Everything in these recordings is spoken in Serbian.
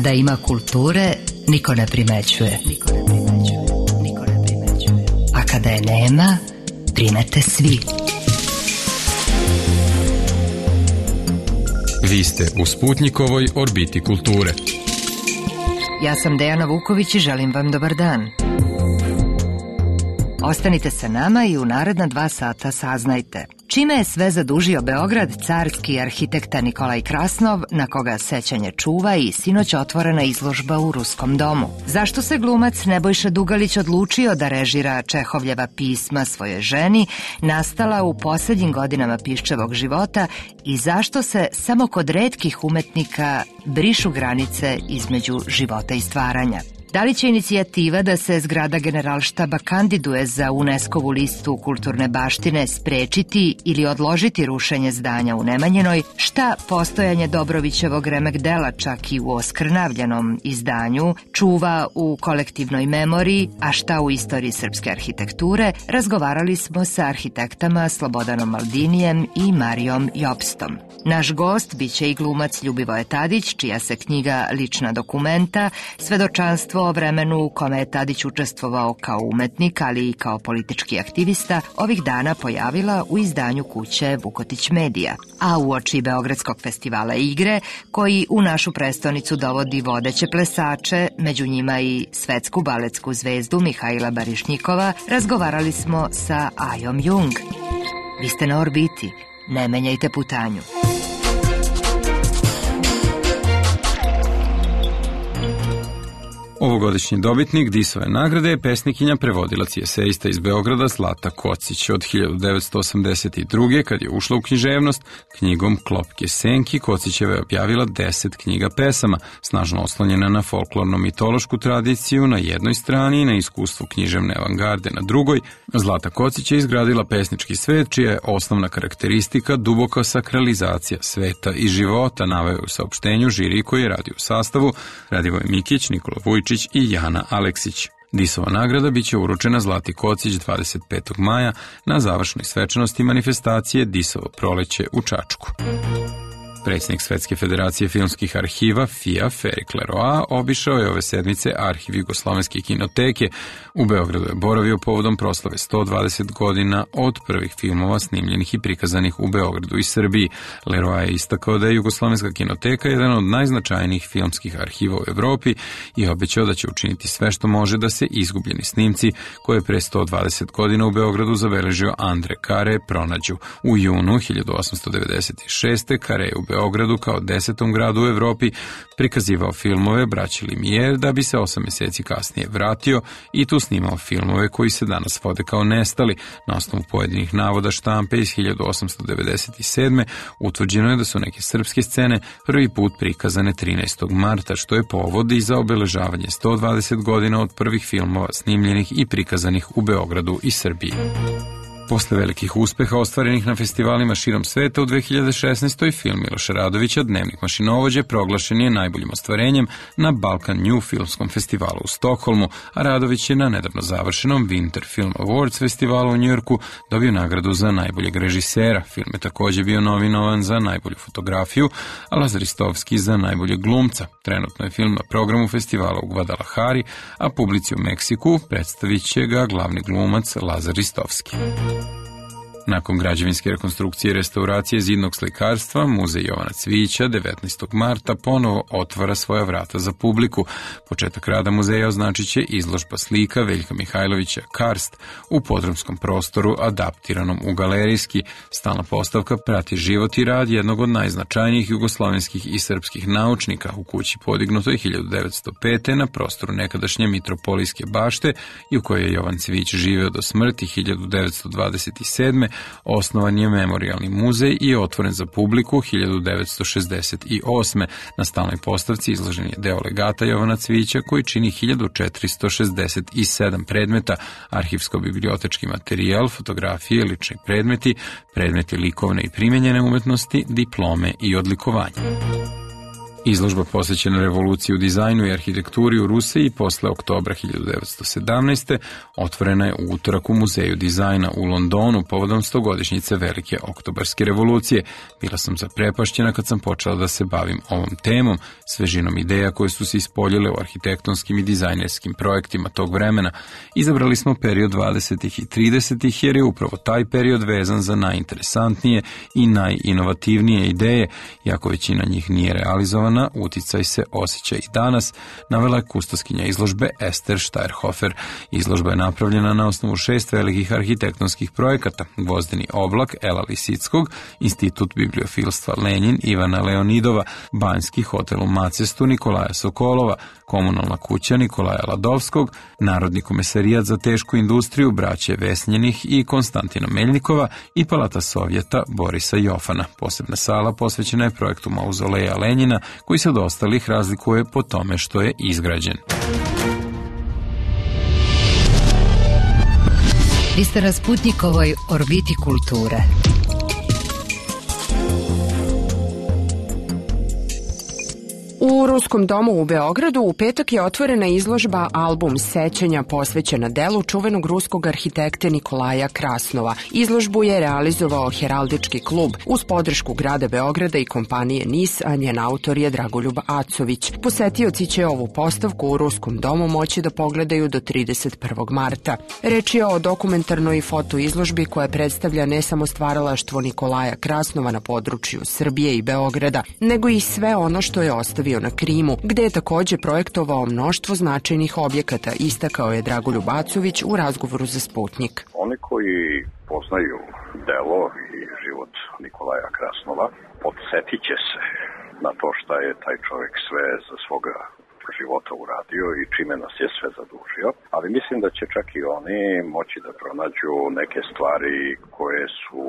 Kada ima kulture, niko ne primećuje. A kada je nema, primete svi. Vi ste u Sputnjikovoj orbiti kulture. Ja sam Dejana Vuković i želim vam dobar dan. Ostanite sa nama i u naredna 2 sata saznajte čime je sve zadužio Beograd carski arhitekta Nikolaj Krasnov, na koga sećanje čuva i sinoć otvorena izložba u Ruskom domu. Zašto se glumac Nebojša Dugalić odlučio da režira Čehovljeva pisma svojoj ženi, nastala u posljednjim godinama Piščevog života, i zašto se samo kod retkih umetnika brišu granice između života i stvaranja. Da li će inicijativa da se zgrada Generalštaba kandiduje za UNESCO-vu listu kulturne baštine sprečiti ili odložiti rušenje zdanja u Nemanjinoj? Šta postojanje Dobrovićevog remek dela, čak i u oskrnavljenom izdanju, čuva u kolektivnoj memoriji, a šta u istoriji srpske arhitekture? Razgovarali smo sa arhitektama Slobodanom Maldinijem i Marijom Jopstom. Naš gost biće i glumac Ljubivoje Tadić, čija se knjiga Lična dokumenta, svedočanstvo o vremenu u kome je Tadić učestvovao kao umetnik, ali i kao politički aktivista, ovih dana pojavila u izdanju kuće Vukotić Medija. A uoči Beogradskog festivala igre, koji u našu prestonicu dovodi vodeće plesače, među njima i svetsku baletsku zvezdu Mihajla Barišnjikova, razgovarali smo sa Ajom Jung. Vi ste na orbiti, ne menjajte putanju. Ovogodišnji dobitnik Disove nagrade je pesnikinja, prevodilac i esejista iz Beograda Zlata Kocić. Od 1982. kad je ušla u književnost, knjigom Klopke senki Kocićeva je objavila 10 knjiga pesama, snažno oslonjena na folklorno-mitološku tradiciju na jednoj strani i na iskustvo književne avangarde na drugoj. Zlata Kocić je izgradila pesnički svet, čija je osnovna karakteristika duboka sakralizacija sveta i života, naveo u saopštenju žiri koji je radio u sastavu Radivoj Mikić, Nikola Vujčić i Jana Aleksić. Disova nagrada biće uručena Zlati Kocić 25. maja na završnoj svečanosti manifestacije Disovo proleće u Čačku. Predsjednik Svetske federacije filmskih arhiva FIA Ferik Leroy obišao je ove sedmice arhiv Jugoslovenske kinoteke. U Beogradu je boravio povodom proslave 120 godina od prvih filmova snimljenih i prikazanih u Beogradu i Srbiji. Leroy je istakao da je Jugoslovenska kinoteka jedan od najznačajnijih filmskih arhiva u Evropi i obećao da će učiniti sve što može da se izgubljeni snimci koje je pre 120 godina u Beogradu zabeležio Andre Kare pronađu. U junu 1896. Kare je u Beogradu kao 10. gradu u Evropi prikazivao filmove braće Lumière, da bi se 8 mjeseci kasnije vratio i tu snimao filmove koji se danas vode kao nestali. Na osnovu pojedinih navoda štampe iz 1897. utvrđeno je da su neke srpske scene prvi put prikazane 13. marta, što je povod i za obeležavanje 120 godina od prvih filmova snimljenih i prikazanih u Beogradu i Srbiji. Posle velikih uspeha ostvarenih na festivalima širom sveta u 2016. film Miloša Radovića Dnevnik mašinovođe proglašen je najboljim ostvarenjem na Balkan New filmskom festivalu u Stokholmu, a Radović je na nedavno završenom Winter Film Awards festivalu u Njujorku dobio nagradu za najboljeg režisera. Film je također bio nominovan za najbolju fotografiju, a Lazar Ristovski za najboljeg glumca. Trenutno je film na programu festivala u Guadalajari, a publici u Meksiku predstavit će ga glavni glumac Lazar Ristovski. Nakon građevinske rekonstrukcije i restauracije zidnog slikarstva, Muzej Jovana Cvijića 19. marta ponovo otvara svoja vrata za publiku. Početak rada muzeja označit će izložba slika Veljka Mihajlovića Karst u podrumskom prostoru adaptiranom u galerijski. Stalna postavka prati život i rad jednog od najznačajnijih jugoslovenskih i srpskih naučnika u kući podignutoj 1905. na prostoru nekadašnje Mitropolijske bašte i u kojoj je Jovan Cvijić živeo do smrti 1927. Osnovan je memorijalni muzej i je otvoren za publiku 1968. Na stalnoj postavci izložen je deo legata Jovana Cvijića koji čini 1467 predmeta, arhivsko-bibliotečki materijal, fotografije, lični predmeti, predmeti likovne i primenjene umetnosti, diplome i odlikovanja. Izložba posvećena revoluciji u dizajnu i arhitekturi u Rusiji posle oktobra 1917. otvorena je u utorak u Muzeju dizajna u Londonu povodom 100-godišnjice Velike oktobarske revolucije. Bila sam zaprepašćena kad sam počela da se bavim ovom temom, svežinom ideja koje su se ispoljile u arhitektonskim i dizajnerskim projektima tog vremena. Izabrali smo period 20. i 30. jer je upravo taj period vezan za najinteresantnije i najinovativnije ideje, iako većina njih nije realizovana, uticaj se osjeća i danas, navela je kustoskinja izložbe Ester Štajrhofer. Izložba je napravljena na osnovu 6 velikih arhitektonskih projekata: Gvozdeni oblak Ela Lisickog, Institut bibliofilstva Lenjin Ivana Leonidova, Banjski hotel u Macestu Nikolaja Sokolova, Komunalna kuća Nikolaja Ladovskog, Narodni komesarijat za tešku industriju braće Vesnjenih i Konstantina Meljnikova i Palata Sovjeta Borisa Jofana. Posebna sala posvećena je projektu Mauzoleja Lenjina, koji se od ostalih razlikuje po tome što je izgrađen. Vi ste na Sputnikovoj orbiti kulture. U Ruskom domu u Beogradu u petak je otvorena izložba Album sećanja posvećena delu čuvenog ruskog arhitekte Nikolaja Krasnova. Izložbu je realizovao Heraldički klub uz podršku grada Beograda i kompanije NIS, a njen autor je Dragoljub Acović. Posetioci će ovu postavku u Ruskom domu moći da pogledaju do 31. marta. Reč je o dokumentarnoj fotoizložbi koja predstavlja ne samo stvaralaštvo Nikolaja Krasnova na području Srbije i Beograda, nego i sve ono što je ostavio na Krimu, gde je takođe projektovao mnoštvo značajnih objekata, istakao je Dragoljub Acović u razgovoru za Sputnik. Oni koji poznaju delo i život Nikolaja Krasnova podsjetit će se na to šta je taj čovjek sve za svoga života uradio i čime nas je sve zadužio, ali mislim da će čak i oni moći da pronađu neke stvari koje su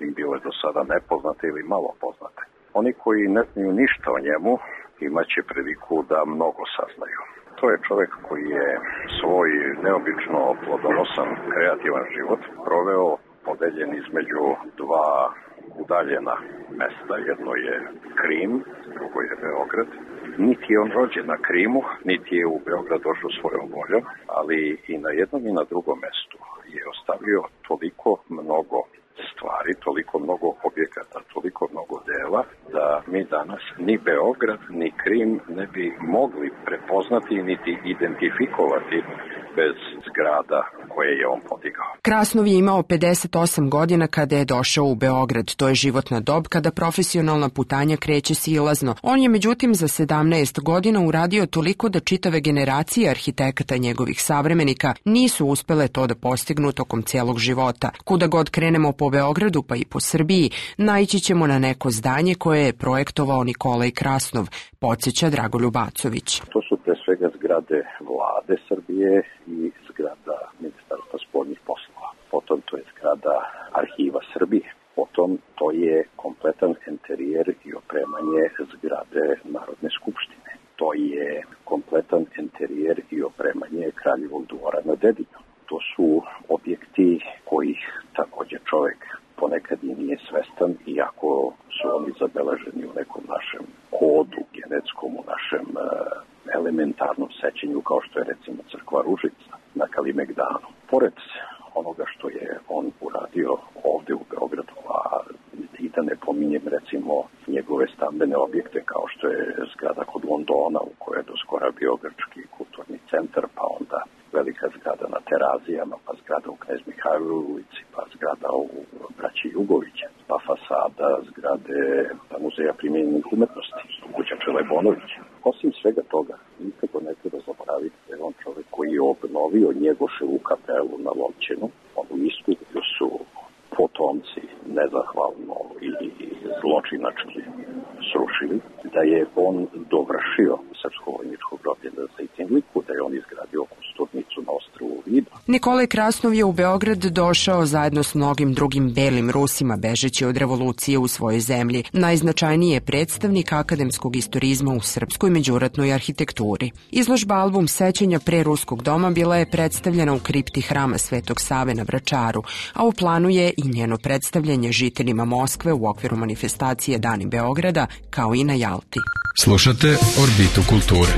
im bile do sada nepoznate ili malo poznate. Oni koji ne znaju ništa o njemu imaće priliku da mnogo saznaju. To je čovjek koji je svoj neobično plodonosan, kreativan život proveo podeljen između dva udaljena mesta. Jedno je Krim, drugo je Beograd. Niti je on rođen na Krimu, niti je u Beograd došao svojom voljom, ali i na jednom i na drugom mestu je ostavio toliko mnogo stvari, toliko mnogo objekata, toliko mnogo dela, da mi danas ni Beograd, ni Krim ne bi mogli prepoznati niti identifikovati bez zgrada koje je on podigao. Krasnov je imao 58 godina kada je došao u Beograd. To je životna dob kada profesionalna putanja kreće silazno. On je međutim za 17 godina uradio toliko da čitave generacije arhitekata njegovih savremenika nisu uspele to da postignu tokom cijelog života. Kuda god krenemo po Beogradu pa i po Srbiji, naići ćemo na neko zdanje koje je projektovao Nikolaj Krasnov, podsjeća Dragoljub Acović. To su pre svega zgrade vlade Srbije i zgrada Ministarstva spoljnih poslova. Potom to je zgrada Arhiva Srbije. Potom to je kompletan enterijer i opremanje zgrade Narodne skupštine. To je kompletan enterijer i opremanje Kraljevog dvora na Dedinju. To su objekti kojih također čovjek ponekad i nije svestan, iako su oni zabeleženi u nekom našem kodu genetskom, u našem elementarnom sećenju, kao što je recimo crkva Ružica na Kalimegdanu. Pored onoga što je on uradio ovde u Beogradu, a i da ne pominjem recimo njegove stambene objekte kao što je zgrada kod Londona u kojoj je doskora bio grčki kulturni centar, pa onda velika zgrada na Terazijama, pa zgrada u Knez Mihajlovoj ulici, pa zgrada u braći Jugovića, pa fasada zgrade Muzeja primijenjenih umetnosti, kuća Čelebonovića. Osim svega toga, nikako ne treba zaboraviti da je on čovjek koji je obnovio Njegoševu kapelu na Lovćenu, onu istu koju su potomci nezahvalno i zločinački srušili, da je on dovršio srpsko vojničko groblje na Zejtinliku, da je on izgradio kosturnicu na ostrvu Viba. Nikolaj Krasnov je u Beograd došao zajedno s mnogim drugim belim Rusima bežeći od revolucije u svojoj zemlji. Najznačajniji je predstavnik akademskog istorizma u srpskoj međuratnoj arhitekturi. Izložba Album sećanja pre Ruskog doma bila je predstavljena u kripti hrama Svetog Save na Vračaru, a u planu je i njeno predstavljanje žiteljima Moskve u okviru manifestacije Dani Beograda kao i na Jalti. Slušate Orbitu kulture.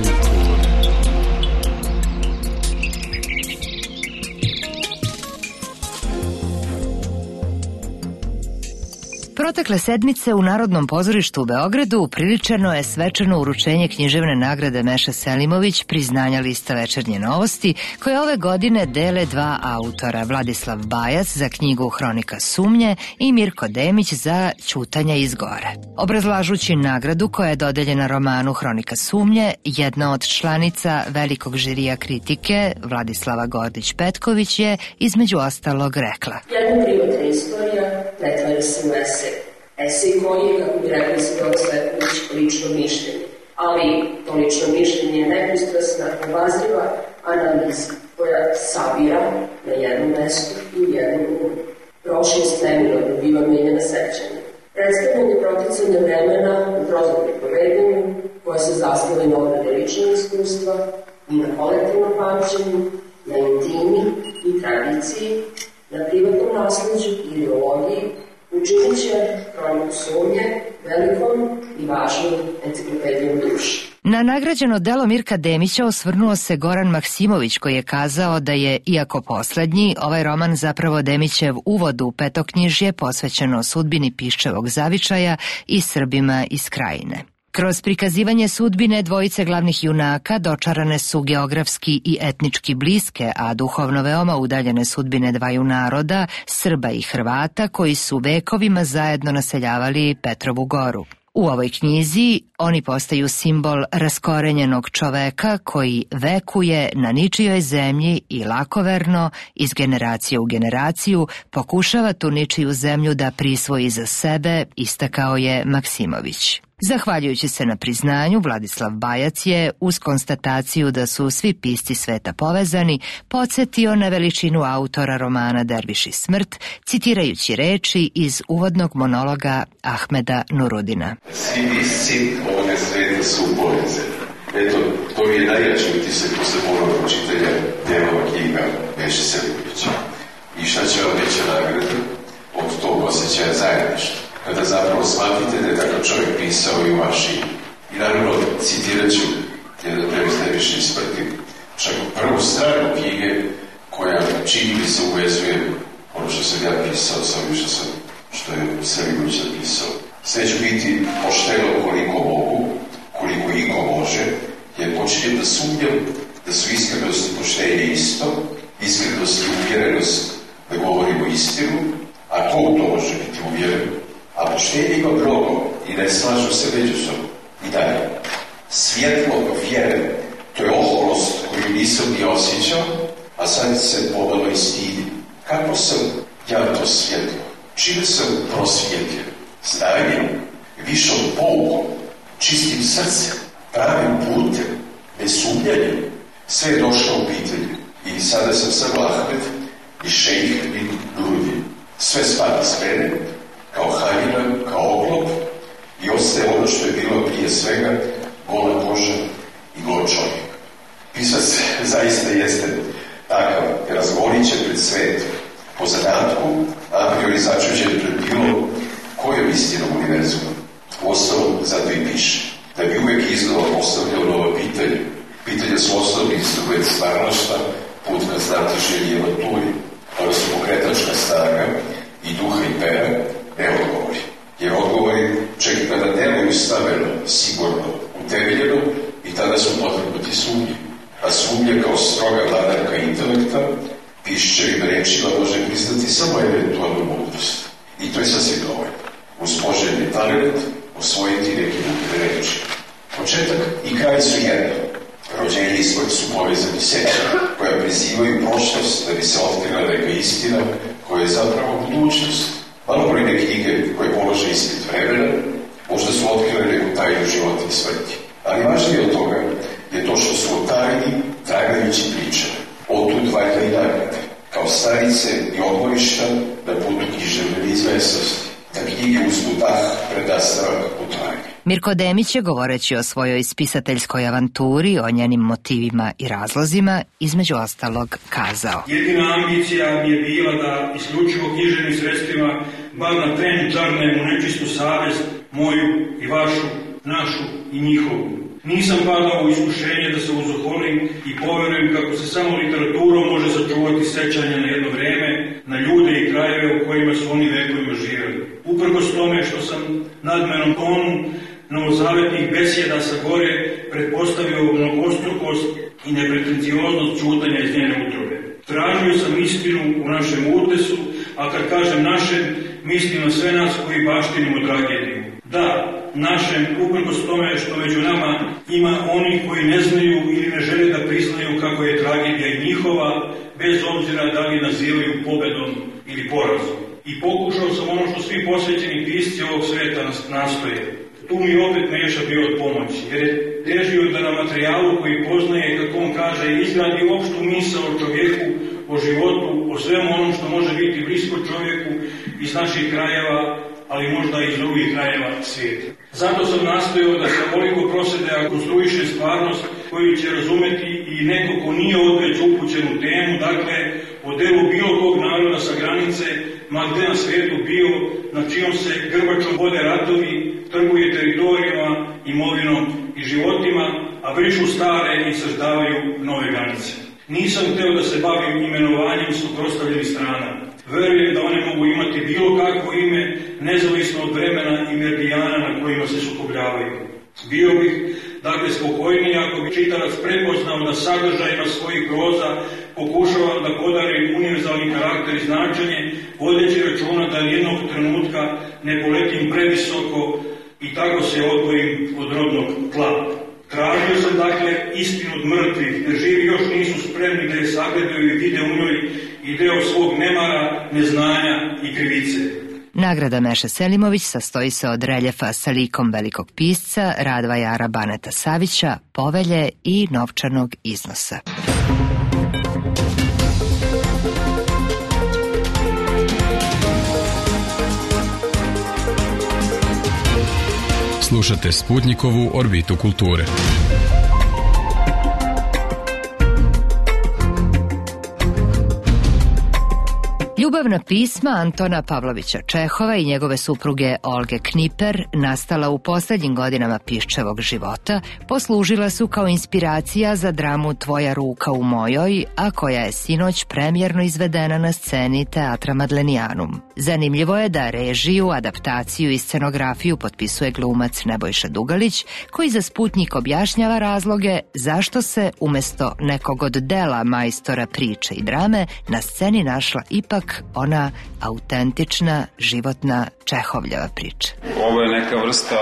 Protekle sedmice u Narodnom pozorištu u Beogradu upriličeno je svečano uručenje književne nagrade Meše Selimović, priznanja lista Večernje novosti, koje ove godine dele dva autora, Vladislav Bajac za knjigu Hronika sumnje i Mirko Demić za Ćutanja iz gore. Obrazlažući nagradu koja je dodeljena romanu Hronika sumnje, jedna od članica velikog žirija kritike, Vladislava Gordić-Petković, je između ostalog rekla: Jedna privatna istorija pretvara se u esej. Esej koji je, kako bi rekli Svedok Cvetković, lično mišljenje. Ali to lično mišljenje je nepristrasna, obazriva analiza koja sabira na jednom mestu i u jednom umu. Prošlost neminovno biva menjena sećanje. Predstavljanje proticanja vremena u prozornim povedanju koja se zasniva na obrade ličnog iskustva i na kolektivnom pamćenju, na intimi i tradiciji, na privatnom nasleđu i ideologiji, učinit će Hroniku sumnje velikom i važnom enciklopedijom duše. Na nagrađeno delo Mirka Demića osvrnuo se Goran Maksimović, koji je kazao da je, iako poslednji, ovaj roman zapravo Demićev uvod u petoknjižje posvećeno sudbini Piščevog zavičaja i Srbima iz Krajine. Kroz prikazivanje sudbine dvojice glavnih junaka dočarane su geografski i etnički bliske, a duhovno veoma udaljene sudbine dvaju naroda, Srba i Hrvata, koji su vekovima zajedno naseljavali Petrovu goru. U ovoj knjizi oni postaju simbol raskorenjenog čoveka koji vekuje na ničijoj zemlji i lakoverno, iz generacije u generaciju, pokušava tu ničiju zemlju da prisvoji za sebe, istakao je Maksimović. Zahvaljujući se na priznanju, Vladislav Bajac je, uz konstataciju da su svi pisci sveta povezani, podsjetio na veličinu autora romana Derviš i smrt, citirajući reči iz uvodnog monologa Ahmeda Nurudina. Svi pisci ovoga sveta su povezani. Eto, to je najjači utisak posle ponovnog čitanja delova knjiga Meše Selimovića. I šta će vam reći nagradu od tog osjećaja zajedništva? Kada zapravo shvatite da je takav čovjek pisao i u vaši. I naravno, citirat ću jedan previs Derviša i smrti, čak prvu stranu knjige koja čini mi se uvezuje ono što sam ja pisao sa ovim što je Selimović napisao. Sve ću biti pošteno koliko mogu, koliko iko može, jer počinjem da sumnjam da su iskrenost i poštenje isto, iskrenost i uvjerenost da govorimo istinu, a ko u to može biti uvjeren? A poštenje ima mnogo i ne slažu se međusobno. I dalje, svjetlo vjere, to je oholost koju nisam ni osjećao, a sad se pomalo i stidim. Kako sam ja to svjetlo? Čime sam prosvjetljen? Znanjem, višom poukom, čistim srcem, pravim putem, nesumnjanjem. Sve je došlo u pitanje. I sada sam samo Ahmed i šejh bin Nurudin. Sve spada s mene, kao haljina, kao oklop, i ostaje ono što je bilo prije svega gola koža i gol čovjek. Pisac zaista jeste takav, razgovorit će pred svetom, po zadatku, a priori začuđen pred bilo kojom istinom univerzuma. Uostalom, zato i piše, da bi uvek iznova postavljao nova pitanja. Pitanja su osnovni instrument stvarnošta, put ka znatiželji i avanturi, ali su pokretačka snaga i duha i pera, ne odgovori. Jer odgovori čak i kada nemaju stavljeno, sigurno, utemeljeno, i tada su potrebati sumnje. A sumnje kao stroga vladarka intelekta, pišćevim rečima može priznati samo eventualnu mudrost. I to je sasvim dovoljno. Uz poželjni talent osvojiti neki mudre reči. Početak i kraj su jedno. Rođenje i smrt su povezani sećanja, koja prizivaju prošlost da bi se otkrila neka istina koja je zapravo budućnost. Malobrojne knjige koje polože ispit vremena možda su otkrile neku tajnu života i smrti. Ali važnije od toga je to što su o tajni tragajući pričane. Otud valjda i nagrade, kao stanice i odmorišta na putu književne neizvesnosti, da knjige uzmu dah pred nastavak putovanja. Mirko Demić je, govoreći o svojoj spisateljskoj avanturi, o njenim motivima i razlozima, između ostalog kazao: Jedina ambicija mi je bila da isključivo književnim sredstvima, bar na tren čarnem u nečistu savest, moju i vašu, našu i njihovu. Nisam padao u iskušenje da se uzoholim i poverujem kako se samo literaturom može sačuvati sećanja na jedno vreme, na ljude i krajeve u kojima su oni vekovima živjeli. Uprkos tome što sam nadmenom tonu novozavetnih besjeda sa gore pretpostavio mnogostrukost i nepretencioznost ćutanja iz njene utrobe. Tražio sam istinu u našem utesu, a kad kažem našem, mislim na sve nas koji baštinimo tragediju. Da, našem, uprkos tome što među nama ima oni koji ne znaju ili ne žele da priznaju kako je tragedija i njihova, bez obzira da li nazivaju pobedom ili porazom. I pokušao sam ono što svi posvećeni pisci ovog sveta nastoje. Tu mi opet Meša bio od pomoći, jer je težio da na materijalu koji poznaje, kako on kaže, izgradi opštu misao o čovjeku, o životu, o svemu onom što može biti blisko čovjeku iz naših krajeva, ali možda i iz drugih krajeva svijeta. Zato sam nastojao da se ovoliko prosede konstruiše stvarnost koju će razumeti i neko ko nije odveć upućen u temu, dakle, o delu bilo kog naroda sa granice, ma gde na svijetu bio, na čijom se grbačom vode ratovi, trguje teritorijama, imovinom i životima, a brišu stare i saždavaju nove granice. Nisam hteo da se bavim imenovanjem suprotstavljenih strana. Verujem da one mogu imati bilo kakvo ime, nezavisno od vremena i meridijana na kojima se sukobljavaju. Bio bih, dakle, spokojniji ako bi čitalac prepoznao da sadržajima svojih proza pokušavam da podarim univerzalni karakter i značenje, vodeći računa da nijednog trenutka ne poletim previsoko i tako se odvojim od rodnog tla. Tražio sam, dakle, istinu od mrtvih, jer živi još nisu spremni da je sagledaju i vide u njoj i deo svog nemara, neznanja i krivice. Nagrada Meše Selimović sastoji se od reljefa sa likom velikog pisca Radvajara Baneta Savića, povelje i novčanog iznosa. Slušate Sputnikovu orbitu kulture. Ljubavna pisma Antona Pavlovića Čehova i njegove supruge Olge Kniper, nastala u posljednjim godinama Piščevog života, poslužila su kao inspiracija za dramu Tvoja ruka u mojoj, a koja je sinoć premijerno izvedena na sceni Teatra Madlenianum. Zanimljivo je da režiju, adaptaciju i scenografiju potpisuje glumac Nebojša Dugalić, koji za Sputnik objašnjava razloge zašto se umjesto nekog od dela majstora priče i drame na sceni našla ipak ona autentična, životna Čehovljeva priča. Ovo je neka vrsta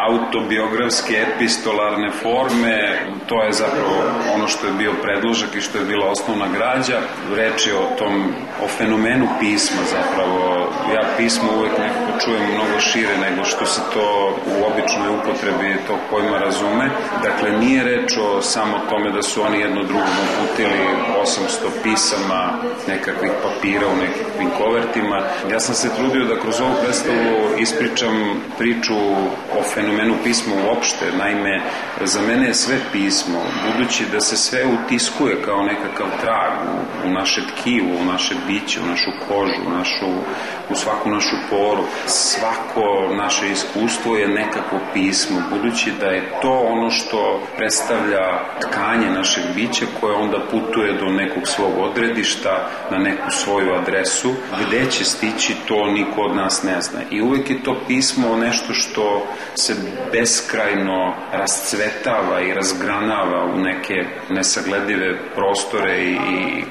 autobiografske epistolarne forme, to je zapravo ono što je bio predložak i što je bila osnovna građa. Reč je o fenomenu pisma zapravo. Ja pismo uvijek nekako čujem mnogo šire nego što se to u običnoj upotrebi tog pojma razume. Dakle, nije reč o samo tome da su oni jedno drugom uputili 800 pisama, nekakvih papira u nekakvim kovertima. Ja sam se trudio da kroz ovu predstavu ispričam priču o fenomenu pisma uopšte. Naime, za mene je sve pismo, budući da se sve utiskuje kao nekakav trag u naše tkivo, u naše biće, u našu kožu, u svaku našu poru. Svako naše iskustvo je nekako pismo, budući da je to ono što predstavlja tkanje našeg bića koje onda putuje do nekog svog odredišta, na neku svoju adresu. Gde će stići, to niko od nas ne zna. I uvek je to pismo nešto što se beskrajno rascvetava i razgranava u neke nesagledive prostore i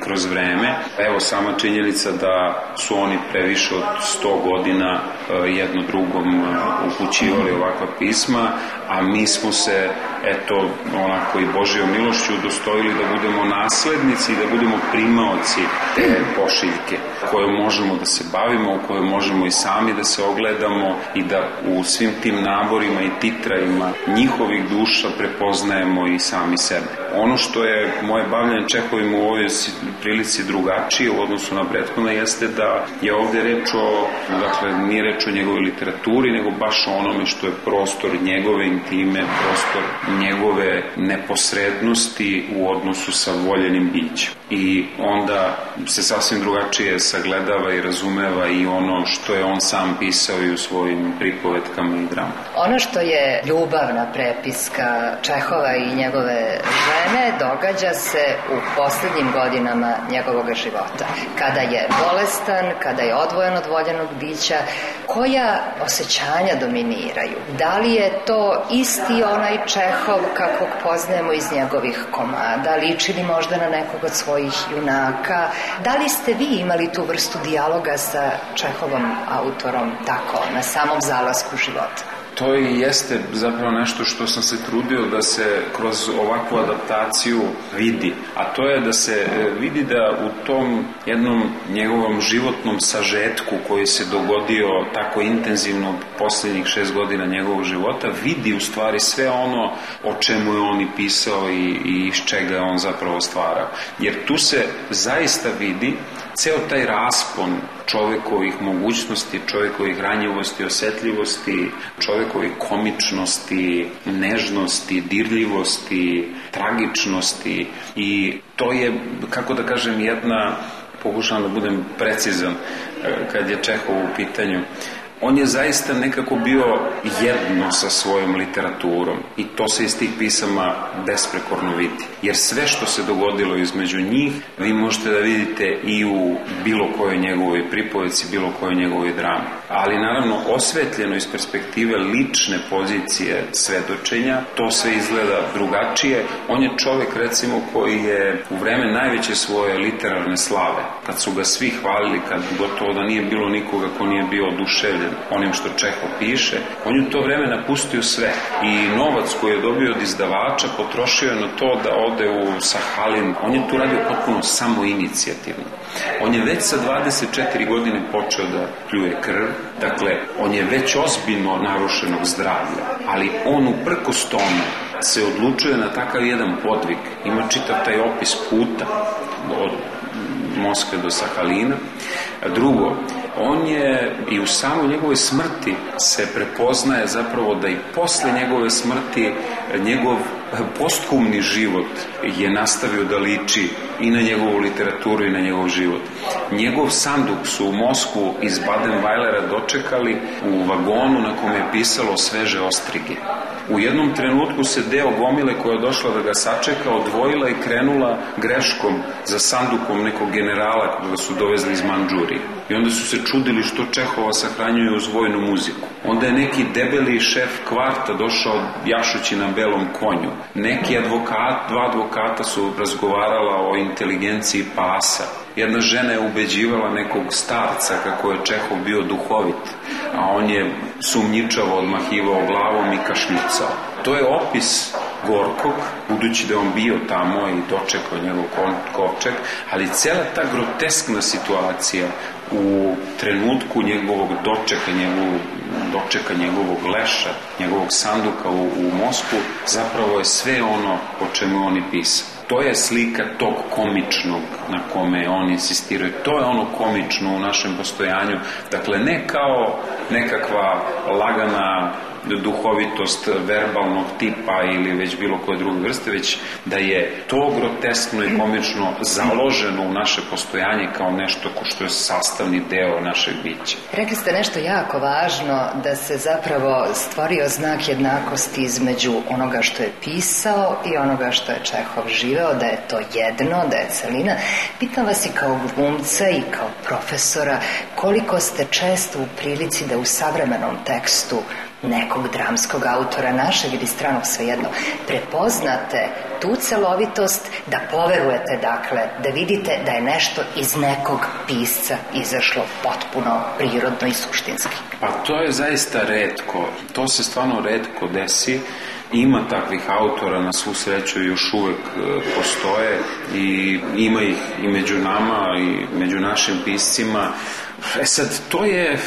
kroz vreme. Evo, sama činjenica da su oni previše od 100 godina jedno drugom upućivali ovakva pisma, a mi smo se, eto, onako i Božjom milošću udostojili da budemo naslednici i da budemo primaoci te pošiljke koje možemo da se bavimo, u kojoj možemo i sami da se ogledamo i da u svim tim naborima i titrajima njihovih duša prepoznajemo i sami sebe. Ono što je moje bavljanje Čehovim u ovoj prilici drugačije u odnosu na prethodno jeste da je ovdje reč o, dakle, nije reč o njegovoj literaturi, nego baš o onome što je prostor njegove intime, prostor njegove neposrednosti u odnosu sa voljenim bićem. i onda se sasvim drugačije sagledava i razumeva i ono što je on sam pisao i u svojim pripovetkama i dramama. Ono što je ljubavna prepiska Čehova i njegove žene događa se u poslednjim godinama njegovog života. Kada je bolestan, kada je odvojen od voljenog bića, koja osjećanja dominiraju? Da li je to isti onaj Čehov kakvog poznajemo iz njegovih komada? Liči li možda na nekog od svojih junaka? Da li ste vi imali tu vrstu dijaloga sa Čehovom autorom tako, na samom zalasku života? To i jeste zapravo nešto što sam se trudio da se kroz ovakvu adaptaciju vidi, a to je da se vidi da u tom jednom njegovom životnom sažetku koji se dogodio tako intenzivno posljednjih 6 godina njegovog života, vidi u stvari sve ono o čemu je on i pisao i iz čega je on zapravo stvarao. Jer tu se zaista vidi ceo taj raspon čovekovih mogućnosti, čovekovih ranjivosti, osetljivosti, čovekovih komičnosti, nežnosti, dirljivosti, tragičnosti i to je, kako da kažem, jedna, pokušavam da budem precizan kad je Čehov u pitanju, on je zaista nekako bio jedno sa svojom literaturom i to se iz tih pisama besprekorno vidi. Jer sve što se dogodilo između njih vi možete da vidite i u bilo kojoj njegovoj pripovedci, bilo kojoj njegovoj drami. Ali naravno osvetljeno iz perspektive lične pozicije svedočenja, to sve izgleda drugačije. On je čovjek recimo koji je u vreme najveće svoje literarne slave, kad su ga svi hvalili, kad gotovo da nije bilo nikoga ko nije bio oduševljen onim što Čehov piše, on je u to vreme napustio sve i novac koji je dobio od izdavača potrošio je na to da ode u Sahalin. On je tu radio potpuno samoinicijativno. On je već sa 24 godine počeo da pljuje krv, dakle on je već ozbiljno narušenog zdravlja, ali on uprkos tome se odlučuje na takav jedan podvig. Ima čitav taj opis puta od Moskve do Sahalina. Drugo, on je i u samoj njegovoj smrti se prepoznaje zapravo da i posle njegove smrti njegov posthumni život je nastavio da liči i na njegovu literaturu i na njegov život. Njegov sanduk su u Moskvu iz Baden-Weilera dočekali u vagonu na kome je pisalo sveže ostrige. U jednom trenutku se deo gomile koja je došla da ga sačeka odvojila i krenula greškom za sandukom nekog generala koga su dovezli iz Mandžurije. I onda su se čudili što Čehova sahranjuje uz vojnu muziku. Onda je neki debeli šef kvarta došao jašući na belom konju. Neki dva advokata su razgovarala o inteligenciji pasa. Jedna žena je ubeđivala nekog starca kako je Čehov bio duhovit, a on je sumnjičavo odmahivao glavom i kašljucao. To je opis Gorkog, budući da je on bio tamo i dočekao njegov kovčeg, ali cela ta groteskna situacija u trenutku njegovog dočeka njegovog leša, njegovog sanduka u Moskvu, zapravo je sve ono o čemu on i pisao. To je slika tog komičnog na kome on insistirao. To je ono komično u našem postojanju. Dakle, ne kao nekakva lagana duhovitost verbalnog tipa ili već bilo koje druge vrste, već da je to groteskno i komično založeno u naše postojanje kao nešto što je sastavni deo našeg bića. Rekli ste nešto jako važno, da se zapravo stvorio znak jednakosti između onoga što je pisao i onoga što je Čehov živeo, da je to jedno, da je celina. Pitam vas i kao glumca i kao profesora, koliko ste često u prilici da u savremenom tekstu nekog dramskog autora, našeg ili stranog, svejedno, prepoznate tu celovitost, da poverujete, dakle, da vidite da je nešto iz nekog pisca izašlo potpuno prirodno i suštinski. Pa to je zaista retko. To se stvarno retko desi. Ima takvih autora, na svu sreću još uvek postoje i ima ih i među nama i među našim piscima. Sad, to je,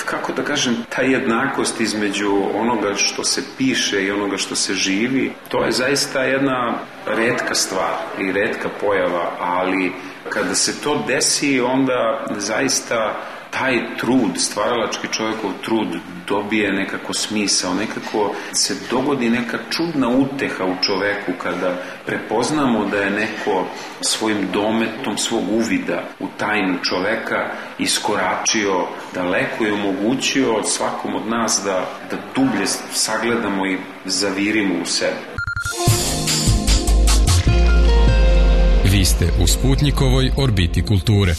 kako da kažem, ta jednakost između onoga što se piše i onoga što se živi, to je zaista jedna retka stvar i retka pojava, ali kada se to desi, onda zaista taj trud, stvaralački čovjekov trud dobije nekako smisao, nekako se dogodi neka čudna uteha u čoveku kada prepoznamo da je neko svojim dometom svog uvida u tajnu čoveka iskoračio daleko i omogućio svakom od nas da dublje sagledamo i zavirimo u sebe. Vi ste u Sputnikovoj orbiti kulture.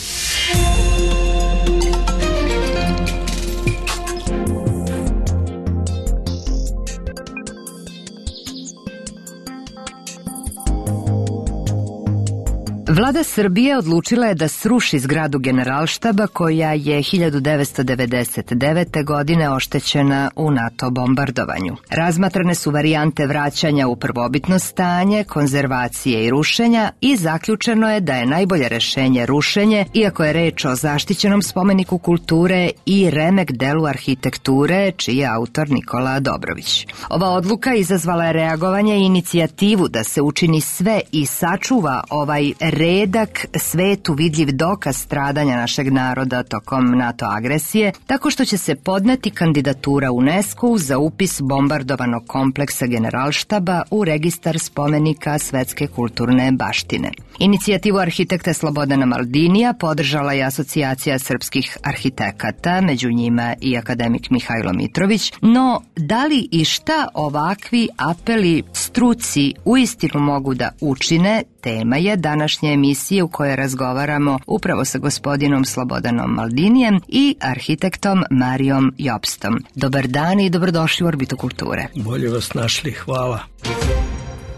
Vlada Srbije odlučila je da sruši zgradu Generalštaba koja je 1999. godine oštećena u NATO bombardovanju. Razmatrane su varijante vraćanja u prvobitno stanje, konzervacije i rušenja i zaključeno je da je najbolje rešenje rušenje, iako je reč o zaštićenom spomeniku kulture i remek delu arhitekture, čiji je autor Nikola Dobrović. Ova odluka izazvala je reagovanje i inicijativu da se učini sve i sačuva ovaj redak, svetu vidljiv dokaz stradanja našeg naroda tokom NATO agresije, tako što će se podneti kandidatura UNESCO za upis bombardovanog kompleksa Generalštaba u registar spomenika svetske kulturne baštine. Inicijativu arhitekta Slobodana Maldinija podržala je Asocijacija srpskih arhitekata, među njima i akademik Mihajlo Mitrović, no da li i šta ovakvi apeli struci uistinu mogu da učine, tema je današnje emisije u kojoj razgovaramo upravo sa gospodinom Slobodanom Maldinijem i arhitektom Marijom Jopstom. Dobar dan i dobrodošli u Orbitu kulture. Bolje vas našli, hvala.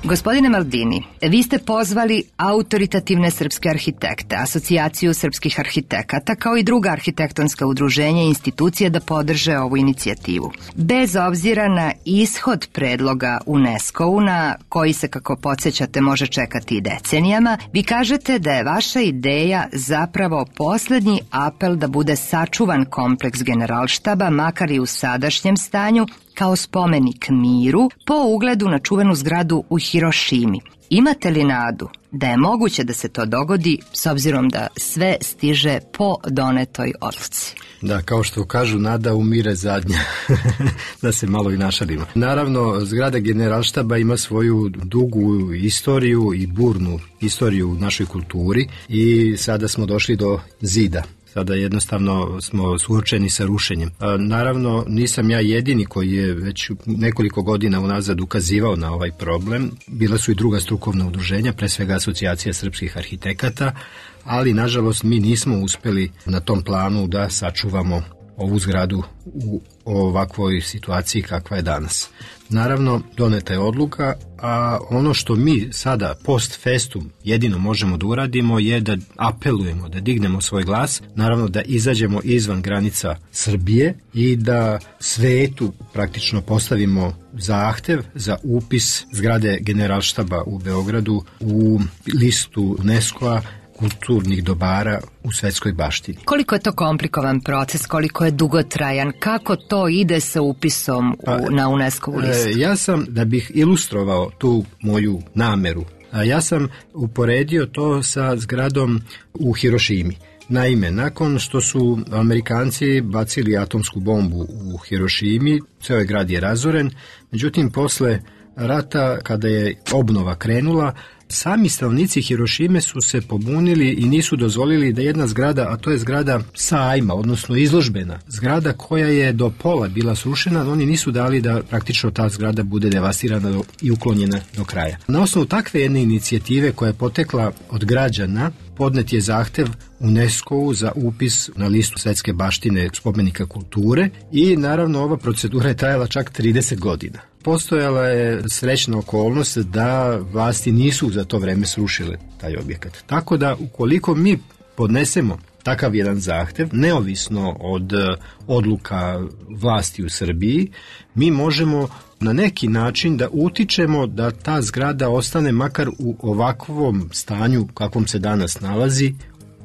Gospodine Maldini, vi ste pozvali autoritativne srpske arhitekte, Asocijaciju srpskih arhitekata, kao i druga arhitektonska udruženja i institucije da podrže ovu inicijativu. Bez obzira na ishod predloga UNESCO-u, na koji se, kako podsjećate, može čekati i decenijama, vi kažete da je vaša ideja zapravo poslednji apel da bude sačuvan kompleks Generalštaba, makar i u sadašnjem stanju, kao spomenik miru, po ugledu na čuvenu zgradu u Hirošimi. Imate li nadu da je moguće da se to dogodi, s obzirom da sve stiže po donetoj odluci? Da, kao što kažu, nada umire zadnja, da se malo i našalimo. Naravno, zgrada Generalštaba ima svoju dugu istoriju i burnu istoriju u našoj kulturi i sada smo došli do zida. Sada jednostavno smo suočeni sa rušenjem. Naravno, nisam ja jedini koji je već nekoliko godina unazad ukazivao na ovaj problem. Bila su i druga strukovna udruženja, pre svega Asocijacija srpskih arhitekata, ali nažalost mi nismo uspeli na tom planu da sačuvamo ovu zgradu u ovakvoj situaciji kakva je danas. Naravno, doneta je odluka, a ono što mi sada post festum jedino možemo da uradimo je da apelujemo, da dignemo svoj glas, naravno da izađemo izvan granica Srbije i da svetu praktično postavimo zahtev za upis zgrade Generalštaba u Beogradu u listu UNESCO-a kulturnih dobara u svetskoj baštini. Koliko je to komplikovan proces, koliko je dugotrajan, kako to ide sa upisom na UNESCO-vu listu? Ja sam, da bih ilustrovao tu moju nameru, ja sam uporedio to sa zgradom u Hirošimi. Naime, nakon što su Amerikanci bacili atomsku bombu u Hirošimi, ceo grad je razoren, međutim posle rata, kada je obnova krenula, sami stanovnici Hirošime su se pobunili i nisu dozvolili da jedna zgrada, a to je zgrada sajma, odnosno izložbena, zgrada koja je do pola bila srušena, oni nisu dali da praktično ta zgrada bude devastirana i uklonjena do kraja. Na osnovu takve jedne inicijative koja je potekla od građana, podnet je zahtev UNESCO-u za upis na listu svetske baštine spomenika kulture i naravno ova procedura je trajala čak 30 godina. Postojala je srećna okolnost da vlasti nisu za to vreme srušile taj objekat. Tako da ukoliko mi podnesemo takav jedan zahtev, neovisno od odluka vlasti u Srbiji, mi možemo na neki način da utičemo da ta zgrada ostane makar u ovakvom stanju kakvom se danas nalazi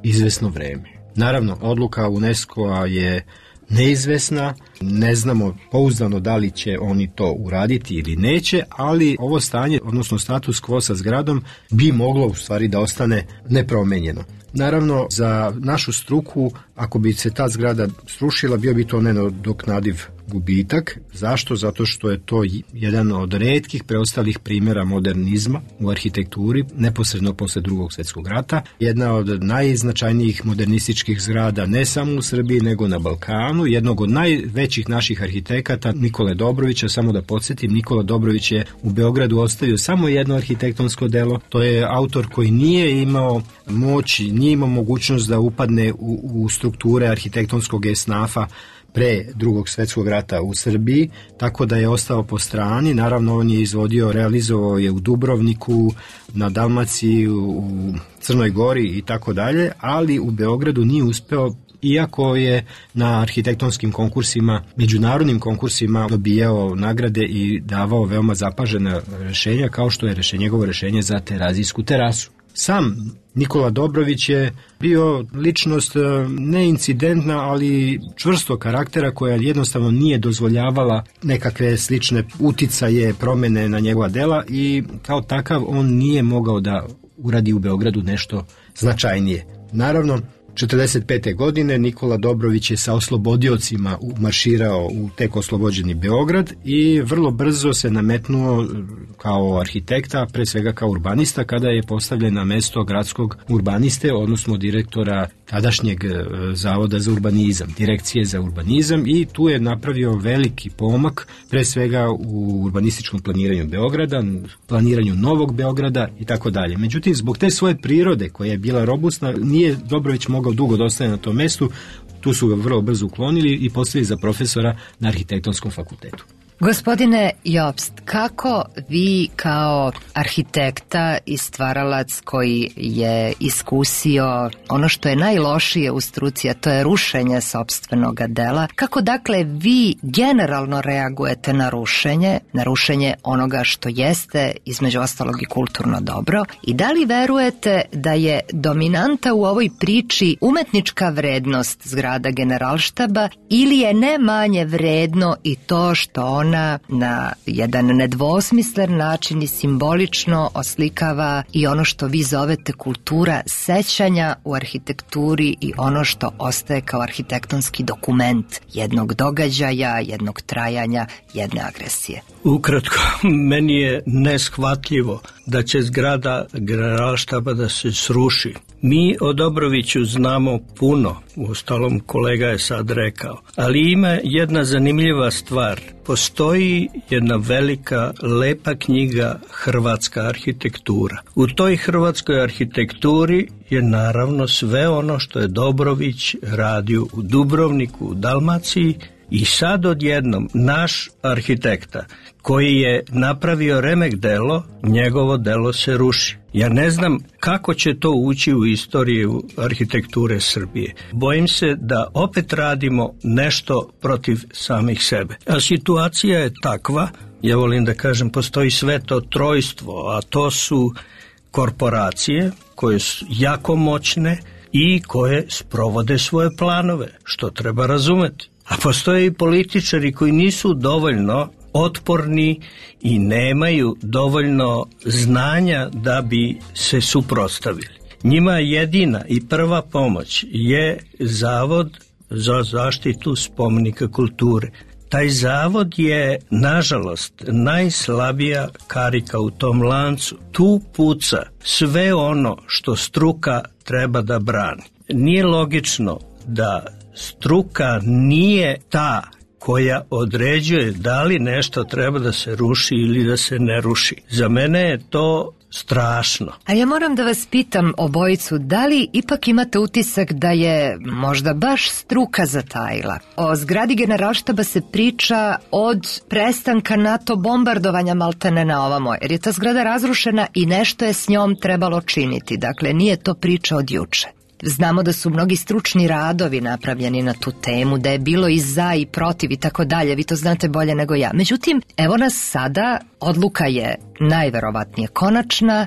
izvesno vreme. Naravno, odluka UNESCO-a je neizvesna, ne znamo pouzdano da li će oni to uraditi ili neće, ali ovo stanje, odnosno status quo sa zgradom, bi moglo u stvari da ostane nepromenjeno. Naravno, za našu struku, ako bi se ta zgrada srušila, bio bi to nenadoknadiv gubitak. Zašto? Zato što je to jedan od retkih preostalih primjera modernizma u arhitekturi, neposredno posle Drugog svjetskog rata. Jedna od najznačajnijih modernističkih zgrada ne samo u Srbiji, nego na Balkanu. Jednog od najvećih naših arhitekata, Nikole Dobrovića, samo da podsjetim, Nikola Dobrović je u Beogradu ostavio samo jedno arhitektonsko delo. To je autor koji nije imao moć, nije imao mogućnost da upadne u strukture arhitektonskog esnafa pre Drugog svjetskog rata u Srbiji, tako da je ostao po strani. Naravno, on je izvodio, realizovao je u Dubrovniku, na Dalmaciji, u Crnoj Gori i tako dalje, ali u Beogradu nije uspeo, iako je na arhitektonskim konkursima, međunarodnim konkursima dobijao nagrade i davao veoma zapažena rešenja, kao što je njegovo rešenje za Terazijsku terasu. Sam Nikola Dobrović je bio ličnost neincidentna, ali čvrsto karaktera, koja jednostavno nije dozvoljavala nekakve slične uticaje, promene na njegova dela, i kao takav on nije mogao da uradi u Beogradu nešto značajnije. Naravno, 1945. godine Nikola Dobrović je sa oslobodiocima marširao u tek oslobođeni Beograd i vrlo brzo se nametnuo kao arhitekta, pre svega kao urbanista, kada je postavljen na mesto gradskog urbaniste, odnosno direktora tadašnjeg Zavoda za urbanizam, Direkcije za urbanizam, i tu je napravio veliki pomak, pre svega u urbanističkom planiranju Beograda, planiranju Novog Beograda i tako dalje. Međutim, zbog te svoje prirode koja je bila robustna, nije Dobrović mogao dugo da ostane na tom mestu. Tu su ga vrlo brzo uklonili i postavili za profesora na arhitektonskom fakultetu. Gospodine Jobst, kako vi kao arhitekta i stvaralac koji je iskusio ono što je najlošije u struci, a to je rušenje sopstvenog dela, kako dakle vi generalno reagujete na rušenje onoga što jeste između ostalog i kulturno dobro, i da li verujete da je dominanta u ovoj priči umetnička vrednost zgrada Generalštaba, ili je ne manje vredno i to što ona na jedan nedvosmislen način i simbolično oslikava i ono što vi zovete kultura sećanja u arhitekturi i ono što ostaje kao arhitektonski dokument jednog događaja, jednog trajanja, jedne agresije? Ukratko, meni je neshvatljivo da će zgrada Generalštaba da se sruši. Mi o Dobroviću znamo puno, uostalom kolega je sad rekao, ali ima jedna zanimljiva stvar. Postoji jedna velika, lepa knjiga Hrvatska arhitektura. U toj hrvatskoj arhitekturi je naravno sve ono što je Dobrović radio u Dubrovniku, u Dalmaciji, i sad odjednom naš arhitekta koji je napravio remek delo, njegovo delo se ruši. Ja ne znam kako će to ući u istoriju arhitekture Srbije. Bojim se da opet radimo nešto protiv samih sebe. A situacija je takva, ja volim da kažem, postoji sveto trojstvo, a to su korporacije koje su jako moćne i koje sprovode svoje planove, što treba razumeti. A postoje i političari koji nisu dovoljno otporni i nemaju dovoljno znanja da bi se suprotstavili. Njima jedina i prva pomoć je Zavod za zaštitu spomenika kulture. Taj zavod je, nažalost, najslabija karika u tom lancu. Tu puca sve ono što struka treba da brani. Nije logično da struka nije ta koja određuje da li nešto treba da se ruši ili da se ne ruši. Za mene je to strašno. A ja moram da vas pitam obojicu, da li ipak imate utisak da je možda baš struka zatajila? O zgradi Generalštaba se priča od prestanka NATO bombardovanja maltene na ovamo, jer je ta zgrada razrušena i nešto je s njom trebalo činiti. Dakle, nije to priča od juče. Znamo da su mnogi stručni radovi napravljeni na tu temu, da je bilo i za i protiv i tako dalje, vi to znate bolje nego ja. Međutim, evo nas sada, odluka je najverovatnije konačna,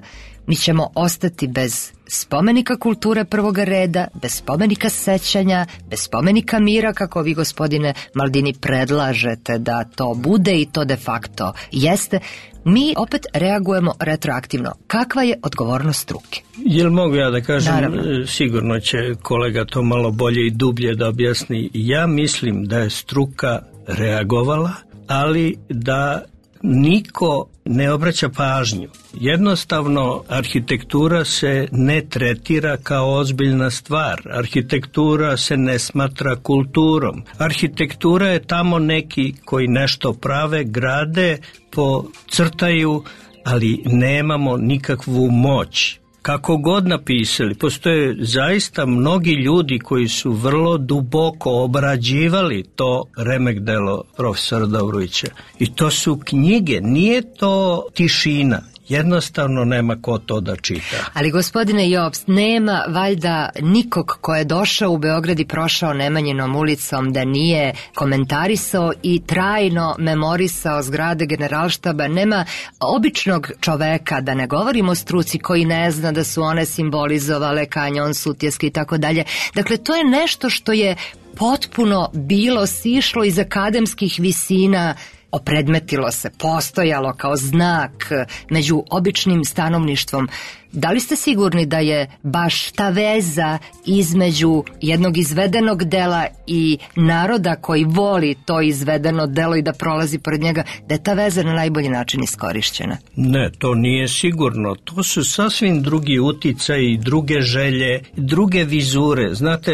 mi ćemo ostati bez spomenika kulture prvoga reda, bez spomenika sećanja, bez spomenika mira, kako vi, gospodine Maldini, predlažete da to bude i to de facto jeste. Mi opet reagujemo retroaktivno. Kakva je odgovornost struke? Jel mogu ja da kažem? Naravno. Sigurno će kolega to malo bolje i dublje da objasni. Ja mislim da je struka reagovala, ali da niko ne obraća pažnju. Jednostavno, arhitektura se ne tretira kao ozbiljna stvar. Arhitektura se ne smatra kulturom. Arhitektura je tamo neki koji nešto prave, grade, pocrtaju, ali nemamo nikakvu moć. Kako god napisali, postoje zaista mnogi ljudi koji su vrlo duboko obrađivali to remek delo profesora Dobrovića. I to su knjige, nije to tišina. Jednostavno nema ko to da čita. Ali, gospodine Jobst, nema valjda nikog ko je došao u Beograd i prošao Nemanjinom ulicom da nije komentarisao i trajno memorisao zgrade Generalštaba. Nema običnog čoveka, da ne govorimo o struci, koji ne zna da su one simbolizovale kanjon Sutjeski i tako dalje. Dakle, to je nešto što je potpuno bilo sišlo iz akademskih visina, opredmetilo se, postojalo kao znak među običnim stanovništvom. Da li ste sigurni da je baš ta veza između jednog izvedenog dela i naroda koji voli to izvedeno delo i da prolazi pored njega, da je ta veza na najbolji način iskorišćena? Ne, to nije sigurno. To su sasvim drugi uticaji, druge želje, druge vizure. Znate,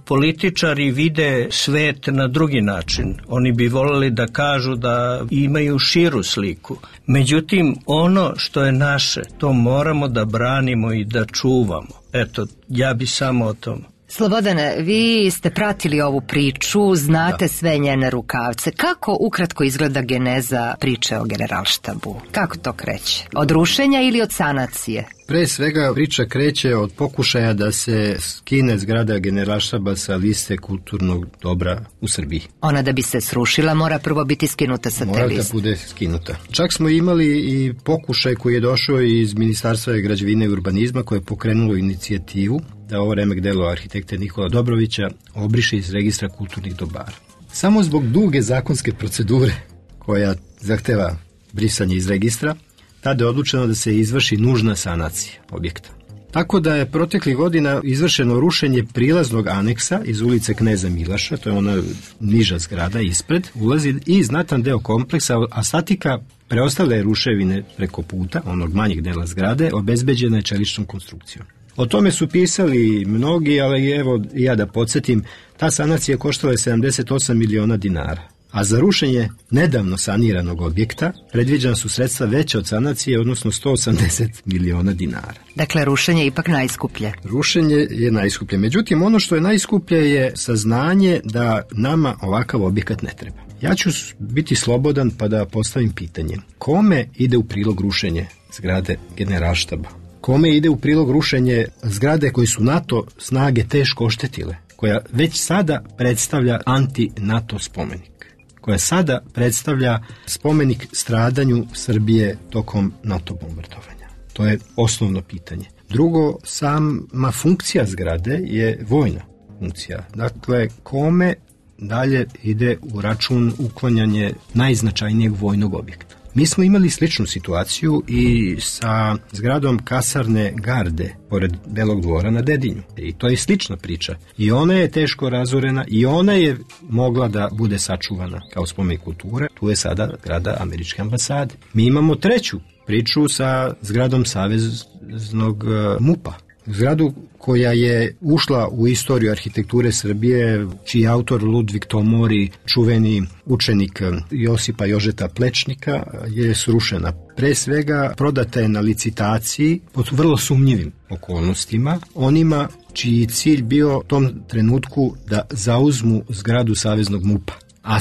političari vide svet na drugi način. Oni bi voljeli da kažu da imaju širu sliku. Međutim, ono što je naše, to moramo da branimo i da čuvamo. Eto, ja bi samo o tom. Slobodane, vi ste pratili ovu priču, znate sve njene rukavce. Kako ukratko izgleda geneza priče o Generalštabu? Kako to kreće? Od rušenja ili od sanacije? Pre svega priča kreće od pokušaja da se skine zgrada Generalštaba sa liste kulturnog dobra u Srbiji. Ona da bi se srušila mora prvo biti skinuta sa te liste. Mora da bude skinuta. Čak smo imali i pokušaj koji je došao iz Ministarstva građevine i urbanizma, koje je pokrenulo inicijativu da ovo remek delo arhitekte Nikola Dobrovića obriše iz registra kulturnih dobara. Samo zbog duge zakonske procedure koja zahteva brisanje iz registra, tada je odlučeno da se izvrši nužna sanacija objekta. Tako da je proteklih godina izvršeno rušenje prilaznog aneksa iz ulice Kneza Milaša, to je ona niža zgrada ispred, ulazi i znatan deo kompleksa, a statika preostale ruševine preko puta, onog manjeg dela zgrade, obezbeđena je čeličnom konstrukcijom. O tome su pisali mnogi, ali evo ja da podsjetim, ta sanacija koštala je 78 miliona dinara. A za rušenje nedavno saniranog objekta predviđena su sredstva veća od sanacije, odnosno 180 miliona dinara. Dakle, rušenje je ipak najskuplje. Rušenje je najskuplje. Međutim, ono što je najskuplje je saznanje da nama ovakav objekat ne treba. Ja ću biti slobodan pa da postavim pitanje. Kome ide u prilog rušenje zgrade Generalštaba? Kome ide u prilog rušenje zgrade koje su NATO snage teško oštetile? Koja već sada predstavlja anti-NATO spomenik, koja sada predstavlja spomenik stradanju Srbije tokom NATO bombardovanja. To je osnovno pitanje. Drugo, sama funkcija zgrade je vojna funkcija. Dakle, kome dalje ide u račun uklanjanje najznačajnijeg vojnog objekta? Mi smo imali sličnu situaciju i sa zgradom kasarne garde pored Belog dvora na Dedinju. I to je slična priča. I ona je teško razorena i ona je mogla da bude sačuvana kao spomenik kulture. Tu je sada zgrada američke ambasade. Mi imamo treću priču sa zgradom saveznog MUP-a. Zgradu koja je ušla u istoriju arhitekture Srbije, čiji autor Ludvig Tomori, čuveni učenik Josipa Jožeta Plečnika, je srušena. Pre svega prodata je na licitaciji pod vrlo sumnjivim okolnostima, onima čiji cilj bio u tom trenutku da zauzmu zgradu saveznog MUP-a. A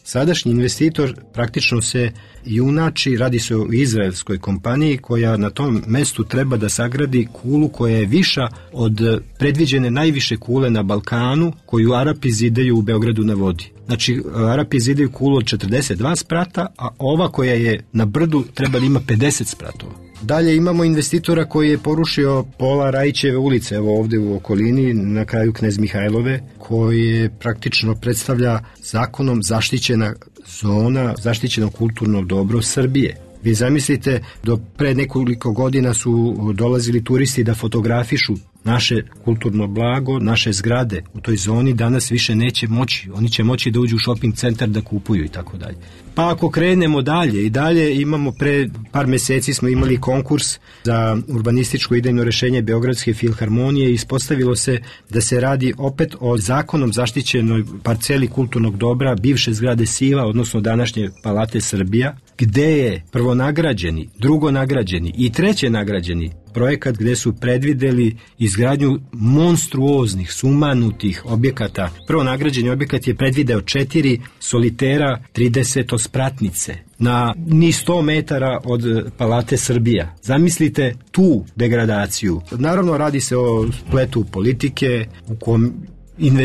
sadašnji investitor praktično se junači, radi se o izraelskoj kompaniji koja na tom mestu treba da sagradi kulu koja je viša od predviđene najviše kule na Balkanu, koju Arapi zidaju u Beogradu na vodi. Znači, Arapi zidaju kulu od 42 sprata, a ova koja je na brdu treba da ima 50 spratova. Dalje imamo investitora koji je porušio pola Rajićeve ulice, evo ovde u okolini, na kraju Knez Mihajlove, koji praktično predstavlja zakonom zaštićena zona, zaštićeno kulturno dobro Srbije. Vi zamislite, do pre nekoliko godina su dolazili turisti da fotografišu naše kulturno blago, naše zgrade u toj zoni, danas više neće moći. Oni će moći da uđu u shopping centar da kupuju i tako dalje. Pa ako krenemo dalje i dalje, imamo pre par meseci smo imali konkurs za urbanističko idejno rešenje Beogradske filharmonije i ispostavilo se da se radi opet o zakonom zaštićenoj parceli kulturnog dobra bivše zgrade Siva, odnosno današnje Palate Srbija, gde je prvonagrađeni, drugonagrađeni i trećenagrađeni projekat gde su predvideli izgradnju monstruoznih, sumanutih objekata. Prvonagrađeni objekat je predvideo 4 solitera 30-spratnice na ni 100 metara od Palate Srbija. Zamislite tu degradaciju. Naravno, radi se o spletu politike u kom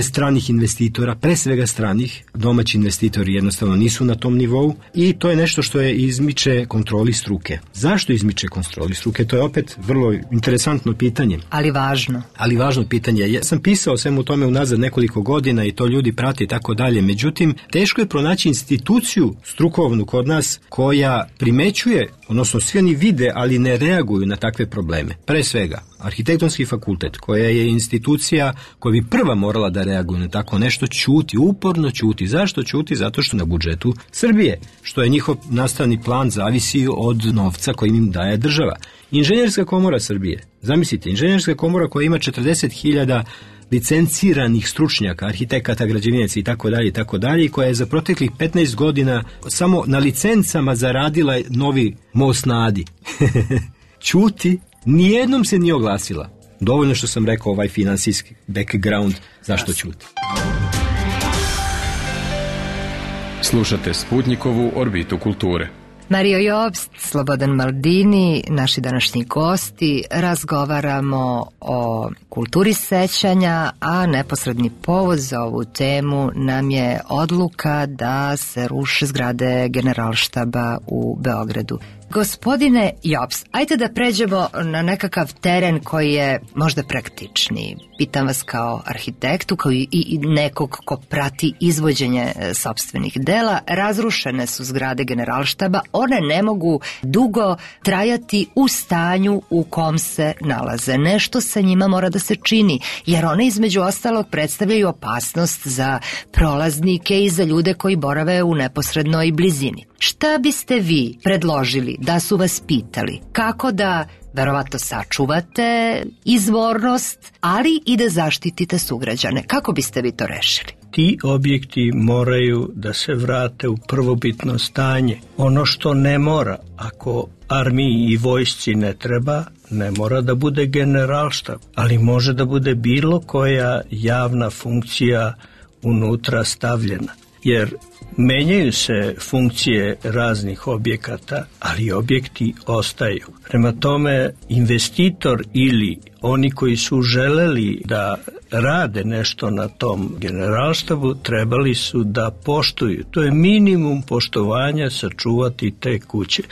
stranih investitora, pre svega stranih, domaći investitori jednostavno nisu na tom nivou i to je nešto što je izmiče kontroli struke. Zašto izmiče kontroli struke? To je opet vrlo interesantno pitanje. Ali važno. Ali važno pitanje. Ja sam pisao svemu tome unazad nekoliko godina i to ljudi prate i tako dalje. Međutim, teško je pronaći instituciju strukovnu kod nas koja primećuje, odnosno svi oni vide, ali ne reaguju na takve probleme. Pre svega, Arhitektonski fakultet, koja je institucija koja bi prva morala da reaguje na tako nešto, ćuti, uporno ćuti. Zašto ćuti? Zato što na budžetu Srbije, što je njihov nastavni plan zavisi od novca koji im daje država. Inženjerska komora Srbije, zamislite, inženjerska komora koja ima 40.000 licenciranih stručnjaka, arhitekata, građevinaca i tako dalje, i koja je za proteklih 15 godina samo na licencama zaradila novi most na Adi. Ćuti, nijednom se nije oglasila. Dovoljno što sam rekao ovaj finansijski background, zašto ćuti. Slušate Sputnikovu orbitu kulture. Mario Jobst, Slobodan Maldini, naši današnji gosti, razgovaramo o kulturi sećanja, a neposredni povod za ovu temu nam je odluka da se ruše zgrade Generalštaba u Beogradu. Gospodine Jobst, ajde da pređemo na nekakav teren koji je možda praktičniji. Pitam vas kao arhitektu, kao i nekog ko prati izvođenje sopstvenih dela. Razrušene su zgrade Generalštaba, one ne mogu dugo trajati u stanju u kom se nalaze. Nešto sa njima mora da se čini, jer one između ostalog predstavljaju opasnost za prolaznike i za ljude koji borave u neposrednoj blizini. Šta biste vi predložili da su vas pitali? Kako da verovatno sačuvate izvornost, ali i da zaštitite sugrađane? Kako biste vi to rešili? Ti objekti moraju da se vrate u prvobitno stanje. Ono što ne mora, ako armiji i vojsci ne treba, ne mora da bude Generalštab, ali može da bude bilo koja javna funkcija unutra stavljena. Jer menjaju se funkcije raznih objekata, ali objekti ostaju. Prema tome, investitor ili oni koji su želeli da rade nešto na tom Generalštabu, trebali su da poštuju. To je minimum poštovanja, sačuvati te kuće.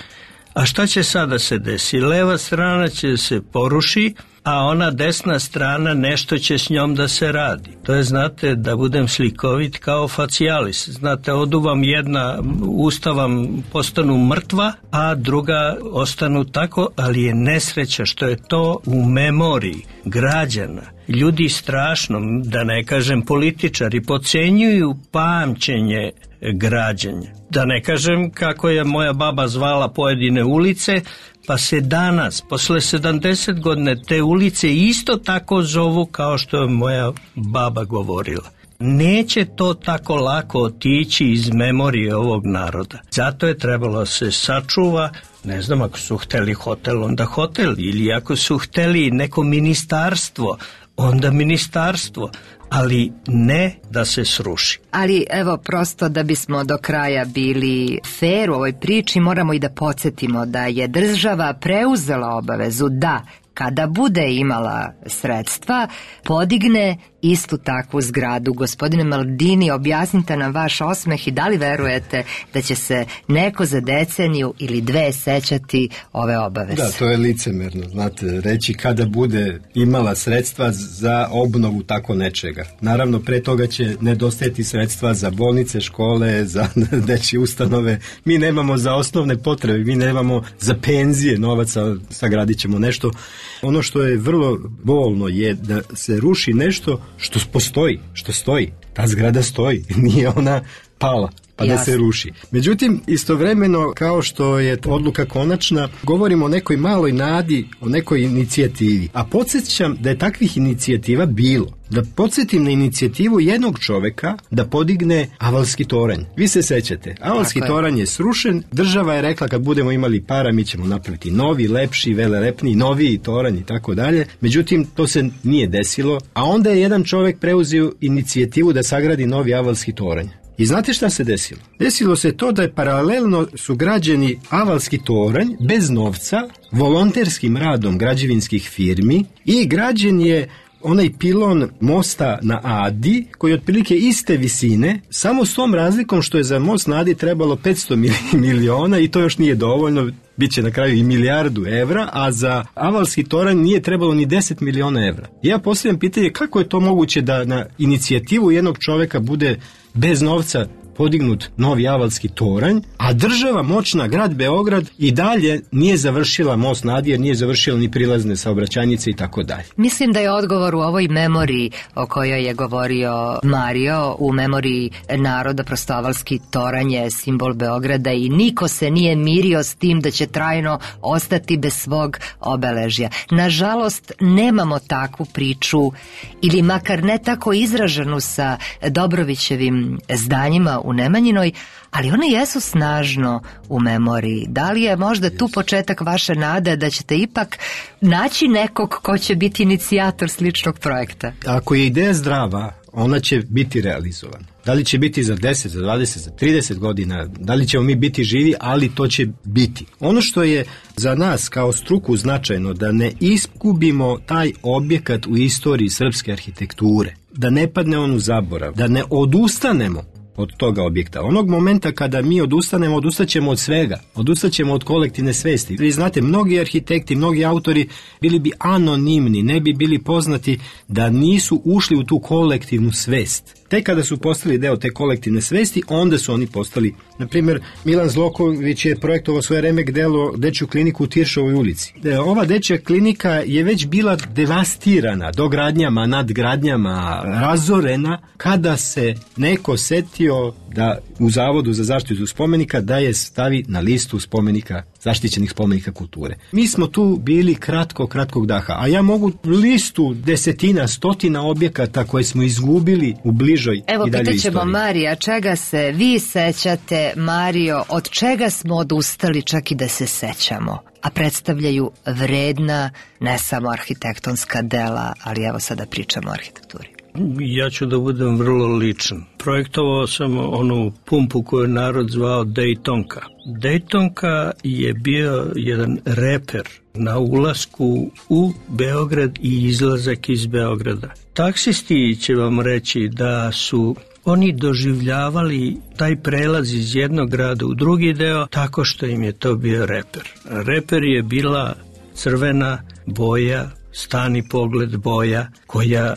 A šta će sada se desi? Leva strana će se poruši, a ona desna strana nešto će s njom da se radi. To je, znate, da budem slikovit, kao facialis. Znate, odu vam jedna, usta vam postanu mrtva, a druga ostanu tako, ali je nesreća što je to u memoriji građana. Ljudi strašno, da ne kažem političari, podcenjuju pamćenje građenja. Da ne kažem kako je moja baba zvala pojedine ulice, pa se danas, posle 70 godine, te ulice isto tako zovu kao što je moja baba govorila. Neće to tako lako otići iz memorije ovog naroda. Zato je trebalo se sačuva, ne znam, ako su hteli hotel, onda hotel, ili ako su hteli neko ministarstvo, onda ministarstvo, ali ne da se sruši. Ali evo, prosto da bismo do kraja bili fair u ovoj priči, moramo i da podsjetimo da je država preuzela obavezu da kada bude imala sredstva, podigne istu takvu zgradu. Gospodine Maldini, objasnite nam vaš osmeh i da li verujete da će se neko za deceniju ili dve sećati ove obaveze? Da, to je licemerno, znate, reći kada bude imala sredstva za obnovu tako nečega. Naravno, pre toga će nedostajati sredstva za bolnice, škole, za dečje ustanove. Mi nemamo za osnovne potrebe, mi nemamo za penzije novaca, sagradit ćemo nešto. Ono što je vrlo bolno je da se ruši nešto što postoji, što stoji. Ta zgrada stoji, nije ona pala pa da se ruši. Međutim, istovremeno, kao što je odluka konačna, govorimo o nekoj maloj nadi, o nekoj inicijativi. A podsjećam da je takvih inicijativa bilo. Da podsjetim na inicijativu jednog čoveka da podigne Avalski toranj. Vi se sećate, Avalski toranj je srušen, država je rekla kad budemo imali para mi ćemo napraviti novi, lepši, velelepniji, noviji toranj i tako dalje. Međutim, to se nije desilo, a onda je jedan čovek preuzeo inicijativu da sagradi novi Avalski toranj. I znate šta se desilo? Desilo se to da je paralelno su građeni Avalski toranj bez novca, volonterskim radom građevinskih firmi i građen je onaj pilon mosta na Adi, koji je otprilike iste visine, samo s tom razlikom što je za most na Adi trebalo 500 miliona i to još nije dovoljno, bit će na kraju i milijardu evra, a za Avalski toranj nije trebalo ni 10 miliona evra. Ja postavljam pitanje kako je to moguće da na inicijativu jednog čoveka bude bez novca podignut novi Avalski toranj, a država moćna, grad Beograd, i dalje nije završila most na Adi, jer nije završila ni prilazne saobraćajnice i tako dalje. Mislim da je odgovor u ovoj memoriji o kojoj je govorio Mario, u memoriji naroda, prosto Avalski toranj je simbol Beograda i niko se nije mirio s tim da će trajno ostati bez svog obeležja. Nažalost, nemamo takvu priču, ili makar ne tako izraženu sa Dobrovićevim zdanjima u Nemanjinoj, ali one jesu snažno u memoriji. Da li je možda tu početak vaše nade da ćete ipak naći nekog ko će biti inicijator sličnog projekta? Ako je ideja zdrava, ona će biti realizovana. Da li će biti za 10, za 20, za 30 godina, da li ćemo mi biti živi, ali to će biti. Ono što je za nas kao struku značajno, da ne izgubimo taj objekat u istoriji srpske arhitekture, da ne padne on u zaborav, da ne odustanemo od toga objekta. Onog momenta kada mi odustanemo, odustaćemo od svega. Odustaćemo od kolektivne svesti. Vi znate, mnogi arhitekti, mnogi autori bili bi anonimni, ne bi bili poznati da nisu ušli u tu kolektivnu svest. Tek kada su postali deo te kolektivne svesti, onda su oni postali. Na primjer, Milan Zloković je projektovao svoje remek delo dečju kliniku u Tiršovoj ulici. Ova dečja klinika je već bila devastirana dogradnjama, nadgradnjama, razorena, kada se neko setio da u Zavodu za zaštitu spomenika da je stavi na listu spomenika, zaštićenih spomenika kulture. Mi smo tu bili kratkog daha, a ja mogu listu desetina, stotina objekata koje smo izgubili u bližoj i dalje istoriji. Evo, pitaćemo Marija, čega se vi sećate, Mario, od čega smo odustali čak i da se sećamo, a predstavljaju vredna, ne samo arhitektonska dela, ali evo sada pričamo o arhitekturi. Ja ću da budem vrlo ličan. Projektovao sam onu pumpu koju je narod zvao Dejtonka. Dejtonka je bio jedan reper na ulasku u Beograd i izlazak iz Beograda. Taksisti će vam reći da su oni doživljavali taj prelaz iz jednog grada u drugi deo tako što im je to bio reper. Reper je bila crvena boja, stani pogled boja koja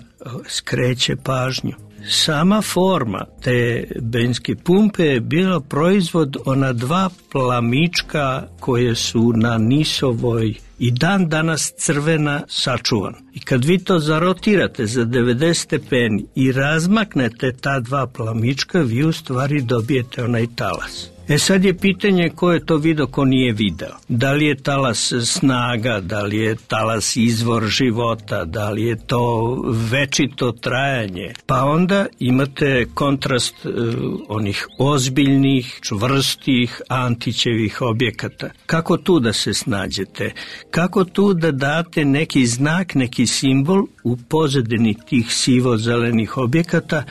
skreće pažnju. Sama forma te benzinske pumpe je bila proizvod ona dva plamička koje su na Nisovoj i dan danas crvena sačuvan. I kad vi to zarotirate za 90 stepeni i razmaknete ta dva plamička, vi u stvari dobijete onaj talas. Sad je pitanje ko je to video, ko nije video. Da li je talas snaga, da li je talas izvor života, da li je to večito trajanje. Pa onda imate kontrast onih ozbiljnih, čvrstih, Antićevih objekata. Kako tu da se snađete? Kako tu da date neki znak, neki simbol u pozadini tih sivo-zelenih objekata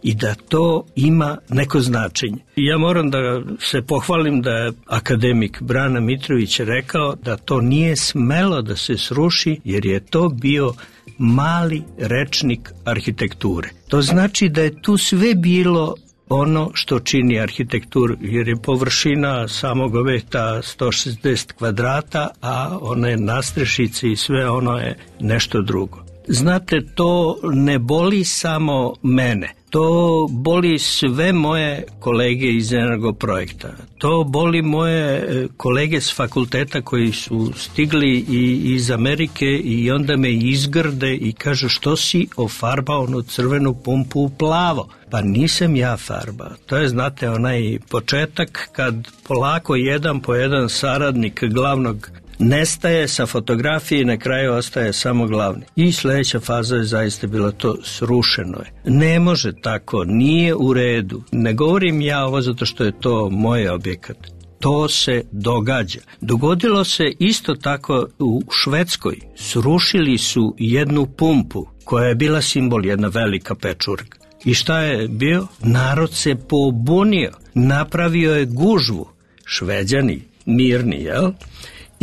i da to ima neko značenje? Ja moram da se pohvalim da je akademik Brana Mitrović rekao da to nije smelo da se sruši jer je to bio mali rečnik arhitekture. To znači da je tu sve bilo ono što čini arhitekturu, jer je površina samog objekta 160 kvadrata, a one nastrešice i sve ono je nešto drugo. Znate, to ne boli samo mene. To boli sve moje kolege iz Energoprojekta. To boli moje kolege s fakulteta koji su stigli iz Amerike i onda me izgrde i kažu što si ofarbao onu crvenu pumpu u plavo. Pa nisam ja farbao. To je, znate, onaj početak kad polako jedan po jedan saradnik glavnog nestaje sa fotografije i na kraju ostaje samo glavni. I sledeća faza je zaista bila to, srušeno je. Ne može tako, nije u redu. Ne govorim ja ovo zato što je to moj objekat. To se događa. Dogodilo se isto tako u Švedskoj. Srušili su jednu pumpu koja je bila simbol, jedna velika pečurka. I šta je bio? Narod se pobunio. Napravio je gužvu. Šveđani, mirni, jel?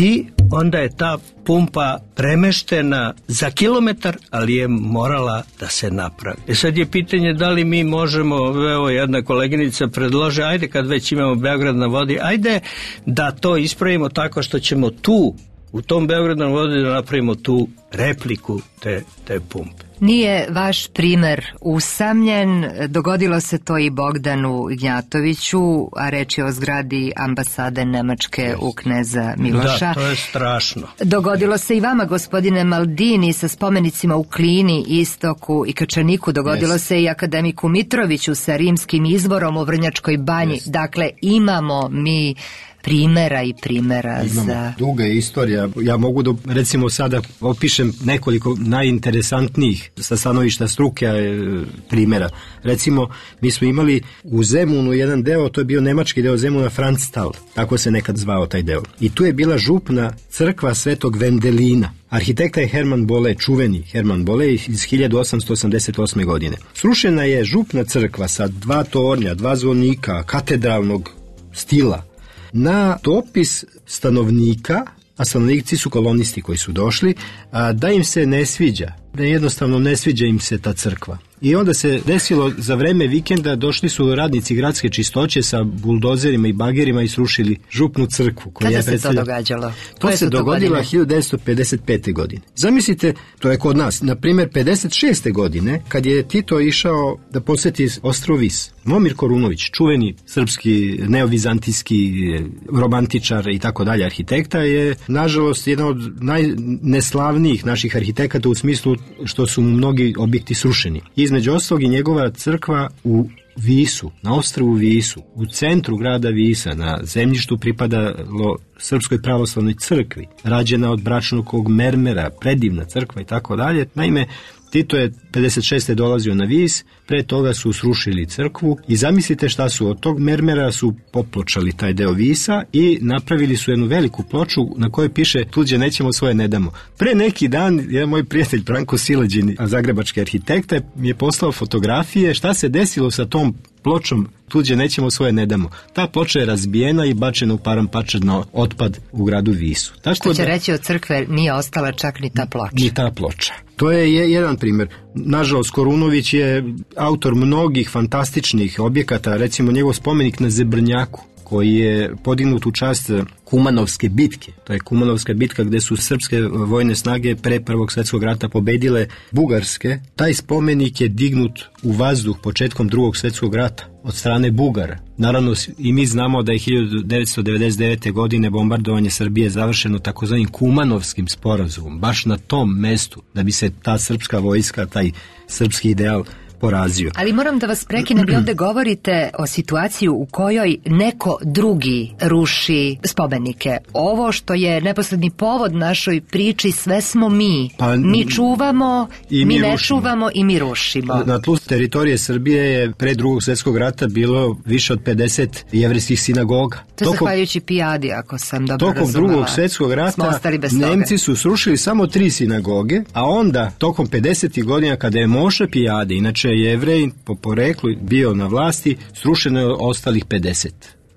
I onda je ta pumpa premeštena za kilometar, ali je morala da se napravi. Sad je pitanje da li mi možemo, evo jedna koleginica predlože, ajde kad već imamo Beograd na vodi, ajde da to ispravimo tako što ćemo tu, u tom Beogradu na vodi da napravimo tu repliku te pumpe. Nije vaš primer usamljen, dogodilo se to i Bogdanu Ignjatoviću, a reč je o zgradi ambasade Nemačke u Kneza Miloša. Da, to je strašno. Dogodilo se i vama, gospodine Maldini, sa spomenicima u Klini, Istoku i Kačaniku, dogodilo se i akademiku Mitroviću sa rimskim izvorom u Vrnjačkoj banji. Dakle, imamo mi primera i primera. Imamo duga istorija. Ja mogu da, recimo, sada opišem nekoliko najinteresantnijih sa stanovišta struke primera. Recimo, mi smo imali u Zemunu jedan deo, to je bio nemački deo Zemuna, Franztal, tako se nekad zvao taj deo. I tu je bila župna crkva Svetog Vendelina. Arhitekta je Hermann Bolle, čuveni Hermann Bolle iz 1888. godine. Srušena je župna crkva sa 2 tornja, 2 zvonika, katedralnog stila. Na dopis stanovnika, a stanovnici su kolonisti koji su došli, da im se ne sviđa, da jednostavno ne sviđa im se ta crkva. I onda se desilo, za vreme vikenda došli su radnici gradske čistoće sa buldozerima i bagerima i srušili župnu crkvu. Kada se to događalo? To se dogodilo 1955. godine. Zamislite, to je kod nas, na primjer 56. godine, kad je Tito išao da posjeti ostrvo Vis. Momir Korunović, čuveni srpski neovizantijski romantičar i tako dalje arhitekta, je nažalost jedan od najneslavnijih naših arhitekata u smislu što su mu mnogi objekti srušeni. Između ostalog i njegova crkva u Visu, na ostrvu Visu, u centru grada Visa, na zemljištu pripadalo Srpskoj pravoslavnoj crkvi, rađena od bračnog mermera, predivna crkva i tako dalje. Naime, Tito je 56. dolazio na Vis, pre toga su srušili crkvu i zamislite šta su, od tog mermera su popločali taj deo Visa i napravili su jednu veliku ploču na kojoj piše tuđe nećemo, svoje ne damo. Pre neki dan jedan moj prijatelj Branko Sileđin, zagrebački arhitekta, mi je poslao fotografije šta se desilo sa tom pločom tuđe nećemo, svoje ne damo. Ta ploča je razbijena i bačena u parampačad na otpad u gradu Visu. Što će reći, od crkve nije ostala čak ni ta ploča. Ni ta ploča. To je jedan primjer. Nažalost, Korunović je autor mnogih fantastičnih objekata, recimo njegov spomenik na Zebrnjaku, koji je podignut u čast Kumanovske bitke. To je Kumanovska bitka gde su srpske vojne snage pre Prvog svjetskog rata pobedile bugarske. Taj spomenik je dignut u vazduh početkom Drugog svjetskog rata od strane Bugara. Naravno, i mi znamo da je 1999. godine bombardovanje Srbije završeno takozvanim Kumanovskim sporazumom, baš na tom mestu, da bi se ta srpska vojska, taj srpski ideal porazio. Ali moram da vas prekinem, vi ovde govorite o situaciji u kojoj neko drugi ruši spomenike. Ovo što je neposredni povod našoj priči, sve smo mi. Mi čuvamo, mi ne čuvamo i mi rušimo. Na tlu teritorije Srbije je pre Drugog svjetskog rata bilo više od 50 jevrejskih sinagoga. To je zahvaljujući Pijadi, ako sam dobro razumela. Tokom Drugog svjetskog rata Nemci su srušili samo 3 sinagoge, a onda tokom 50. godina kada je Moša Pijade, inače Jevrej po poreklu bio na vlasti, srušeno je ostalih 50.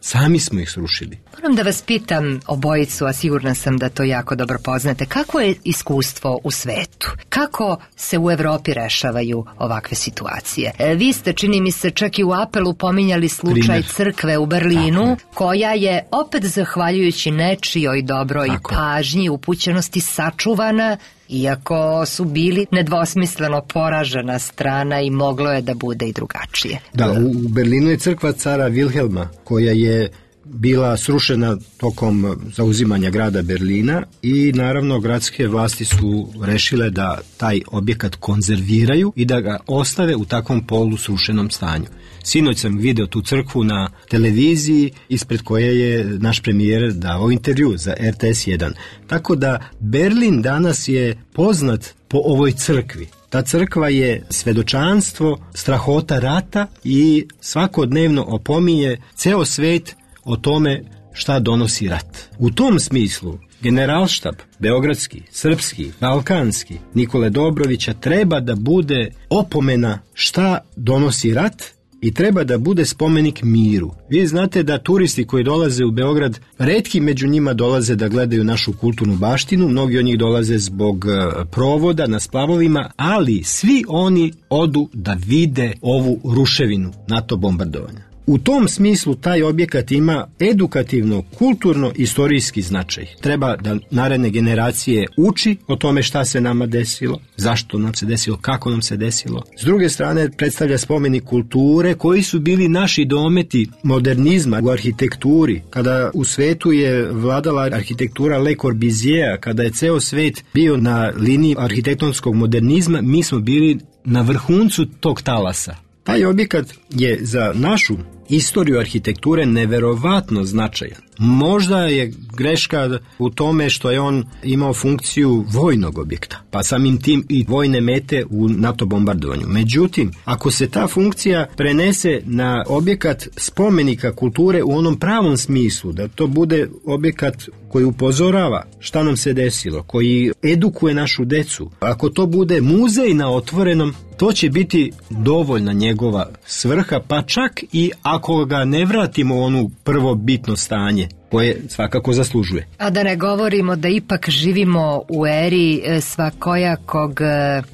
Sami smo ih srušili. Moram da vas pitam obojicu, a sigurna sam da to jako dobro poznate. Kako je iskustvo u svetu? Kako se u Evropi rešavaju ovakve situacije? Vi ste, čini mi se, čak i u apelu pominjali slučaj crkve u Berlinu, koja je opet zahvaljujući nečijoj dobroj pažnji, upućenosti sačuvana, iako su bili nedvosmisleno poražena strana i moglo je da bude i drugačije. Da, u Berlinu je crkva cara Wilhelma, koja je bila srušena tokom zauzimanja grada Berlina i naravno gradske vlasti su rešile da taj objekat konzerviraju i da ga ostave u takvom polu srušenom stanju. Sinoć sam video tu crkvu na televiziji ispred koje je naš premijer dao intervju za RTS 1. Tako da Berlin danas je poznat po ovoj crkvi. Ta crkva je svedočanstvo strahota rata i svakodnevno opominje ceo svet o tome šta donosi rat. U tom smislu Generalštab, beogradski, srpski, balkanski, Nikole Dobrovića treba da bude opomena šta donosi rat i treba da bude spomenik miru. Vi znate da turisti koji dolaze u Beograd, retki među njima dolaze da gledaju našu kulturnu baštinu, mnogi od njih dolaze zbog provoda na splavovima, ali svi oni odu da vide ovu ruševinu NATO bombardovanja. U tom smislu taj objekat ima edukativno, kulturno, istorijski značaj. Treba da naredne generacije uči o tome šta se nama desilo, zašto nam se desilo, kako nam se desilo. S druge strane predstavlja spomenik kulture koji su bili naši dometi modernizma u arhitekturi. Kada u svetu je vladala arhitektura Le Corbusiera, kada je ceo svet bio na liniji arhitektonskog modernizma, mi smo bili na vrhuncu tog talasa. Taj objekat je za našu istoriju arhitekture neverovatno značajan. Možda je greška u tome što je on imao funkciju vojnog objekta, pa samim tim i vojne mete u NATO bombardovanju. Međutim, ako se ta funkcija prenese na objekat spomenika kulture u onom pravom smislu, da to bude objekat koji upozorava šta nam se desilo, koji edukuje našu decu, ako to bude muzej na otvorenom, to će biti dovoljna njegova svrha, pa čak i ako ga ne vratimo u onu prvobitno stanje koje svakako zaslužuje. A da ne govorimo da ipak živimo u eri svakojakog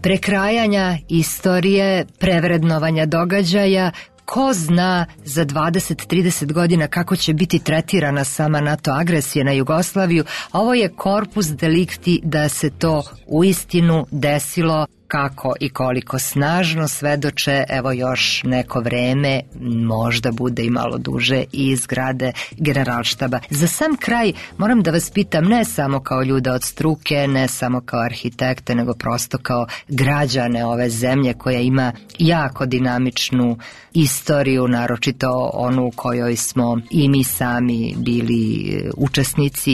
prekrajanja istorije, prevrednovanja događaja. Ko zna za 20-30 godina kako će biti tretirana sama NATO agresija na Jugoslaviju. Ovo je korpus delikti da se to uistinu desilo. Kako i koliko snažno svedoče, evo još neko vreme, možda bude i malo duže, i iz zgrade Generalštaba. Za sam kraj moram da vas pitam, ne samo kao ljude od struke, ne samo kao arhitekte, nego prosto kao građane ove zemlje koja ima jako dinamičnu istoriju, naročito onu u kojoj smo i mi sami bili učesnici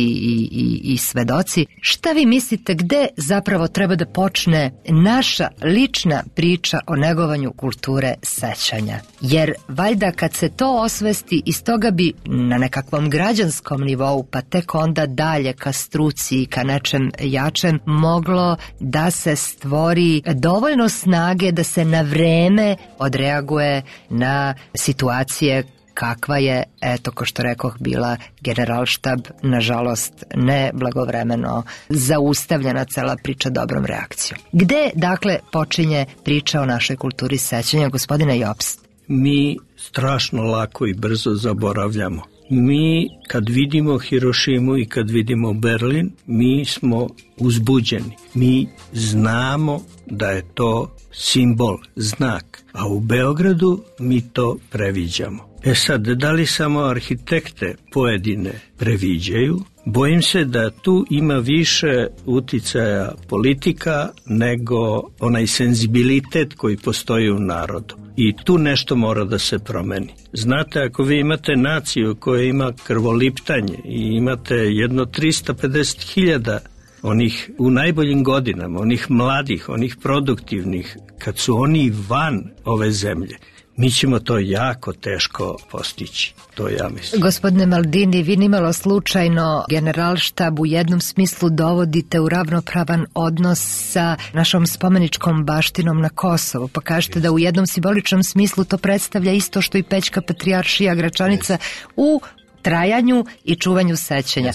i svedoci. Šta vi mislite, gde zapravo treba da počne naša lična priča o negovanju kulture sećanja? Jer valjda kad se to osvesti, iz toga bi na nekakvom građanskom nivou, pa tek onda dalje ka struci i ka nečem jačem, moglo da se stvori dovoljno snage da se na vreme odreaguje na situacije kakva je, eto, ko što rekoh, bila Generalštab, nažalost, ne blagovremeno zaustavljena cela priča dobrom reakcijom. Gde, dakle, počinje priča o našoj kulturi sećanja, gospodine Jobst? Mi strašno lako i brzo zaboravljamo. Mi kad vidimo Hirošimu i kad vidimo Berlin, mi smo uzbuđeni. Mi znamo da je to simbol, znak, a u Beogradu mi to previđamo. Sad, da li samo arhitekte pojedine previđaju? Bojim se da tu ima više uticaja politika nego onaj senzibilitet koji postoji u narodu. I tu nešto mora da se promeni. Znate, ako vi imate naciju koja ima krvoliptanje i imate jedno 350.000 onih u najboljim godinama, onih mladih, onih produktivnih, kad su oni van ove zemlje, mi ćemo to jako teško postići, to ja mislim. Gospodine Maldini, vi nimalo slučajno Generalštab u jednom smislu dovodite u ravnopravan odnos sa našom spomeničkom baštinom na Kosovu, pa kažete da u jednom simboličnom smislu to predstavlja isto što i Pećka patrijaršija Gračanica u trajanju i čuvanju sećanja.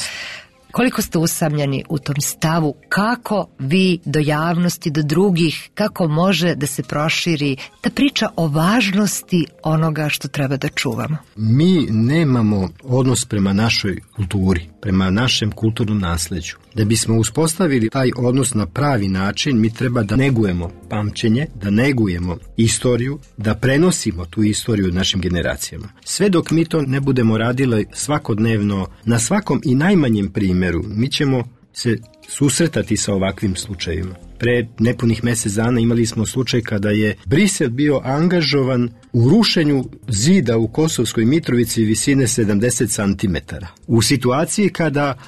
Koliko ste usamljeni u tom stavu, kako vi do javnosti, do drugih, kako može da se proširi ta priča o važnosti onoga što treba da čuvamo? Mi nemamo odnos prema našoj kulturi, prema našem kulturnom nasleđu. Da bismo uspostavili taj odnos na pravi način, mi treba da negujemo pamćenje, da negujemo istoriju, da prenosimo tu istoriju našim generacijama. Sve dok mi to ne budemo radili svakodnevno, na svakom i najmanjem primjeru, mi ćemo se susretati sa ovakvim slučajevima. Pre nepunih mjesec dana imali smo slučaj kada je Brisel bio angažovan u rušenju zida u Kosovskoj Mitrovici visine 70 cm. U situaciji kada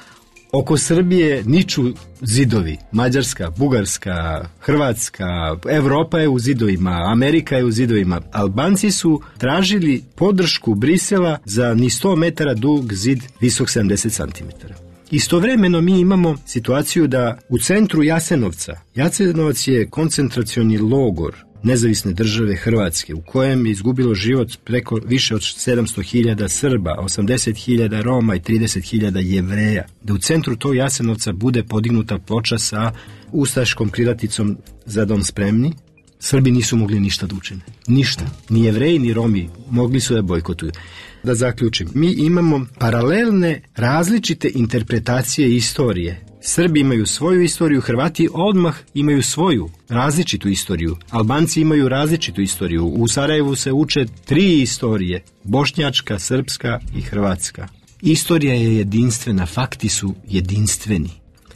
oko Srbije niču zidovi, Mađarska, Bugarska, Hrvatska, Evropa je u zidovima, Amerika je u zidovima. Albanci su tražili podršku Brisela za ni 100 metara dug zid visok 70 cm. Istovremeno mi imamo situaciju da u centru Jasenovca, Jasenovac je koncentracioni logor nezavisne države Hrvatske u kojem je izgubilo život preko više od 700.000 Srba, 80.000 Roma i 30.000 Jevreja. Da u centru tog Jasenovca bude podignuta ploča sa ustaškom krilaticom Za dom spremni, Srbi nisu mogli ništa da učine. Ništa. Ni Jevreji ni Romi mogli su da bojkotuju. Da zaključim, mi imamo paralelne različite interpretacije istorije. Srbi imaju svoju istoriju, Hrvati odmah imaju svoju različitu istoriju. Albanci imaju različitu istoriju. U Sarajevu se uče 3 istorije, bošnjačka, srpska i hrvatska. Istorija je jedinstvena, fakti su jedinstveni.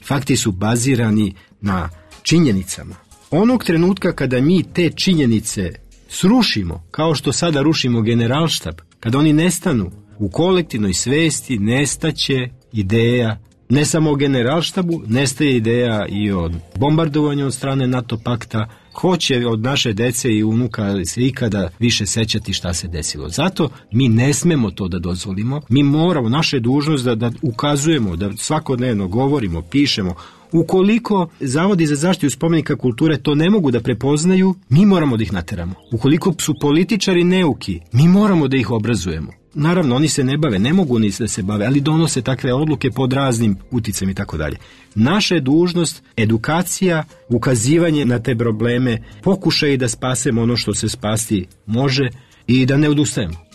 Fakti su bazirani na činjenicama. Onog trenutka kada mi te činjenice srušimo, kao što sada rušimo Generalštab, kada oni nestanu, u kolektivnoj svesti nestaće ideja, ne samo o Generalštabu, nestaje ideja i o bombardovanju od strane NATO pakta. Ko će od naše dece i unuka se ikada više sećati šta se desilo? Zato mi ne smemo to da dozvolimo. Mi moramo, naša je dužnost da ukazujemo, da svakodnevno govorimo, pišemo. Ukoliko zavodi za zaštitu spomenika kulture to ne mogu da prepoznaju, mi moramo da ih nateramo. Ukoliko su političari neuki, mi moramo da ih obrazujemo. Naravno, oni se ne bave, ne mogu ni da se bave, ali donose takve odluke pod raznim uticajem i tako dalje. Naša je dužnost edukacija, ukazivanje na te probleme, pokušaj da spasemo ono što se spasti može i da ne odustajemo.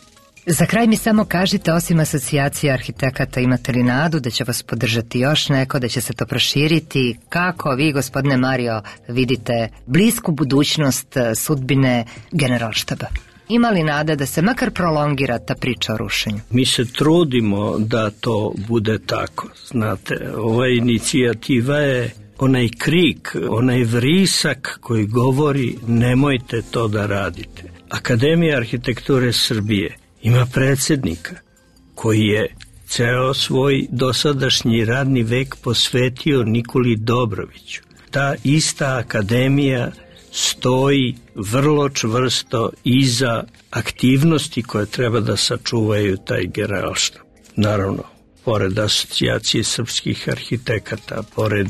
Za kraj mi samo kažite, osim asocijacije arhitekata, imate li nadu da će vas podržati još neko, da će se to proširiti? Kako vi, gospodine Mario, vidite blisku budućnost sudbine Generalštaba? Ima li nada da se makar prolongira ta priča o rušenju? Mi se trudimo da to bude tako. Znate, ova inicijativa je onaj krik, onaj vrisak koji govori nemojte to da radite. Akademija arhitekture Srbije ima predsjednika koji je ceo svoj dosadašnji radni vek posvetio Nikoli Dobroviću. Ta ista akademija stoji vrlo čvrsto iza aktivnosti koje treba da sačuvaju taj Generalštab. Naravno, pored asocijacije srpskih arhitekata, pored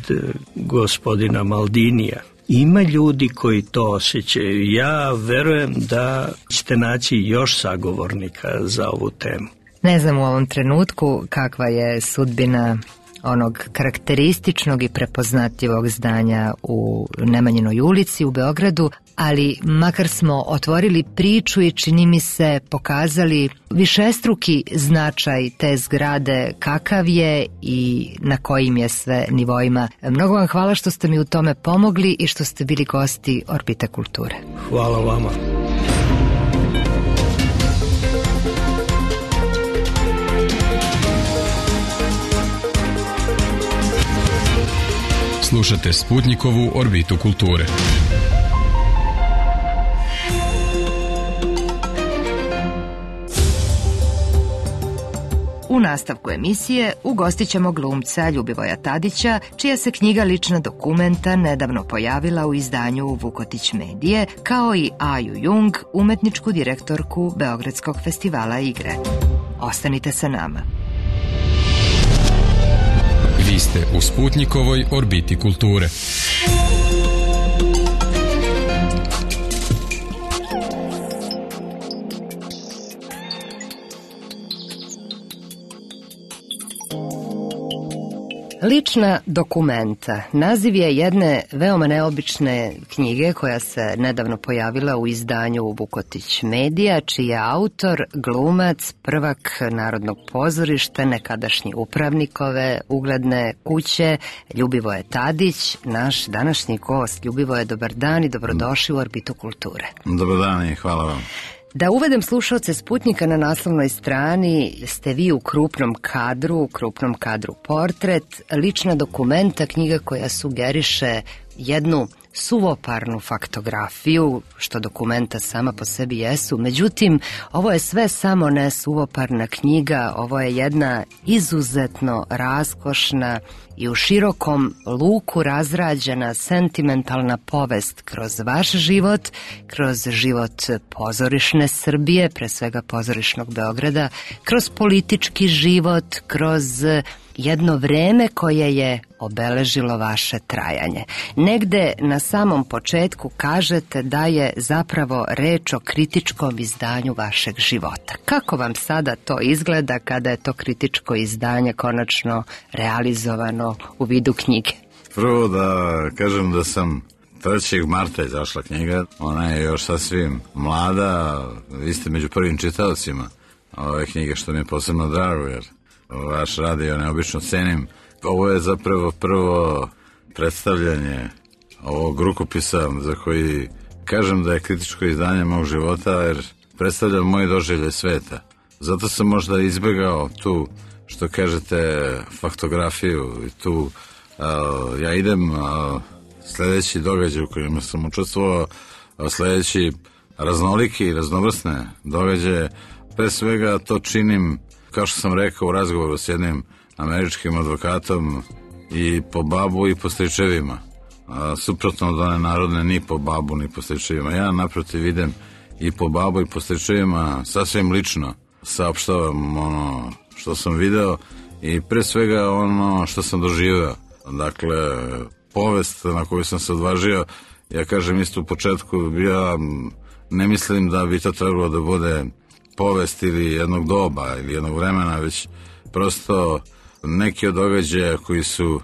gospodina Maldinija, ima ljudi koji to osjećaju. Ja verujem da ćete naći još sagovornika za ovu temu. Ne znam u ovom trenutku kakva je sudbina onog karakterističnog i prepoznatljivog zdanja u Nemanjinoj ulici u Beogradu, ali makar smo otvorili priču i čini mi se pokazali višestruki značaj te zgrade, kakav je i na kojim je sve nivoima. Mnogo vam hvala što ste mi u tome pomogli i što ste bili gosti Orbite kulture. Hvala vama. Slušate Sputnikovu Orbitu kulture. U nastavku emisije ugostit ćemo glumca Ljubivoja Tadića, čija se knjiga Lična dokumenta nedavno pojavila u izdanju Vukotić medije, kao i Aju Jung, umetničku direktorku Beogradskog festivala igre. Ostanite sa nama. Vi ste u Sputnikovoj Orbiti kulture. Lična dokumenta. Naziv je jedne veoma neobične knjige koja se nedavno pojavila u izdanju Vukotić Medija, čiji je autor glumac, prvak Narodnog pozorišta, nekadašnji upravnik ove ugledne kuće, Ljubivoje Tadić, naš današnji gost. Ljubivoje, dobar dan i dobrodošli u Orbitu kulture. Dobar dan i hvala vam. Da uvedem slušalce Sputnika, na naslovnoj strani ste vi u krupnom kadru portret, lična dokumenta, knjiga koja sugeriše jednu suvoparnu faktografiju, što dokumenta sama po sebi jesu. Međutim, ovo je sve samo ne suvoparna knjiga, ovo je jedna izuzetno raskošna i u širokom luku razrađena sentimentalna povest kroz vaš život, kroz život pozorišne Srbije, pre svega pozorišnog Beograda, kroz politički život, kroz jedno vreme koje je obeležilo vaše trajanje. Negde na samom početku kažete da je zapravo reč o kritičkom izdanju vašeg života. Kako vam sada to izgleda kada je to kritičko izdanje konačno realizovano u vidu knjige? Prvo da kažem da sam 3. marta izašla knjiga, ona je još sasvim mlada, vi ste među prvim čitaocima ove knjige, što mi je posebno drago, jer vaš rad ja neobično cenim. Ovo je zapravo prvo predstavljanje ovog rukopisa za koji kažem da je kritičko izdanje mog života, jer predstavlja moje doživlje sveta. Zato sam možda izbegao tu, što kažete, faktografiju i tu ja idem sledeći događaj u kojima sam učestvovao, sledeći raznoliki i raznovrsne događaje. Pre svega to činim, kao što sam rekao u razgovoru s jednim američkim advokatom, i po babu i po stričevima. Suprotno od one narodne, ni po babu ni po stričevima. Ja naprotiv idem i po babu i po stričevima, sasvim lično saopštavam ono što sam video i pre svega ono što sam doživeo. Dakle, povest na koju sam se odvažio, ja kažem isto u početku, ja ne mislim da bi to trebalo da bude povest ili jednog doba ili jednog vremena, već prosto neki od događaja koji su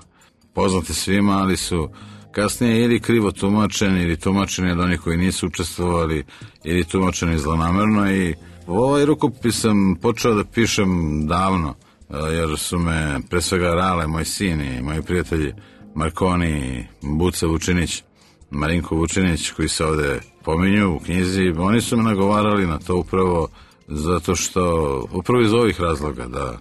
poznati svima, ali su kasnije ili krivo tumačeni ili tumačeni od onih koji nisu učestvovali ili tumačeni zlonamerno. I ovaj rukopis sam počeo da pišem davno, jer su me pre svega Rale, moj sin i moji prijatelji Markoni, Buca Vučinić, Marinko Vučinić, koji se ovde pominju u knjizi, oni su me nagovarali na to upravo zato što, upravo iz ovih razloga, da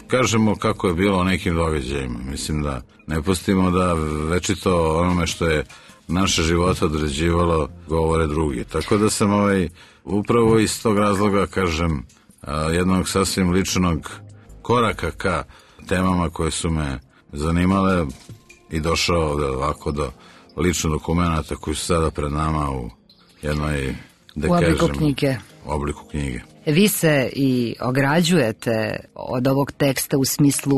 kažemo kako je bilo o nekim događajima. Mislim da ne pustimo da večito onome što je naše života određivalo govore drugi. Tako da sam upravo iz tog razloga, kažem, jednog sasvim ličnog koraka ka temama koje su me zanimale i došao ovako do ličnog dokumenta koji su sada pred nama u jednoj, da kažem, obliku knjige. Vi se i ograđujete od ovog teksta u smislu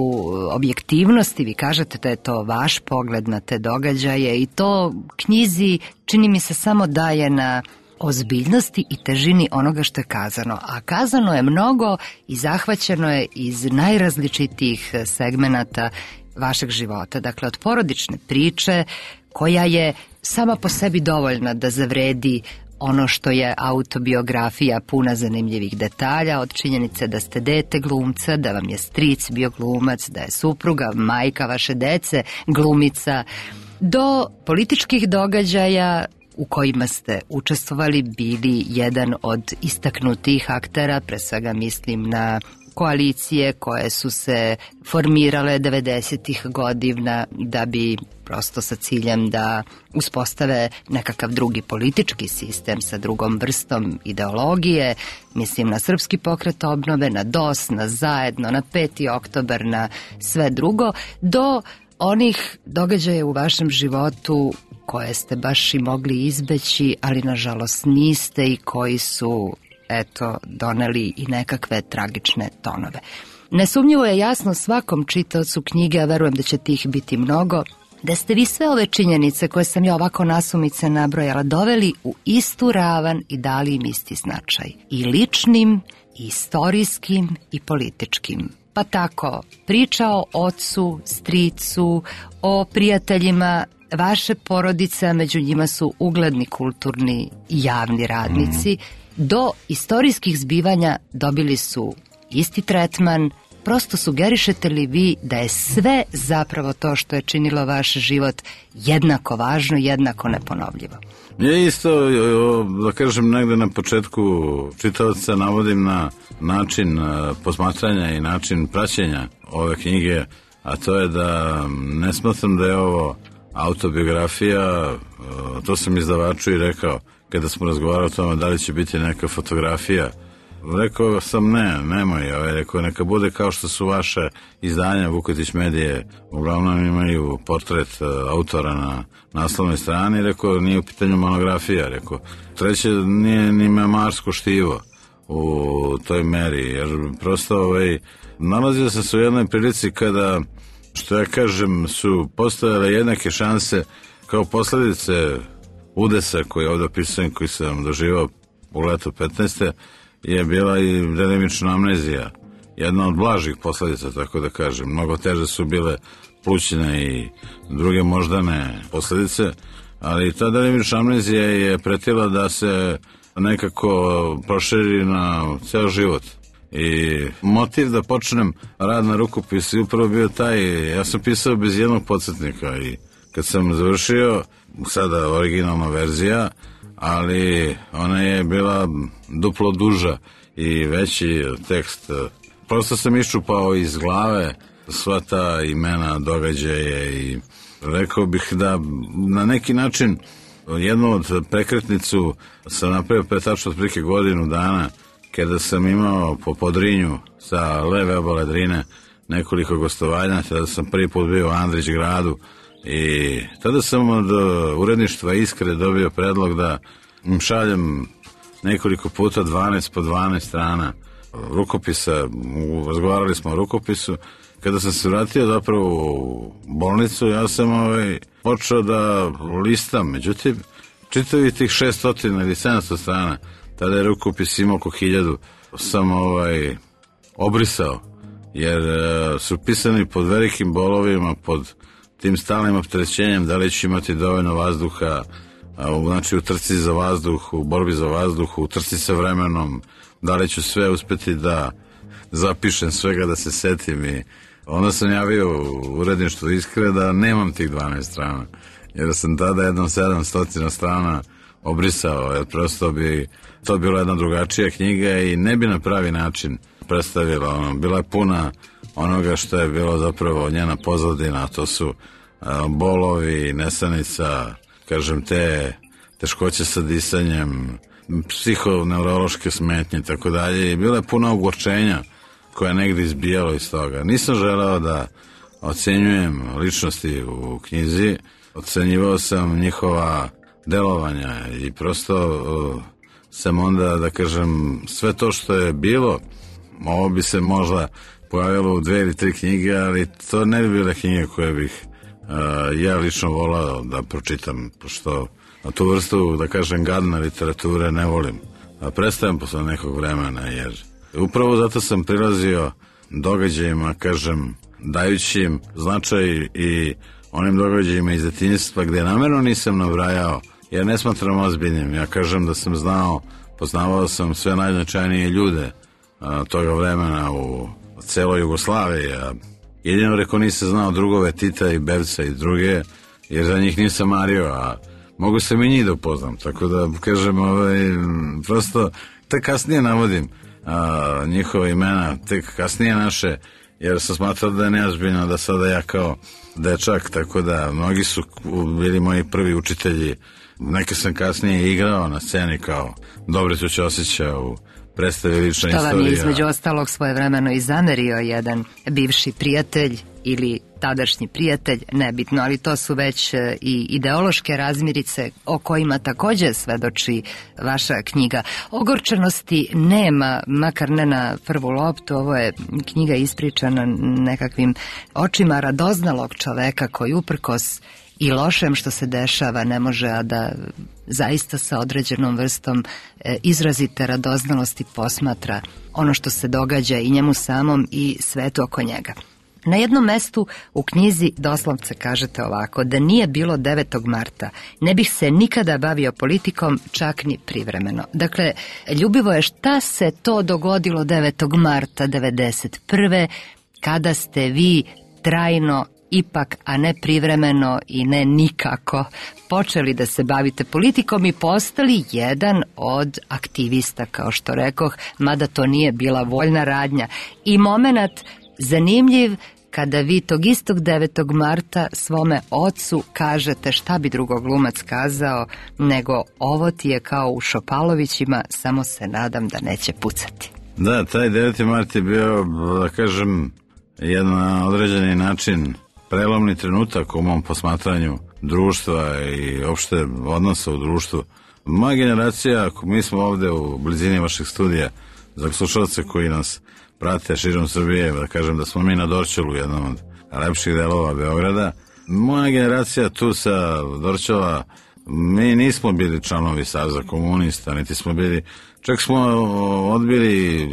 objektivnosti, vi kažete da je to vaš pogled na te događaje i to knjizi čini mi se samo daje na ozbiljnosti i težini onoga što je kazano. A kazano je mnogo i zahvaćeno je iz najrazličitijih segmenata vašeg života. Dakle, od porodične priče koja je sama po sebi dovoljna da zavredi ono što je autobiografija puna zanimljivih detalja, od činjenice da ste dete glumca, da vam je stric bio glumac, da je supruga, majka vaše dece glumica, do političkih događaja u kojima ste učestvovali, bili jedan od istaknutih aktera, pre svega mislim na koalicije koje su se formirale 90-ih godina da bi prosto sa ciljem da uspostave nekakav drugi politički sistem sa drugom vrstom ideologije, mislim na Srpski pokret obnove, na DOS, na Zajedno, na 5. oktobar, na sve drugo, do onih događaja u vašem životu koje ste baš i mogli izbeći, ali nažalost niste i koji su doneli i nekakve tragične tonove. Nesumnjivo je jasno svakom čitaocu knjige, a verujem da će tih biti mnogo, da ste vi sve ove činjenice koje sam ja ovako nasumice nabrojala doveli u istu ravan i dali im isti značaj. I ličnim, i istorijskim, i političkim. pa tako priča o ocu, stricu, o prijateljima vaše porodice, među njima su ugledni kulturni i javni radnici, do istorijskih zbivanja dobili su isti tretman. Prosto sugerišete li vi da je sve zapravo to što je činilo vaš život jednako važno, jednako neponovljivo? Ja isto, da kažem, negde na početku čitavca navodim na način posmatranja i način praćenja ove knjige, a to je da ne smatram da je ovo autobiografija. To sam izdavaču i rekao kada smo razgovarali o tome da li će biti neka fotografija. Rekao sam nemoj, rekao neka bude kao što su vaše izdanja Vukotić Medije, uglavnom imaju portret autora na naslovnoj strani, rekao nije u pitanju monografija, rekao treće nije ni memoarsko štivo u toj meri, jer prosto nalazio sam se u jednoj prilici kada, što ja kažem, su postojale jednake šanse kao posledice udesa koji ovdje opisujem, koji sam doživao u leto 15. je bila i delimična amnezija. Jedna od blažih posledica, tako da kažem. Mnogo teže su bile plućne i druge moždane posledice, ali ta delimična amnezija je pretila da se nekako proširi na ceo život. I motiv da počnem rad na rukopisu je upravo bio taj, ja sam pisao bez jednog podsjetnika i kad sam završio, sada originalna verzija, ali ona je bila duplo duža i veći tekst. Prosto sam iščupao iz glave sva ta imena, događaje i rekao bih da na neki način jednu od prekretnicu sam napravio pre tačno otprilike godinu dana kada sam imao po Podrinju sa leve obale Drine nekoliko gostovanja, tada sam prvi put bio u Andrić gradu i tada sam od uredništva Iskre dobio predlog da im šaljem nekoliko puta 12 po 12 strana rukopisa, razgovarali smo o rukopisu. Kada sam se vratio zapravo u bolnicu, ja sam počeo da listam, međutim, čitavi tih 600 ili 700 strana, tada je rukopis imao oko 1000, sam obrisao, jer su pisani pod velikim bolovima, pod tim stalnim opterećenjem, da li ću imati dovoljno vazduha, znači u trci za vazduh, u borbi za vazduh, u trci sa vremenom, da li ću sve uspeti da zapišem svega, da se setim. I onda sam javio u uredništvu Iskre da nemam tih 12 strana, jer sam tada jednom 700 strana obrisao, jer prosto bi to bila jedna drugačija knjiga i ne bi na pravi način predstavila. Bila je puna onoga što je bilo zapravo njena pozadina, a to su bolovi, nesanica, kažem, te teškoće sa disanjem, psihoneurološke smetnje i tako dalje. I bila je puna ogorčenja koja je negdje izbijalo iz toga. Nisam želeo da ocenjujem ličnosti u knjizi, ocenjivao sam njihova delovanja i prosto sam onda, da kažem, sve to što je bilo, ovo bi se možda pojavilo u 2 ili 3 knjige, ali to ne bi bile knjige koje bih ja lično volao da pročitam, pošto tu vrstu, da kažem, gadne literature ne volim. Prestajem posle nekog vremena, jer upravo zato sam prilazio događajima, kažem, dajući im značaj i onim događajima iz detinjstva gde namerno nisam nabrajao, jer ne smatram ozbiljnim. Ja kažem da sam poznavao sam sve najznačajnije ljude toga vremena u celoj Jugoslaviji, a jedino reko nisam znao drugove Tita i Bevca i druge, jer za njih nisam mario, a mogu sam i njih da upoznam, tako da kažem, prosto tek kasnije navodim njihove imena, tek kasnije naše, jer sam smatrao da je neozbiljno da sada ja kao dečak, tako da mnogi su bili moji prvi učitelji. Neke sam kasnije igrao na sceni kao Dobricu Ćosića u predstavi Lična istorija. Što vam je između ostalog svojevremeno i zamerio jedan bivši prijatelj ili tadašnji prijatelj, nebitno, ali to su već i ideološke razmirice o kojima takođe svedoči vaša knjiga. Ogorčenosti nema, makar ne na prvu loptu, ovo je knjiga ispričana nekakvim očima radoznalog čoveka koji uprkos i lošem što se dešava ne može, a da zaista sa određenom vrstom izrazite radoznalosti posmatra ono što se događa i njemu samom i svetu oko njega. Na jednom mestu u knjizi doslovce kažete ovako: da nije bilo 9. marta, ne bih se nikada bavio politikom, čak ni privremeno. Dakle, Ljubivoje, šta se to dogodilo 9. marta 1991. kada ste vi trajno, ipak, a ne privremeno i ne nikako, počeli da se bavite politikom i postali jedan od aktivista, kao što rekoh, mada to nije bila voljna radnja. I momenat zanimljiv kada vi tog istog 9. marta svome ocu kažete, šta bi drugo glumac kazao, nego ovo ti je kao u Šopalovićima, samo se nadam da neće pucati. Da, taj 9. mart je bio, da kažem, jedan na određeni način prelomni trenutak u mom posmatranju društva i opšte odnosa u društvu. Moja generacija, mi smo ovde u blizini vaših studija, za slušalce koji nas prate širom Srbije, da kažem da smo mi na Dorćolu, jednom od lepših delova Beograda. Moja generacija tu sa Dorćola, mi nismo bili članovi Saveza komunista, niti smo bili, čak smo odbili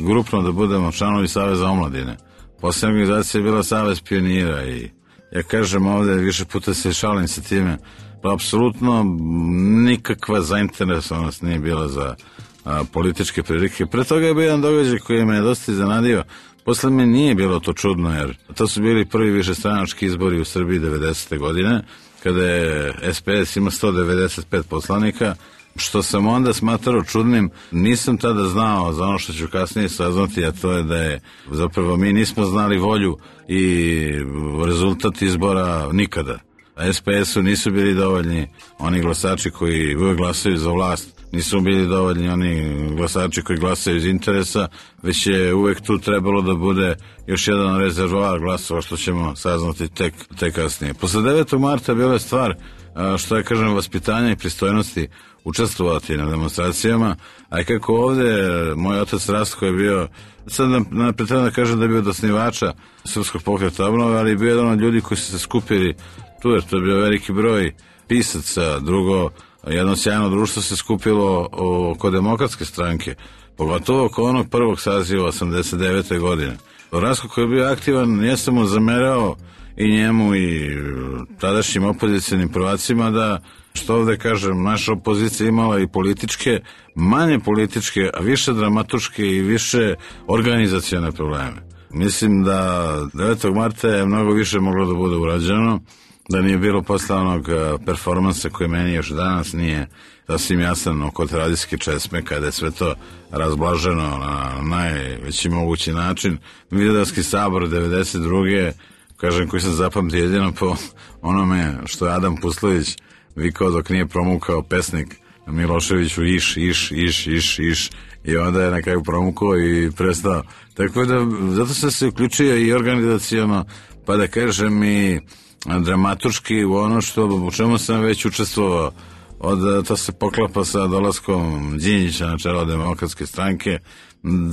grupno da budemo članovi Saveza omladine. Poslednja organizacija je bila Savez pionira i ja kažem ovde, više puta se šalim sa time, pa apsolutno nikakva zainteresovanost nije bila za političke prilike. Pre toga je bio jedan događaj koji me je dosta iznenadio. Posle me nije bilo to čudno, jer to su bili prvi višestranački izbori u Srbiji 90. godine, kada je SPS ima 195 poslanika, što sam onda smatrao čudnim. Nisam tada znao za ono što ću kasnije saznati, a to je da je zapravo mi nismo znali volju i rezultat izbora nikada. A SPS-u nisu bili dovoljni oni glasači koji uvek glasaju za vlast, nisu bili dovoljni oni glasači koji glasaju iz interesa, već je uvek tu trebalo da bude još jedan rezervoar glasova, što ćemo saznati tek kasnije. Posle 9. marta bila je stvar, što ja kažem, vaspitanja i pristojnosti učestvovati na demonstracijama, a i kako ovde moj otac Rastko je bio, sad napred treba da kažem da je bio od osnivača Srpskog pokreta obnove, ali je bio jedan od ljudi koji su se skupili tu, jer to je bio veliki broj pisaca. Drugo, jedno sjajno društvo se skupilo oko Demokratske stranke, pogotovo oko onog prvog saziva 89. godine. Rastko koji je bio aktivan, ja sam mu zamerao i njemu i tadašnjim opozicionim prvacima da, što ovde kažem, naša opozicija imala i političke, manje političke, a više dramatuške i više organizacione probleme. Mislim da 9. marta je mnogo više moglo da bude urađeno, da nije bilo posle onog performansa koji meni još danas nije sasvim jasan oko radijske česme, kada je sve to razblaženo na najveći mogući način. Vidovdanski sabor 92. kažem, koji sam zapamtio jedino po onome što je Adam Puslović vikao dok nije promukao pesnik Miloševiću iš i onda je na kraju promukao i prestao. Tako da, zato sam se uključio i organizacijono, pa da kažem i dramaturški u ono u čemu sam već učestvovao. To se poklapa sa dolaskom Đinđića na čelo Demokratske stranke.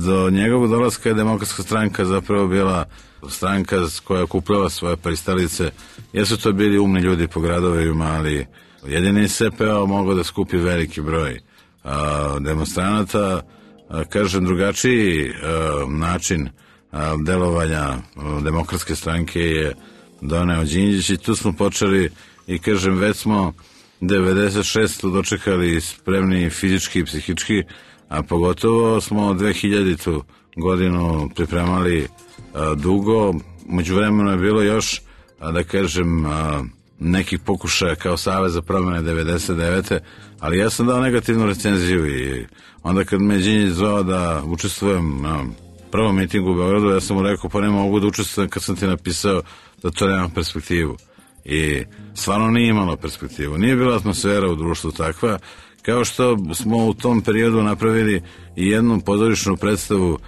Do njegovog dolaska je Demokratska stranka zapravo bila stranka koja je okupljala svoje pristalice. Jesu to bili umni ljudi po gradovima, ali jedini SPO mogao da skupi veliki broj demonstranata. Kažem, drugačiji način delovanja Demokratske stranke je doneo Đinđić i tu smo počeli i kažem, već smo 96. dočekali spremni fizički i psihički, a pogotovo smo 2000. godinu pripremali dugo. Međuvremeno je bilo još, da kažem, nekih pokušaja kao Savez za promene 99. ali ja sam dao negativnu recenziju i onda kad me Đinđić zvao da učestvujem na prvom mitingu u Beogradu, ja sam mu rekao, pa ne mogu da učestvujem kad sam ti napisao da to nema perspektivu. I stvarno nije imalo perspektivu. Nije bila atmosfera u društvu takva, kao što smo u tom periodu napravili i jednu pozorišnu predstavu,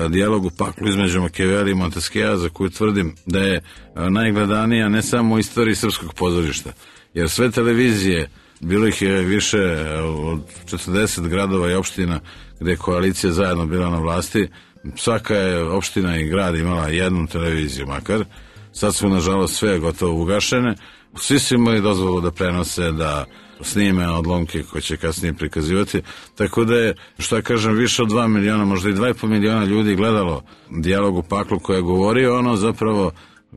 dijalog u paklu između Makijavela i Monteskjea, za koju tvrdim da je najgledanija ne samo u istoriji srpskog pozorišta, jer sve televizije, bilo ih je više od 40 gradova i opština gde je koalicija zajedno bila na vlasti, svaka je opština i grad imala jednu televiziju makar. sad su nažalost sve gotovo ugašene. Svi su imali dozvolu da prenose, da snime odlomke koje će kasnije prikazivati, tako da je, što ja kažem, više od 2 miliona, možda i 2,5 miliona ljudi gledalo Dijalog u paklu koja je govorio ono zapravo,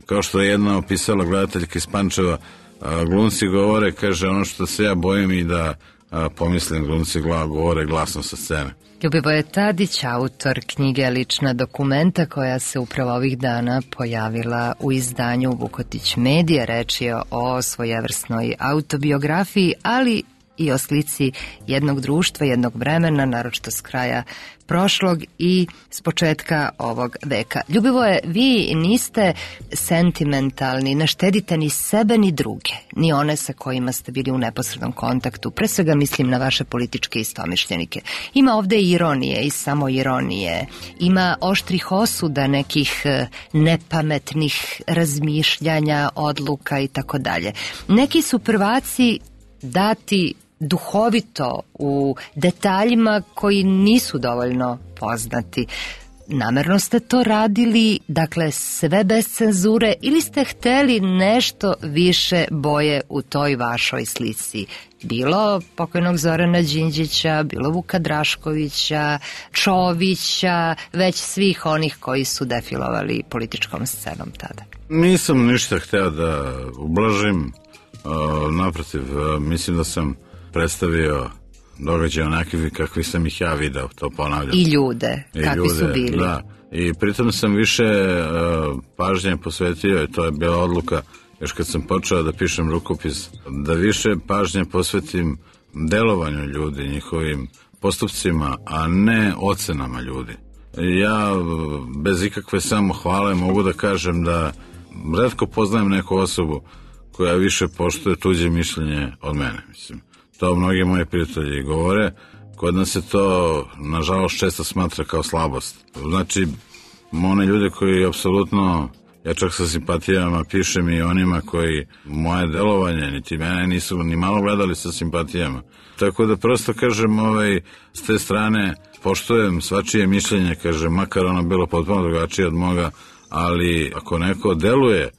kao što je jedna opisala gledateljka iz Pančeva, glumci govore, kaže, ono što se ja bojim i da pomislim, glumci govore glasno sa scene. Ljubivoje Tadić, autor knjige Lična dokumenta koja se upravo ovih dana pojavila u izdanju Vukotić Medije. Reč je o svojevrsnoj autobiografiji, ali i o slici jednog društva, jednog vremena, naročito s kraja prošlog i s početka ovog veka. Ljubivoje, vi niste sentimentalni, ne štedite ni sebe ni druge, ni one sa kojima ste bili u neposrednom kontaktu. Pre svega mislim na vaše političke istomišljenike. Ima ovde ironije i samoironije, ima oštrih osuda, nekih nepametnih razmišljanja, odluka i tako dalje. Neki su prvaci dati duhovito u detaljima koji nisu dovoljno poznati. Namerno ste to radili, dakle sve bez cenzure, ili ste hteli nešto više boje u toj vašoj slici? Bilo pokojnog Zorana Đinđića, bilo Vuka Draškovića, Čovića, već svih onih koji su defilovali političkom scenom tada. Nisam ništa hteo da ublažim, naprotiv, mislim da sam predstavio događaje onakvi kakvi sam ih ja video, to ponavljam. I ljude, kakvi su bili. Da, i pritom sam više pažnje posvetio, i to je bila odluka, još kad sam počeo da pišem rukopis, da više pažnje posvetim delovanju ljudi, njihovim postupcima, a ne ocenama ljudi. Ja bez ikakve samohvale mogu da kažem da retko poznajem neku osobu koja više poštuje tuđe mišljenje od mene, mislim. To mnogi moji prijatelji govore, kod nas se to nažalost često smatra kao slabost. Znači, one ljude koji apsolutno, ja čak sa simpatijama pišem i onima koji moje delovanje, niti mene nisu ni malo gledali sa simpatijama. Tako da prosto kažem, s te strane poštujem svačije mišljenje, kažem, makar ono bilo potpuno drugačije od moga, ali ako neko deluje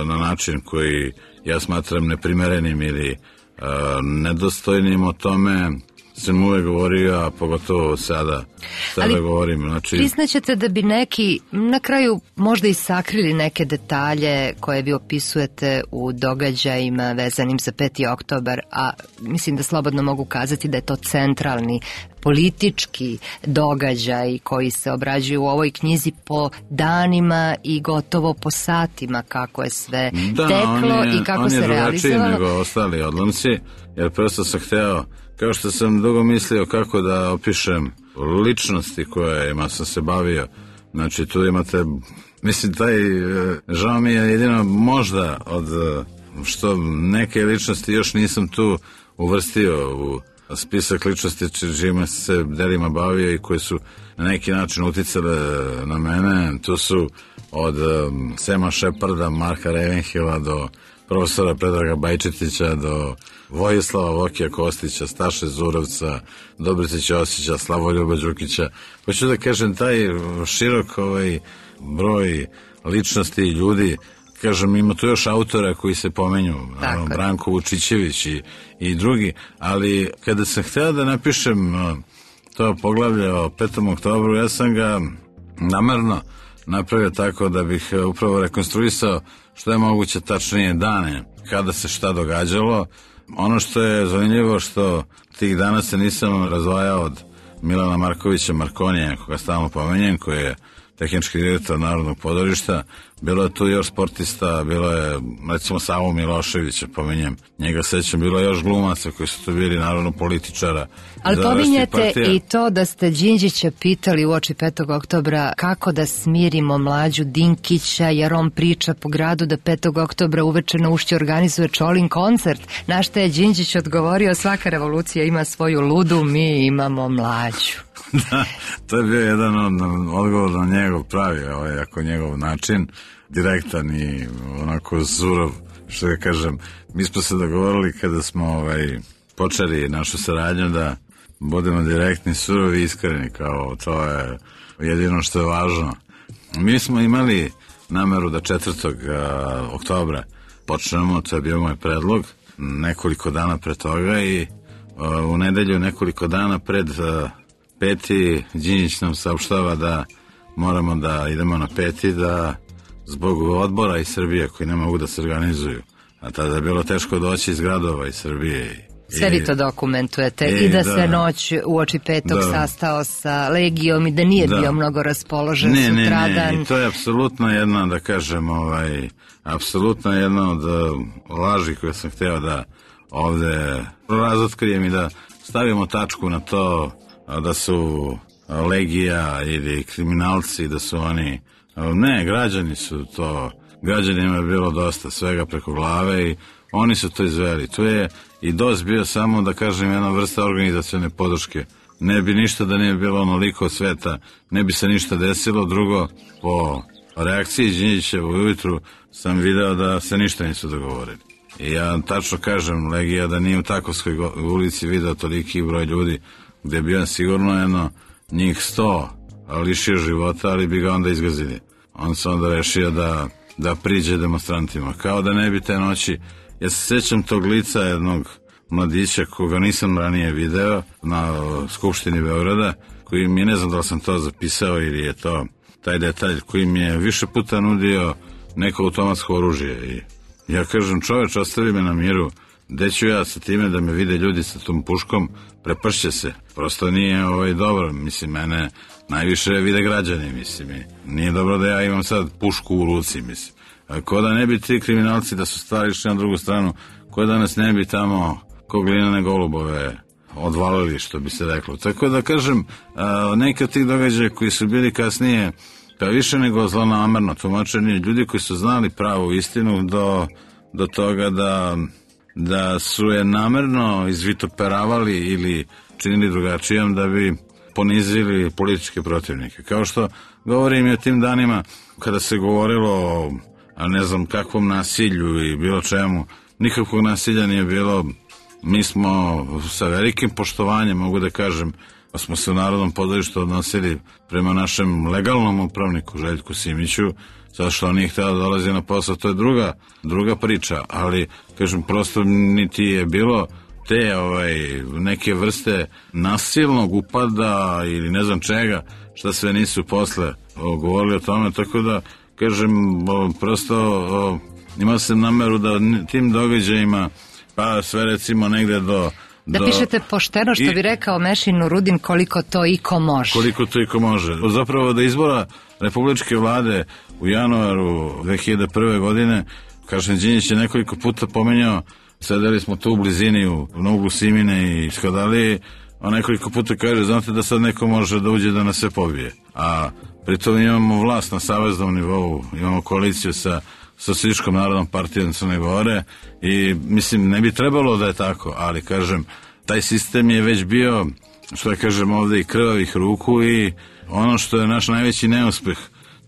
na način koji ja smatram neprimerenim ili nedostojnim, o tome sam uvek govorio, a pogotovo sada govorim. Znači, priznaćete da bi neki na kraju možda i sakrili neke detalje koje vi opisujete u događajima vezanim za 5. oktobar, a mislim da slobodno mogu kazati da je to centralni politički događaj koji se obrađuju u ovoj knjizi po danima i gotovo po satima, kako je sve teklo i kako se realizovalo. On je drugačiji nego ostali odlomci, jer prosto sam hteo, kao što sam dugo mislio kako da opišem ličnosti kojima sam se bavio. Znači tu imate, mislim, žao mi je jedino možda od što neke ličnosti još nisam tu uvrstio u spisak ličnosti čijima se delima bavio i koji su na neki način uticale na mene. Tu su od Sema Šeparda, Marka Revenhila do profesora Predraga Bajčetića, do Vojislava Vokija Kostića, Staše Zurovca, Dobrice Ćosića, Slavoljuba Đukića. Hoću da kažem, taj širok broj ličnosti i ljudi, kažem, ima tu još autora koji se pomenju, Branko Vučićević i drugi, ali kada sam hteo da napišem to poglavlje o 5. oktobru, ja sam ga namerno napravio tako da bih upravo rekonstruisao što je moguće tačnije dane kada se šta događalo. Ono što je zanimljivo, što tih dana se nisam razdvajao od Milana Markovića Markonija, koga stalno pomenjem, koji je tehnički direktor Narodnog pozorišta. Bilo je tu još sportista, bilo je recimo Savo Miloševića, pomenjem, njega sećam, bilo je još glumaca koji su tu bili, naravno političara. Ali pominjete i to da ste Đinđića pitali uoči 5. oktobra kako da smirimo Mlađu Dinkića, jer on priča po gradu da 5. oktobra uveče na Ušću organizuje Čolin koncert. Na što je Đinđić odgovorio, svaka revolucija ima svoju ludu, mi imamo Mlađu. Da, to je bio jedan odgovor na njegov pravi, ako njegov način, direktan i onako surov, što ga kažem. Mi smo se dogovorili kada smo počeli našu saradnju da budemo direktni, surovi i iskreni, kao to je jedino što je važno. Mi smo imali nameru da 4. oktobra počnemo, to je bio moj predlog, nekoliko dana pre toga i u nedelju nekoliko dana pred peti Đinđić nam saopštava da moramo da idemo na peti, da zbog odbora iz Srbije koji ne mogu da se organizuju, a tada je bilo teško doći iz gradova iz Srbije. Sve vi to dokumentujete i da se noć uoči petog sastao sa Legijom i da nije bio mnogo raspoložen sutradan. Ne, to je apsolutno jedna, da kažem, apsolutno jedna od laži koje sam hteo da ovde razotkrijem i da stavimo tačku na to da su Legija ili kriminalci, da su oni... Ne, građani su to... Građanima je bilo dosta svega preko glave i oni su to izveli. Tu je i DOS bio samo, da kažem, jedna vrsta organizacione podrške. Ne bi ništa da nije bilo onoliko sveta, ne bi se ništa desilo. Drugo, po reakciji Đinđićeva ujutru sam video da se ništa nisu dogovorili. I ja tačno kažem, Legija, da nije u Takovskoj ulici video toliki broj ljudi, gde bi on sigurno jedno njih 100 lišio života, ali bi ga onda izgazili. On se onda rešio da priđe demonstrantima. Kao da ne bi te noći... Ja se sjećam tog lica jednog mladića koga nisam ranije video na Skupštini Beograda, koji mi, ne znam da li sam to zapisao ili je to taj detalj, koji mi je više puta nudio neko automatsko oružje. I ja kažem, čoveč, ostavi me na miru, gde ću ja sa time da me vide ljudi sa tom puškom, prepršće se. Prosto nije dobro, mislim, mene najviše vide građani, mislim, nije dobro da ja imam sad pušku u ruci, mislim. Ko da ne bi ti kriminalci da su stvari išli na drugu stranu, ko da nas ne bi tamo ko glinane golubove odvalili, što bi se reklo. Tako da kažem, neka tih događaja koji su bili kasnije, pa više nego zlonamerno tumačenje, ljudi koji su znali pravu istinu do toga da su je namerno izvitoperavali ili činili drugačijom da bi ponizili političke protivnike. Kao što govorim i o tim danima kada se govorilo o ne znam kakvom nasilju i bilo čemu, nikakvog nasilja nije bilo. Mi smo sa velikim poštovanjem, mogu da kažem, smo se u Narodnom pozorištu odnosili prema našem legalnom upravniku Željku Simiću, zato što on nije htio da dolazi na posao, to je druga priča, ali kažem, prosto niti je bilo te neke vrste nasilnog upada ili ne znam čega, šta sve nisu posle govorili o tome, tako da kažem, prosto imao sam nameru da tim događajima, pa sve recimo negde da pišete pošteno, što bi rekao Mešin Urudin, koliko to iko može. Koliko to iko može. Zapravo da izbora republičke vlade u januaru 2001. godine, kažem, Đinđić je nekoliko puta pomenjao, sedeli smo tu u blizini na uglu Simine i Skadalije, a nekoliko puta kaže, znate da sad neko može da uđe da nas sve pobije. A pritom imamo vlast na saveznom nivou, imamo koaliciju sa Socijalističkom narodnom partijom Crne Gore i mislim ne bi trebalo da je tako, ali kažem, taj sistem je već bio, što ja kažem ovde, i krvavih ruku i ono što je naš najveći neuspeh,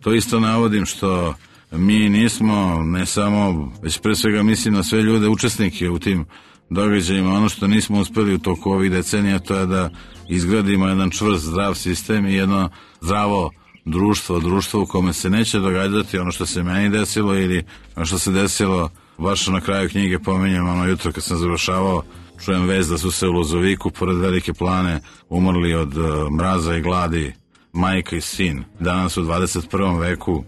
to isto navodim, što mi nismo, ne samo, već pre svega mislim na sve ljude, učesnike u tim događajima, ono što nismo uspeli u toku ovih decenija, to je da izgradimo jedan čvrst, zdrav sistem i jedno zdravo društvo u kome se neće događati ono što se meni desilo ili ono što se desilo, baš na kraju knjige pominjem, ono jutro kad sam završavao, čujem vest da su se u Lozoviku pored Velike Plane umrli od mraza i gladi majka i sin. Danas u 21. veku,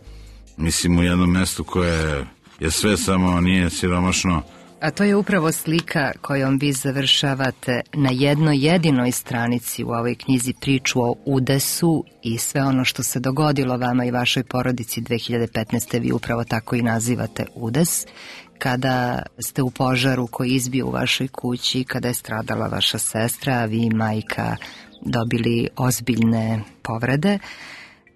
mislim, u jednom mestu koje je sve samo nije siromašno. A to je upravo slika kojom vi završavate na jednoj jedinoj stranici u ovoj knjizi priču o udesu i sve ono što se dogodilo vama i vašoj porodici 2015. Vi upravo tako i nazivate udes, kada ste u požaru koji izbio u vašoj kući, kada je stradala vaša sestra, a vi i majka dobili ozbiljne povrede.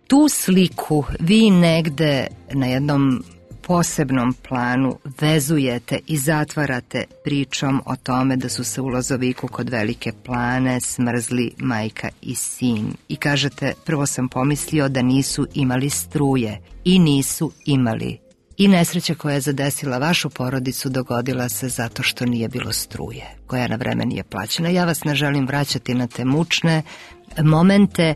Tu sliku vi negde na jednom posebnom planu vezujete i zatvarate pričom o tome da su se u Lozoviku kod Velike Plane smrzli majka i sin. I kažete, prvo sam pomislio da nisu imali struje i nisu imali. I nesreća koja je zadesila vašu porodicu dogodila se zato što nije bilo struje, koja na vreme nije plaćena. Ja vas ne želim vraćati na te mučne momente,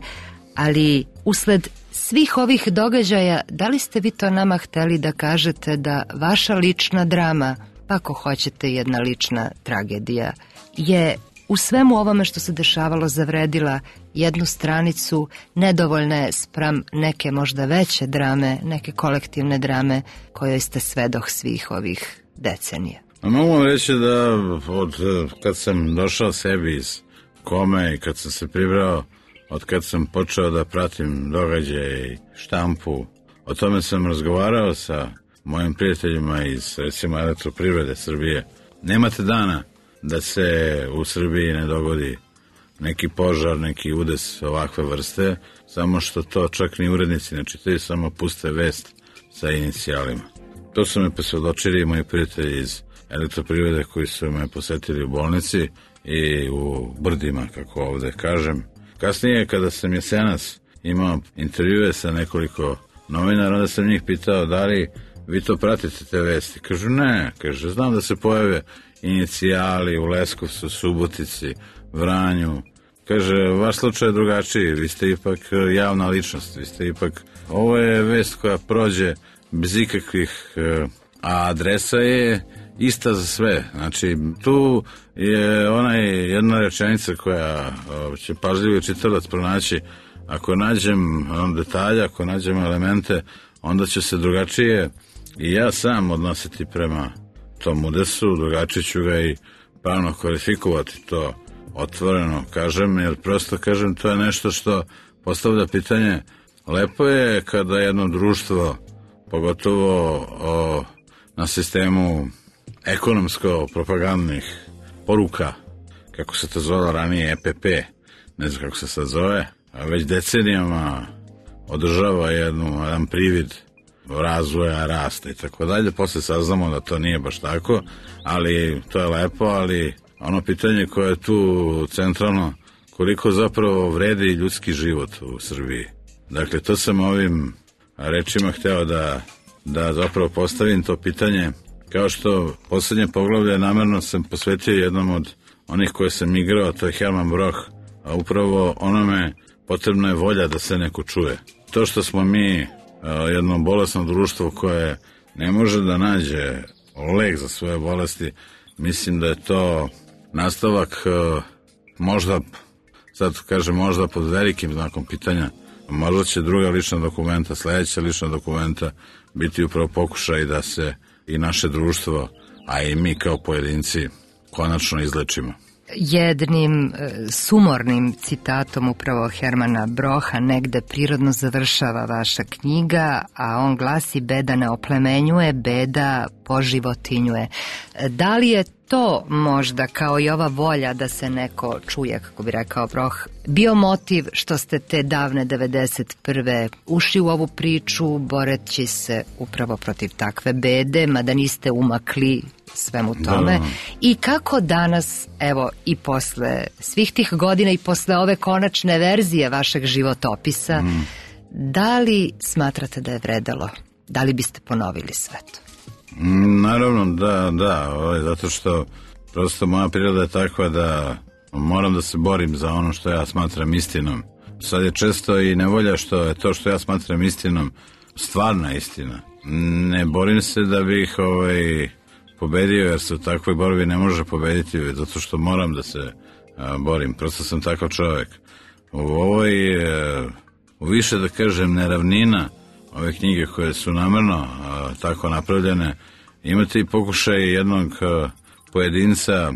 ali Usled svih ovih događaja, da li ste vi to nama hteli da kažete da vaša lična drama, pa ako hoćete jedna lična tragedija, je u svemu ovome što se dešavalo zavredila jednu stranicu, nedovoljna je spram neke možda veće drame, neke kolektivne drame kojoj ste svedoh svih ovih decenija? Mogu vam reći da od kad sam došao sebi iz kome i kad sam se pribrao, od kad sam počeo da pratim događaje i štampu, o tome sam razgovarao sa mojim prijateljima iz, recimo, Elektroprivrede Srbije. Nemate dana da se u Srbiji ne dogodi neki požar, neki udes ovakve vrste, samo što to čak ni urednici ne čitaju, samo puste vest sa inicijalima. To su me posvjedočili moji prijatelji iz Elektroprivrede koji su me posetili u bolnici i u brdima, kako ovde kažem. Kasnije, kada sam jesenas imao intervjue sa nekoliko novinara, onda sam njih pitao da li vi to pratite te vesti. Kažu ne, kaže, znam da se pojave inicijali u Leskovcu, Subotici, Vranju. Kaže, vaš slučaj je drugačiji, vi ste ipak javna ličnost, vi ste ipak, ovo je vest koja prođe bez ikakvih, a adresa je ista za sve. Znači, tu je jedna rečenica koja će pažljivo čitalac pronaći. Ako nađem detalje, ako nađem elemente, onda će se drugačije i ja sam odnositi prema tom udesu, drugačije ću ga i pravno kvalifikovati, to otvoreno kažem, jer prosto kažem, to je nešto što postavlja pitanje. Lepo je kada jedno društvo, pogotovo na sistemu ekonomsko-propagandnih poruka, kako se to zvala ranije EPP, ne znam kako se sad zove, a već decenijama održava jedan privid razvoja, rasta i tako dalje. Posle saznamo da to nije baš tako, ali to je lepo, ali ono pitanje koje je tu centralno, koliko zapravo vredi ljudski život u Srbiji. Dakle, to sam ovim rečima hteo da zapravo postavim to pitanje. Kao što poslednje poglavlje namerno sam posvetio jednom od onih koje sam igrao, to je Herman Broch, a upravo onome potrebna je volja da se neko čuje. To što smo mi jedno bolesno društvo koje ne može da nađe lek za svoje bolesti, mislim da je to nastavak, možda, sad kažem možda pod velikim znakom pitanja, možda će druga lična dokumenta, sledeća lična dokumenta biti upravo pokušaj da se i naše društvo, a i mi kao pojedinci konačno izlečimo. Jednim sumornim citatom upravo Hermana Brocha negde prirodno završava vaša knjiga, a on glasi: beda ne oplemenjuje, beda poživotinjuje. Da li je to možda, kao i ova volja da se neko čuje, kako bi rekao Broch, bio motiv što ste te davne 91. ušli u ovu priču boreći se upravo protiv takve bede, mada niste umakli svemu tome? Da. I kako danas, evo, i posle svih tih godina i posle ove konačne verzije vašeg životopisa, da li smatrate da je vredelo? Da li biste ponovili sve to? Naravno, da, zato što prosto moja priroda je takva da moram da se borim za ono što ja smatram istinom. Sad je često i nevolja što je to što ja smatram istinom stvarna istina. Ne borim se da bih pobedio, jer se u takvoj borbi ne može pobediti, zato što moram da se borim. Prosto sam takav čovjek. U ovoj, više da kažem, neravnina ove knjige koje su namerno tako napravljene, imate i pokušaj jednog pojedinca,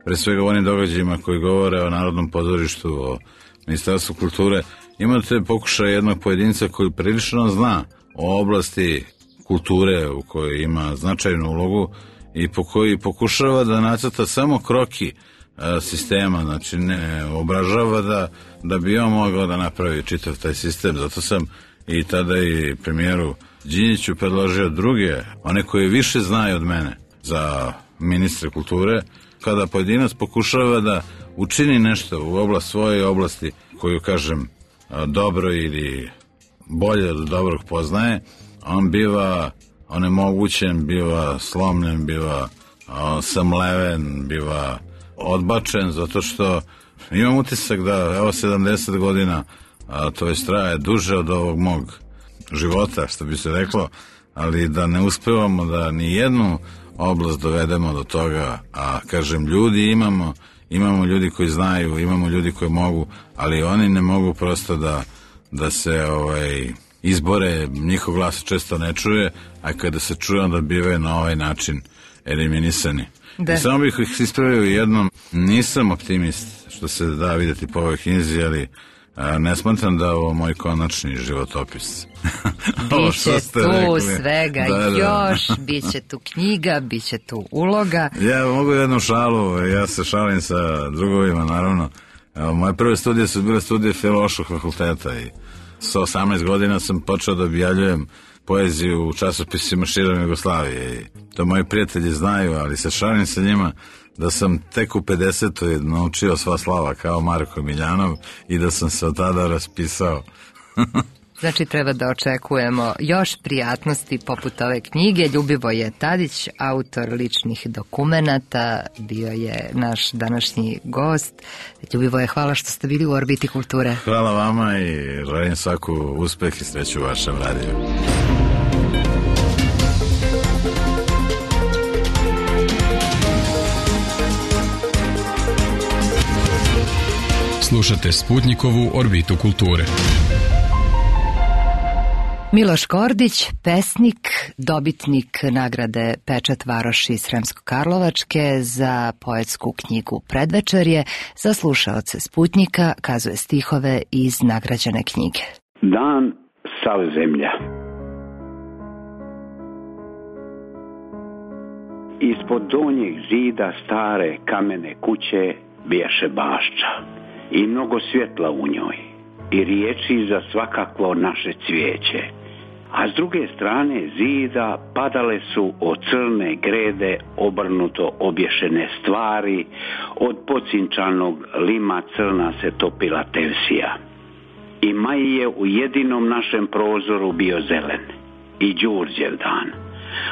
pre svega u onim događajima koji govore o Narodnom pozorištu, o Ministarstvu kulture, imate pokušaj jednog pojedinca koji prilično zna o oblasti kulture u kojoj ima značajnu ulogu i koji pokušava da nacrta samo kroki sistema, znači ne obražava da bi on mogao da napravi čitav taj sistem. Zato sam i tada i premijeru Đinjiću predložio druge, one koje više znaju od mene, za ministre kulture, kada pojedinac pokušava da učini nešto u svoje oblasti koju, kažem, dobro ili bolje od dobrog poznaje, on biva onemogućen, biva slomljen, biva samleven, biva odbačen, zato što imam utisak da evo 70 godina to već traje duže od ovog mog života, što bi se reklo, ali da ne uspevamo da ni jednu oblast dovedemo do toga, a kažem, ljudi imamo ljudi koji znaju, imamo ljudi koji mogu, ali oni ne mogu prosto da se izbore, njihov glas često ne čuje, a kada se čuje onda bivaju na ovaj način eliminisani. I samo bih ih ispravio jednom, nisam optimist što se da vidjeti po ovoj knjizi, ali ne smatram da je ovo moj konačni životopis. Biće tu svega još, biće tu knjiga, biće tu uloga. Ja mogu jednu šalu, ja se šalim sa drugovima, naravno. Moje prve studije su bile studije Filološkog fakulteta i sa 18 godina sam počeo da objavljujem poeziju u časopisima širom Jugoslavije. I to moji prijatelji znaju, ali se šalim sa njima da sam tek u 50. naučio sva slava kao Marko Miljanov i da sam se od tada raspisao. Znači treba da očekujemo još prijatnosti poput ove knjige. Ljubivoje Tadić, autor ličnih dokumenata, bio je naš današnji gost. Ljubivoje, hvala što ste bili u Orbiti kulture. Hvala vama i želim svaku uspeh i sreću u vašem radiju. Slušate Sputnikovu Orbitu kulture. Miloš Kordić, pesnik, dobitnik nagrade Pečat Varoši Sremsko-Karlovačke za poetsku knjigu Predvečerje, za slušaoce Sputnika kazuje stihove iz nagrađene knjige. Dan sav zemlja. Ispod donjeg zida stare kamene kuće bijaše bašča i mnogo svjetla u njoj i riječi za svakakvo naše cvijeće. A s druge strane zida padale su od crne grede obrnuto obješene stvari, od pocinčanog lima crna se topila tevsija. I maj je u jedinom našem prozoru bio zelen i Đurđev dan,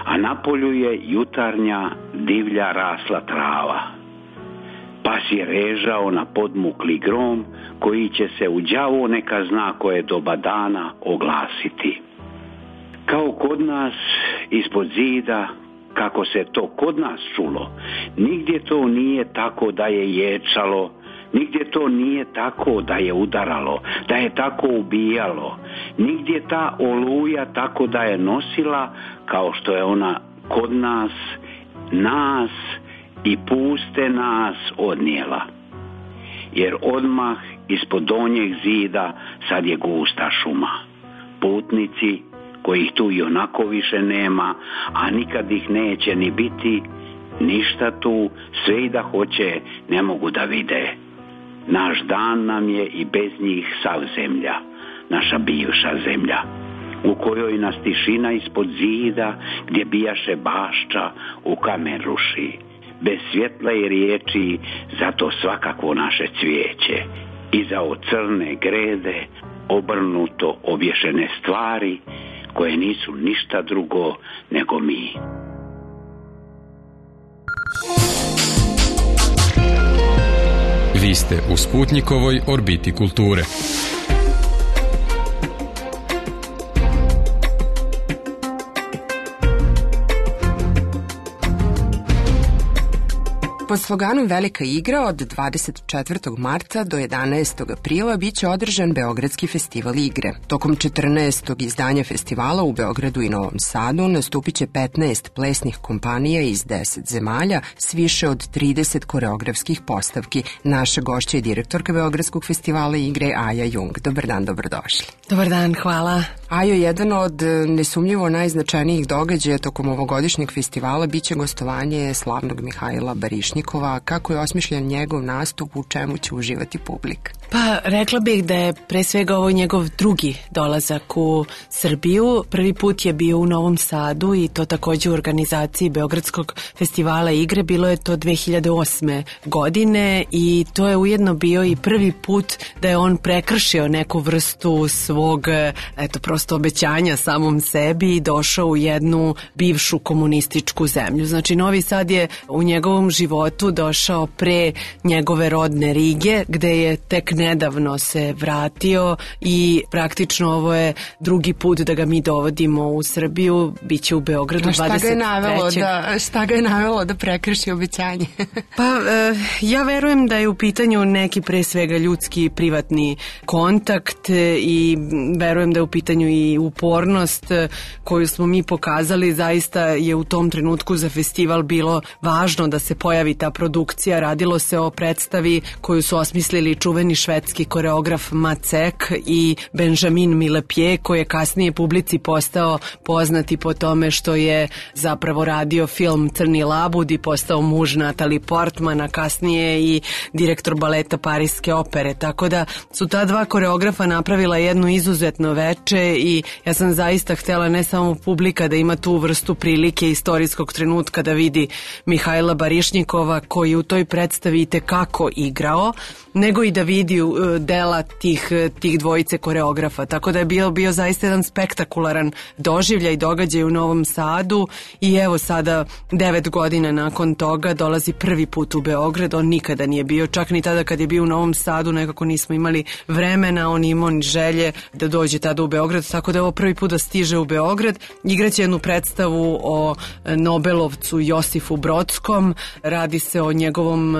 a na polju je jutarnja divlja rasla trava. Pas je režao na podmukli grom koji će se u đavo neka zna koje doba dana oglasiti. Kao kod nas ispod zida, kako se to kod nas čulo, nigdje to nije tako da je ječalo, nigdje to nije tako da je udaralo, da je tako ubijalo, nigdje ta oluja tako da je nosila kao što je ona kod nas i puste nas odnijela. Jer odmah ispod donjeg zida sad je gusta šuma. Putnici kojih tu i onako više nema, a nikad ih neće ni biti, ništa tu, sve i da hoće, ne mogu da vide. Naš dan nam je i bez njih sav zemlja, naša bivša zemlja, u kojoj nas tišina ispod zida, gdje bijaše bašča, u kamen ruši. Bez svjetla i riječi, zato svakakvo naše cvijeće. Iza od crne grede, obrnuto obješene stvari, koje nisu ništa drugo nego mi. Vi ste u Sputnikovoj Orbiti kulture. Pod sloganom Velika igra od 24. marta do 11. aprila biće održan Beogradski festival igre. Tokom 14. izdanja festivala u Beogradu i Novom Sadu nastupit će 15 plesnih kompanija iz 10 zemalja s više od 30 koreografskih postavki. Naša gošća je direktorka Beogradskog festivala igre Aja Jung. Dobar dan, dobrodošli. Dobar dan, hvala. Ajo, jedan od nesumnjivo najznačajnijih događaja tokom ovogodišnjeg festivala biće gostovanje slavnog Mihajla Barišnikova. Kako je osmišljen njegov nastup, u čemu će uživati publika? Pa, rekla bih da je pre svega ovo njegov drugi dolazak u Srbiju. Prvi put je bio u Novom Sadu i to takođe u organizaciji Beogradskog festivala igre. Bilo je to 2008. godine i to je ujedno bio i prvi put da je on prekršio neku vrstu svog, prosto obećanja samom sebi i došao u jednu bivšu komunističku zemlju. Znači, Novi Sad je u njegovom životu došao pre njegove rodne Rige, gde je tek nedavno se vratio i praktično ovo je drugi put da ga mi dovodimo u Srbiju, biće u Beogradu 23. Šta ga je navelo da prekrši obećanje? Pa, ja verujem da je u pitanju neki pre svega ljudski privatni kontakt i verujem da je u pitanju i upornost koju smo mi pokazali. Zaista je u tom trenutku za festival bilo važno da se pojavi ta produkcija. Radilo se o predstavi koju su osmislili čuveni švedski koreograf Macek i Benjamin Millepied, koji je kasnije publici postao poznati po tome što je zapravo radio film Crni labud i postao muž Natalie Portman, a kasnije i direktor baleta Pariske opere. Tako da su ta dva koreografa napravila jedno izuzetno veče i ja sam zaista htjela ne samo publika da ima tu vrstu prilike istorijskog trenutka da vidi Mihajla Barišnikova koji u toj predstavi itekako igrao, nego i da vidi dela tih dvojice koreografa. Tako da je bio zaista jedan spektakularan doživljaj i događaj u Novom Sadu i evo sada 9 godina nakon toga dolazi prvi put u Beograd. On nikada nije bio, čak ni tada kad je bio u Novom Sadu nekako nismo imali vremena, on imao ni želje da dođe tada u Beograd, tako da je ovo prvi put da stiže u Beograd. Igraće jednu predstavu o Nobelovcu Josifu Brodskom, radi se o njegovom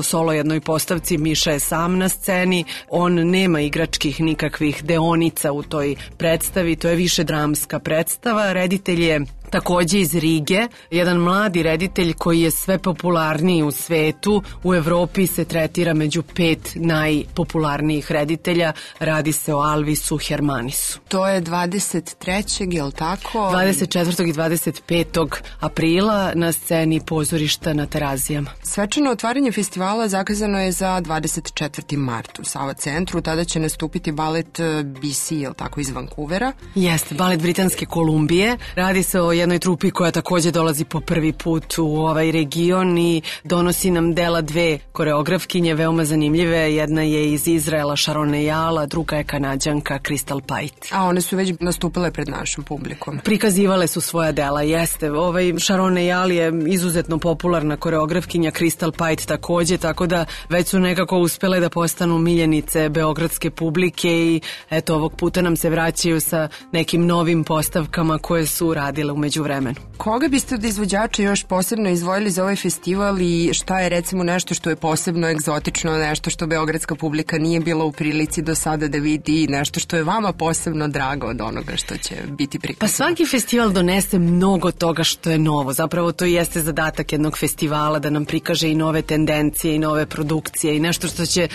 solo jednoj postavci. Miša je sam na sceni, on nema igračkih nikakvih deonica u toj predstavi, to je više dramska predstava. Reditelj je takođe iz Rige, jedan mladi reditelj koji je sve popularniji u svetu. U Evropi se tretira među 5 najpopularnijih reditelja. Radi se o Alvisu Hermanisu. To je 23. je li tako? 24. i 25. aprila na sceni pozorišta na Terazijama. Svečano otvaranje festivala zakazano je za 24. mart u Sava centru. Tada će nastupiti balet BC, je li tako, iz Vancouvera? Jeste, balet Britanske Kolumbije. Radi se o jednoj trupi koja takođe dolazi po prvi put u ovaj region i donosi nam dela dve koreografkinje veoma zanimljive. Jedna je iz Izraela, Sharon Eyal, a druga je Kanađanka Crystal Pite. A one su već nastupile pred našom publikom. Prikazivale su svoja dela, jeste. Sharon Eyal je izuzetno popularna koreografkinja, Crystal Pite takođe, tako da već su nekako uspele da postanu miljenice beogradske publike i eto, ovog puta nam se vraćaju sa nekim novim postavkama koje su radile u međuvremenu. Koga biste od izvođača još posebno izdvojili za ovaj festival i šta je recimo nešto što je posebno egzotično, nešto što beogradska publika nije bila u prilici do sada da vidi i nešto što je vama posebno drago od onoga što će biti prikazano? Pa svaki festival donese mnogo toga što je novo. Zapravo to jeste zadatak jednog festivala da nam prikaže i nove tendencije i nove produkcije i nešto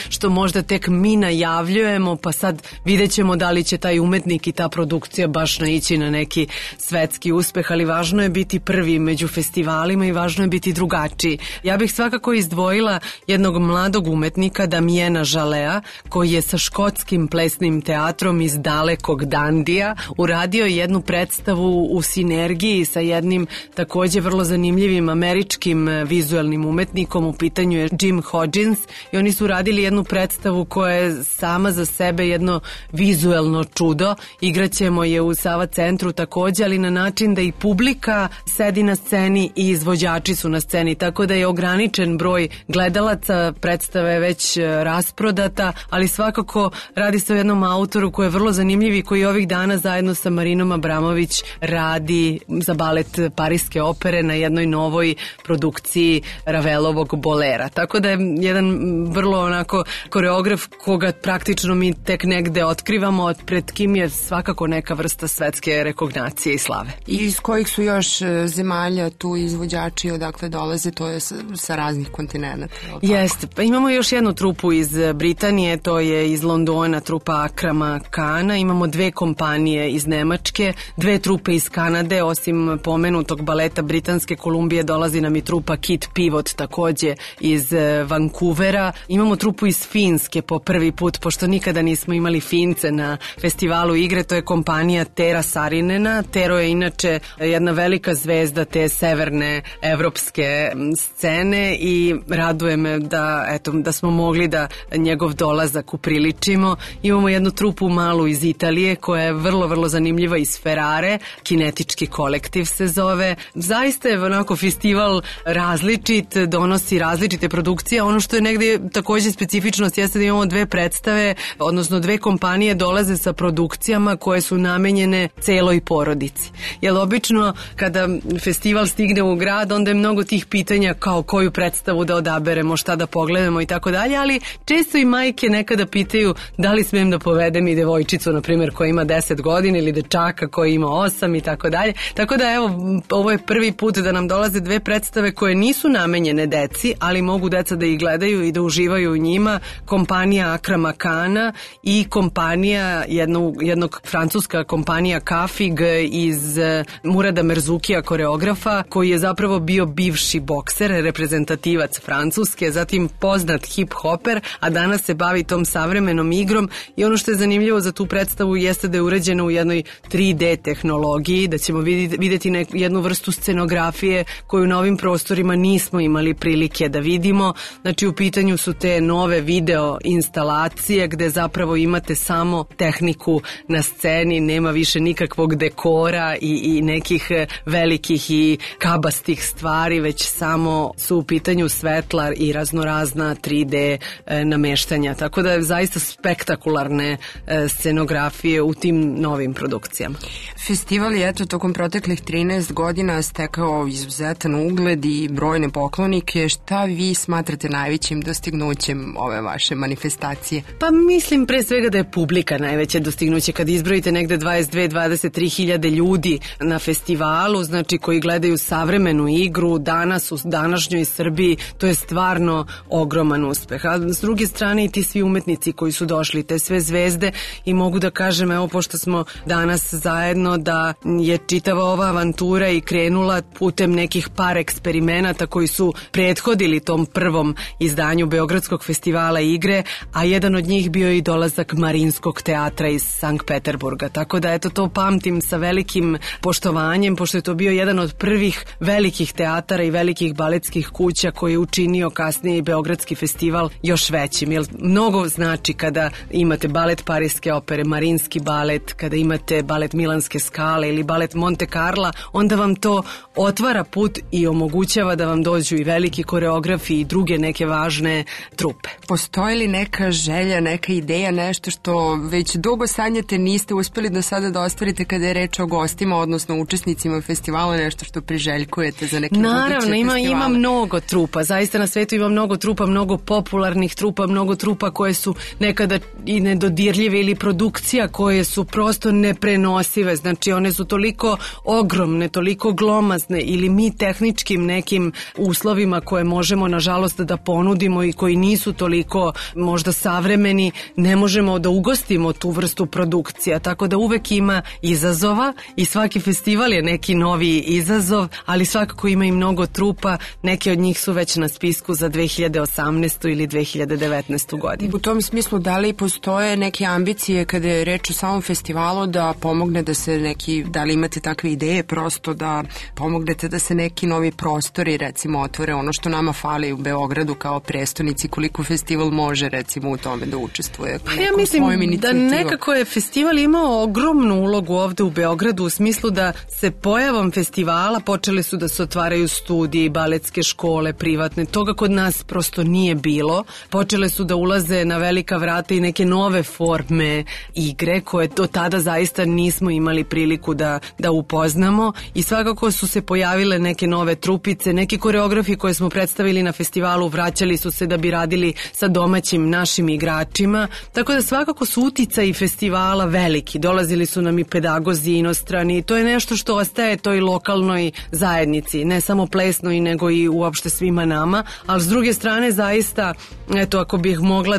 što možda tek mi najavljujemo, pa sad vidjet ćemo da li će taj umetnik i ta produkcija baš naići na neki svetski uspeh, ali važno je biti prvi među festivalima i važno je biti drugačiji. Ja bih svakako izdvojila jednog mladog umetnika, Damiena Žalea, koji je sa škotskim plesnim teatrom iz dalekog Dandija uradio jednu predstavu u sinergiji sa jednim takođe vrlo zanimljivim američkim vizuelnim umetnikom. U pitanju je Jim Hodgins i oni su radili jednu predstavu koja je sama za sebe jedno vizuelno čudo. Igraćemo je u Sava centru takođe, ali na način da i publika sedi na sceni i izvođači su na sceni, tako da je ograničen broj gledalaca, predstava je već rasprodata, ali svakako radi se o jednom autoru koji je vrlo zanimljiv i koji ovih dana zajedno sa Marinom Abramović radi za balet Pariske opere na jednoj novoj produkciji Ravelovog Bolera. Tako da je jedan vrlo onako koreograf koga praktično mi tek negde otkrivamo, pred kim je svakako neka vrsta svetske rekognacije i slave. I iz kojih su još zemalja tu izvođači, odakle dolaze, to je sa raznih kontinenta? Jeste, pa imamo još jednu trupu iz Britanije, to je iz Londona trupa Akrama Kana, imamo dve kompanije iz Nemačke, dve trupe iz Kanade, osim pomenutog baleta Britanske Kolumbije dolazi nam i trupa Kit Pivot takođe iz Vancouvera, imamo trupu iz Finske po prvi put, pošto nikada nismo imali Fince na festivalu igre, to je kompanija Tera Sarinena. Tero je inače jedna velika zvezda te severne evropske scene i raduje me da smo mogli da njegov dolazak upriličimo. Imamo jednu trupu malu iz Italije koja je vrlo, vrlo zanimljiva iz Ferrare, Kinetički kolektiv se zove. Zaista je onako festival različit, donosi različite produkcije. Ono što je negde takođe specifičnost jeste da imamo dve predstave, odnosno dve kompanije dolaze sa produkcijama koje su namenjene celoj porodici. Jer obično kada festival stigne u grad, onda je mnogo tih pitanja kao koju predstavu da odaberemo, šta da pogledamo i tako dalje, ali često i majke nekada pitaju da li smijem da povedem i devojčicu, na primjer, koja ima 10 godina ili dečaka koji ima 8 i tako dalje. Tako da evo, ovo je prvi put da nam dolaze dve predstave koje nisu namenjene deci, ali mogu deca da ih gledaju i da uživaju u njima. Kompanija Akrama Kana i kompanija jednog francuska kompanija Kafig iz Murada Merzukija, koreografa, koji je zapravo bio bivši bokser, reprezentativac Francuske, zatim poznat hip-hoper, a danas se bavi tom savremenom igrom. I ono što je zanimljivo za tu predstavu jeste da je urađena u jednoj 3D tehnologiji, da ćemo videti jednu vrstu scenografije koju na ovim prostorima nismo imali prilike da vidimo. Znači u pitanju su te nove video instalacije gde zapravo imate samo tehniku na sceni, nema više nikakvog dekora i nekih velikih i kabastih stvari, već samo su u pitanju svetla i raznorazna 3D nameštanja. Tako da je zaista spektakularne scenografije u tim novim produkcijama. Festival je tokom proteklih 13 godina stekao izuzetan ugled i brojne poklonike. Šta vi smatrate najvećim dostignućem ove vaše manifestacije? Pa mislim pre svega da je publika najveće dostignuće. Kad izbrojite negde 22-23 hiljade ljudi na festivalu, znači koji gledaju savremenu igru danas u današnjoj Srbiji, to je stvarno ogroman uspeh. A s druge strane i ti svi umetnici koji su došli, te sve zvezde, i mogu da kažem, evo, pošto smo danas zajedno, da je čitava ova avantura i krenula putem nekih par eksperimenata koji su prethodili tom prvom izdanju Beogradskog festivala igre, a jedan od njih bio i dolazak Marinskog teatra iz Sankt Peterburga. Tako da eto, to pamtim sa velikim poštovanjem, pošto je to bio jedan od prvih velikih teatara i velikih baletskih kuća koji je učinio kasnije i Beogradski festival još većim. Jer mnogo znači kada imate balet Pariske opere, Marinski balet, kada imate balet Milanske Skale ili balet Monte Carla, onda vam to otvara put i omogućava da vam dođu i veliki koreografi i druge neke važne trupe. Postoji li neka želja, neka ideja, nešto što već dugo sanjate, niste uspeli do sada da ostvarite kada je reč o gostima, odnosno učesnicima festivala, nešto što priželjkujete za neke buduće festivale? Naravno, ima mnogo trupa. Zaista na svetu ima mnogo trupa, mnogo popularnih trupa, mnogo trupa koje su nekada i nedodirljive ili produkcija koje su prosto neprenosive. Znači one su toliko ogromne, toliko glomazne ili mi tehničkim nekim uslovima koje možemo nažalost da ponudimo i koji nisu toliko možda savremeni, ne možemo da ugostimo tu vrstu produkcija. Tako da uvek ima izazova i svaki festival je neki novi izazov, ali svakako ima i mnogo trupa. Neke od njih su već na spisku za 2018. ili 2019. godinu. U tom smislu, da li postoje neke ambicije kada je reč o samom festivalu da pomogne da se neki, da li imate takve ideje prosto da pomognete da se neki novi prostori recimo otvore, ono što nama fali u Beogradu kao prestonici, koliko festival može recimo u tome da učestvuje? Pa ja mislim da nekako je festival imao ogromnu ulogu ovde u Beogradu u smislu da se pojavom festivala počeli su da se otvaraju studiji, baletske škole, privatne, toga kod nas prosto nije bilo. Počele su da ulaze na velika vrata i neke nove forme igre koje do tada zaista nismo imali priliku da upoznamo i svakako su se pojavile neke nove trupice, neki koreografi koje smo predstavili na festivalu vraćali su se da bi radili sa domaćim našim igračima, tako da svakako su uticaji festivala veliki. Dolazili su nam i pedagozi inostrani i to je nešto što ostaje toj lokalnoj zajednici, ne samo plesnoj nego i uopšte svima nama, ali s druge strane zaista, eto, ako bih mogla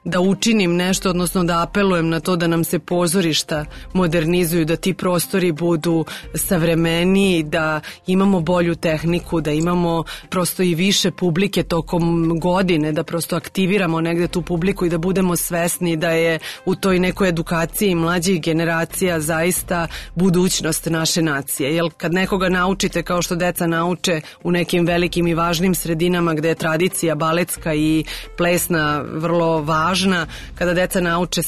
da učinim nešto, odnosno da apelujem na to da nam se pozorišta modernizuju, da ti prostori budu savremeniji, da imamo bolju tehniku, da imamo prosto i više publike tokom godine, da prosto aktiviramo negde tu publiku i da budemo svesni da je u toj nekoj edukaciji mlađih generacija zaista budućnost naše nacije. Jer kad nekoga naučite kao što deca nauče u nekim velikim i važnim sredinama gde je tradicija baletska i plesna vrlo važna, kada deca nauče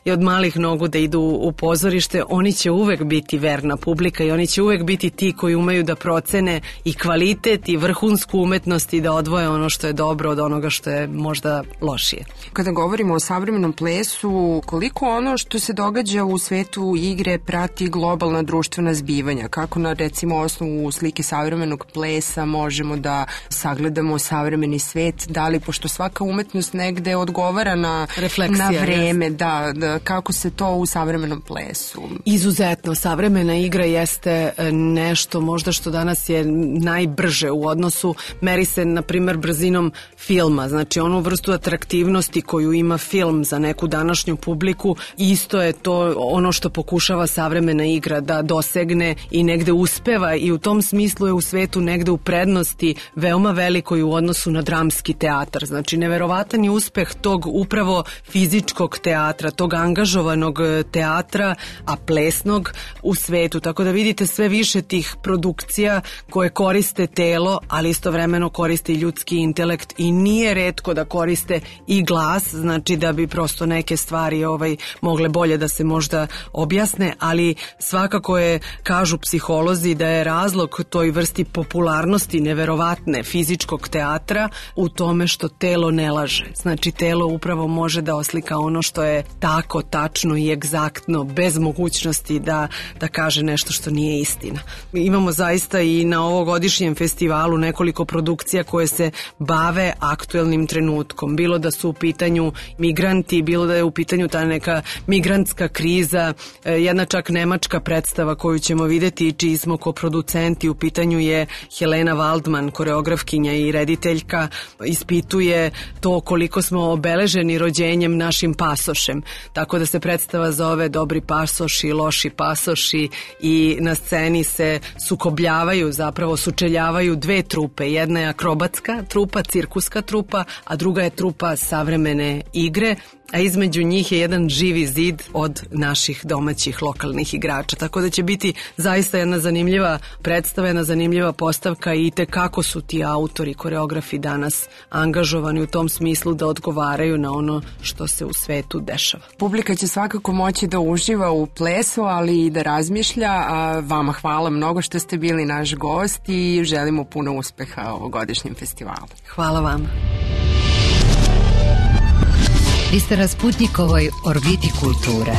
i od malih nogu da idu u pozorište, oni će uvek biti verna publika i oni će uvek biti ti koji umeju da procene i kvalitet i vrhunsku umetnost i da odvoje ono što je dobro od onoga što je možda lošije. Kada govorimo o savremenom plesu, koliko ono što se događa u svetu igre prati globalna društvena zbivanja? Kako na recimo osnovu slike savremenog plesa možemo da sagledamo savremeni svet? Da li, pošto svaka umetnost negde odgovara na vreme, da, kako se to u savremenom plesu? Izuzetno, savremena igra jeste nešto možda što danas je najbrže u odnosu, meri se na primer brzinom filma, znači onu vrstu atraktivnosti koju ima film za neku današnju publiku, isto je to ono što pokušava savremena igra da dosegne i negde uspeva i u tom smislu je u svetu negde u prednosti veoma velikoj u odnosu na dramski teatar, znači neverovatan je uspeh tog upravo fizičkog teatra, tog angažovanog teatra, a plesnog u svetu, tako da vidite sve više tih produkcija koje koriste telo, ali istovremeno koriste i ljudski intelekt i nije retko da koriste i glas, znači da bi prosto neke stvari mogle bolje da se možda objasne, ali svakako je, kažu psiholozi, da je razlog toj vrsti popularnosti neverovatne fizičkog teatra u tome što telo ne laže, znači telo upravo može da oslika ono što je tako tačno i egzaktno, bez mogućnosti da kaže nešto što nije istina. Imamo zaista i na ovogodišnjem festivalu nekoliko produkcija koje se bave aktuelnim trenutkom, bilo da su u pitanju migranti, bilo da je u pitanju ta neka migrantska kriza, jedna čak nemačka predstava koju ćemo videti i čiji smo koproducenti, u pitanju je Helena Waldman, koreografkinja i rediteljka, ispituje to koliko smo obeleženi rođenjem našim pasošem, tako da se predstava zove Dobri pasoši, loši pasoši i na sceni se sukobljavaju, zapravo sučeljavaju dve trupe, jedna je akrobatska trupa, cirkuska trupa, a druga je trupa savremene igre, a između njih je jedan živi zid od naših domaćih lokalnih igrača, tako da će biti zaista jedna zanimljiva predstava, jedna zanimljiva postavka i kako su ti autori, koreografi danas angažovani u tom smislu da odgovaraju na ono što se u svetu dešava. Publika će svakako moći da uživa u plesu, ali i da razmišlja, a vama hvala mnogo što ste bili naš gost i želimo puno uspeha ovogodišnjem festivalu. Hvala vam. Vi ste na Sputnikovoj orbiti kulture.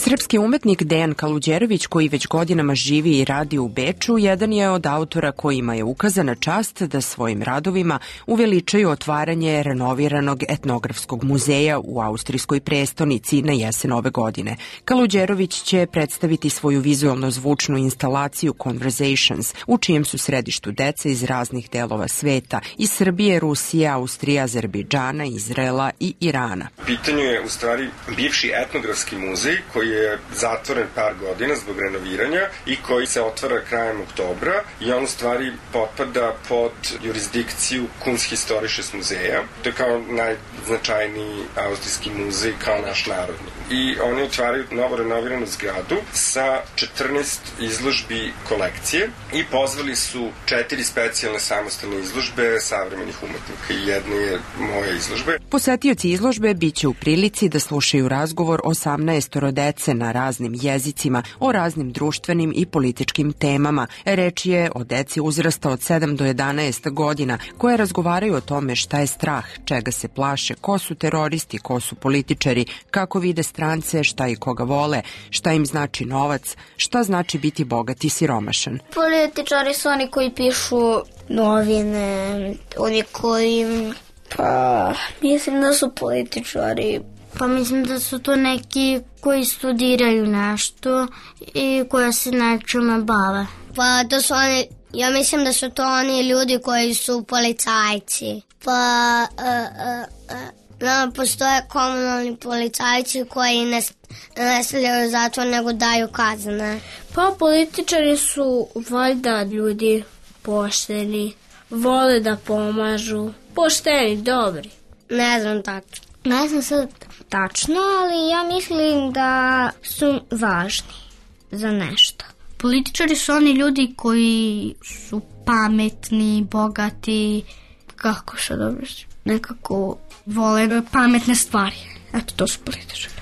Srpski umetnik Dejan Kaluđerović, koji već godinama živi i radi u Beču, jedan je od autora kojima je ukazana čast da svojim radovima uveličaju otvaranje renoviranog etnografskog muzeja u austrijskoj prestonici na jesen ove godine. Kaluđerović će predstaviti svoju vizualno-zvučnu instalaciju Conversations, u čijem su središtu deca iz raznih delova sveta, iz Srbije, Rusije, Austrije, Azerbejdžana, Izraela i Irana. Pitanju je u stvari bivši etnografski muzej koji je zatvoren par godina zbog renoviranja i koji se otvara krajem oktobra i on u stvari potpada pod jurisdikciju Kunsthistorisches muzeja. To je kao najznačajniji austrijski muzej kao naš narodni. I oni otvaraju novo renoviranu zgradu sa 14 izložbi kolekcije i pozvali su 4 specijalne samostalne izložbe savremenih umetnika i jedna je moja izložba. Posetioci izložbe biće u prilici da slušaju razgovor 18 dece na raznim jezicima, o raznim društvenim i političkim temama. Reč je o deci uzrasta od 7 do 11 godina, koje razgovaraju o tome šta je strah, čega se plaše, ko su teroristi, ko su političari, kako vide strance, šta i koga vole, šta im znači novac, šta znači biti bogat i siromašan. Političari su oni koji pišu novine, oni koji... Pa, mislim da su političari. Pa mislim da su to neki koji studiraju nešto i koji se nečime bave. Pa to su oni, ja mislim da su to oni ljudi koji su policajci. Pa postoje komunalni policajci koji ne stavljaju zatvor nego daju kazne. Pa političari su valjda ljudi pošteni, vole da pomažu. pošteni, dobri. Ne znam tačno. Ne znam sad tačno, ali ja mislim da su važni za nešto. Političari su oni ljudi koji su pametni, bogati, kako se dobro, nekako vole pametne stvari. Eto, to su političari.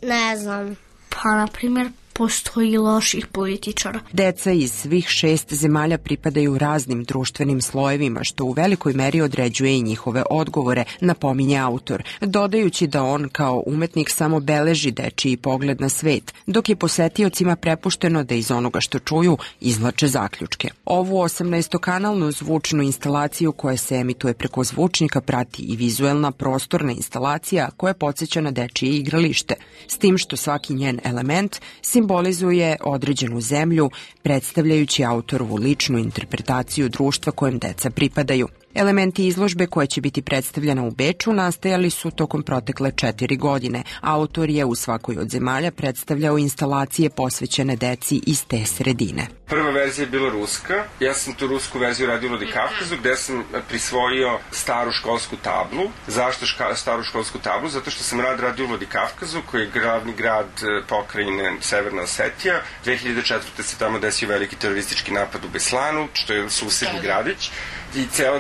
Ne znam. Pa, na primjer, postoji loših političara. Deca iz svih 6 zemalja pripadaju raznim društvenim slojevima, što u velikoj meri određuje i njihove odgovore, napominje autor, dodajući da on kao umetnik samo beleži dečiji pogled na svet, dok je posetiocima prepušteno da iz onoga što čuju izvlače zaključke. Ovu 18-kanalnu zvučnu instalaciju koja se emituje preko zvučnika prati i vizuelna prostorna instalacija koja podsjeća na dečije igralište, s tim što svaki njen element simbolizuje određenu zemlju, predstavljajući autorovu ličnu interpretaciju društva kojem deca pripadaju. Elementi izložbe koja će biti predstavljena u Beču nastajali su tokom protekle 4 godine. Autor je u svakoj od zemalja predstavljao instalacije posvećene deci iz te sredine. Prva verzija je bila ruska. Ja sam tu rusku verziju radio u Vladikavkazu, gde sam prisvojio staru školsku tablu. Zašto staru školsku tablu? Zato što sam radio u Vladikavkazu, koji je glavni grad pokrajine Severna Osetija. 2004. se tamo desio veliki teroristički napad u Beslanu, što je susedni gradić. I ceo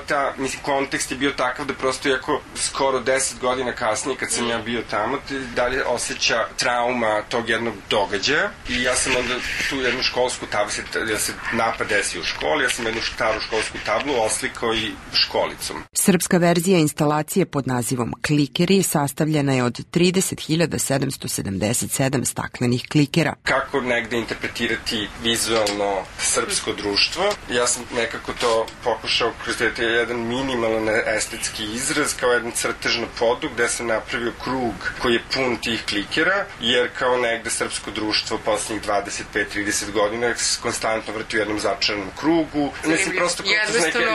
kontekst je bio takav da prosto, iako skoro 10 godina kasnije kad sam ja bio tamo, dalje osjeća trauma tog jednog događaja. I ja sam onda tu jednu školsku tablu, da se napad desi u školi, ja sam jednu staru školsku tablu oslikao i školicom. Srpska verzija instalacije pod nazivom Klikeri sastavljena je od 30.777 staklenih klikera. Kako negde interpretirati vizualno srpsko društvo? Ja sam nekako to pokušao kroz jedan minimalan estetski izraz, kao jedan crtež na podu gde sam napravio krug koji je pun tih klikera, jer kao negde srpsko društvo poslednjih 25-30 godina konstantno vrti u jednom začaranom krugu. Mislim, prosto jednostavno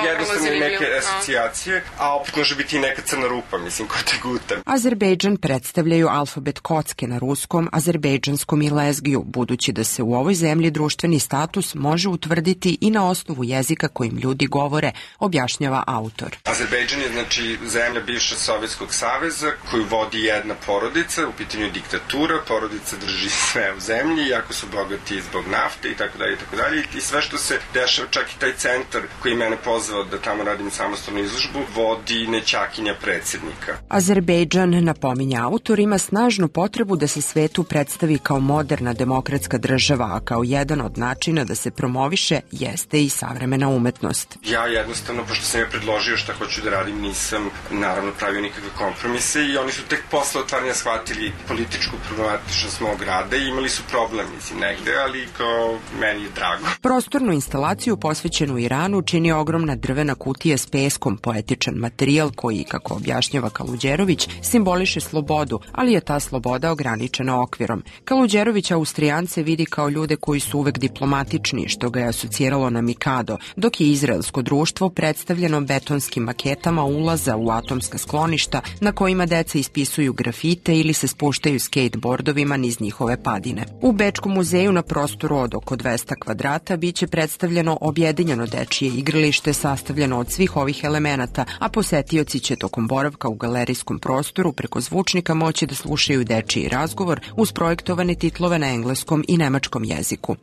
neke asocijacije, a opet može biti i neka crna rupa, mislim, ko te guta. Azerbejdžan predstavljaju alfabet kocke na ruskom, azerbejdžanskom i lezgiju, budući da se u ovoj zemlji društveni status može utvrditi i na osnovu jezika kojim ljudi govore, objašnjava autor. Azerbejdžan je, znači, zemlja bivšeg Sovjetskog saveza koju vodi jedna porodica, u pitanju je diktatura, porodica drži sve u zemlji, jako su bogati zbog nafte i tako dalje i sve što se dešava, čak i taj centar koji mene pozvao da tamo radim samostalnu izložbu, vodi nećakinja predsjednika. Azerbejdžan, napominja autor, ima snažnu potrebu da se svetu predstavi kao moderna demokratska država, a kao jedan od načina da se promoviše jeste i savremena umetnost. Ja jednostavno, pošto sam je predložio šta hoću da radim, nisam naravno pravio nikakve kompromise i oni su tek posle otvaranja shvatili političku problematičnost mog rada i imali su problem, mislim, negde, ali kao meni je drago. Prostornu instalaciju posvećenu Iranu čini ogromna drvena kutija s peskom, poetičan materijal koji, kako objašnjava Kaluđerović, simboliše slobodu, ali je ta sloboda ograničena okvirom. Kaluđerović Austrijance vidi kao ljude koji su uvek diplomatični, što ga je asociralo na Mikado, dok je izraelsko društvo predstavljeno betonskim maketama ulaza u atomska skloništa na kojima deca ispisuju grafite ili se spuštaju skateboardovima niz njihove padine. U Bečkom muzeju na prostoru od oko 200 kvadrata biće predstavljeno objedinjeno dečije igralište sastavljeno od svih ovih elemenata, a posetioci će tokom boravka u galerijskom prostoru preko zvučnika moći da slušaju dečiji razgovor uz projektovane titlove na engleskom i nemačkom jeziku.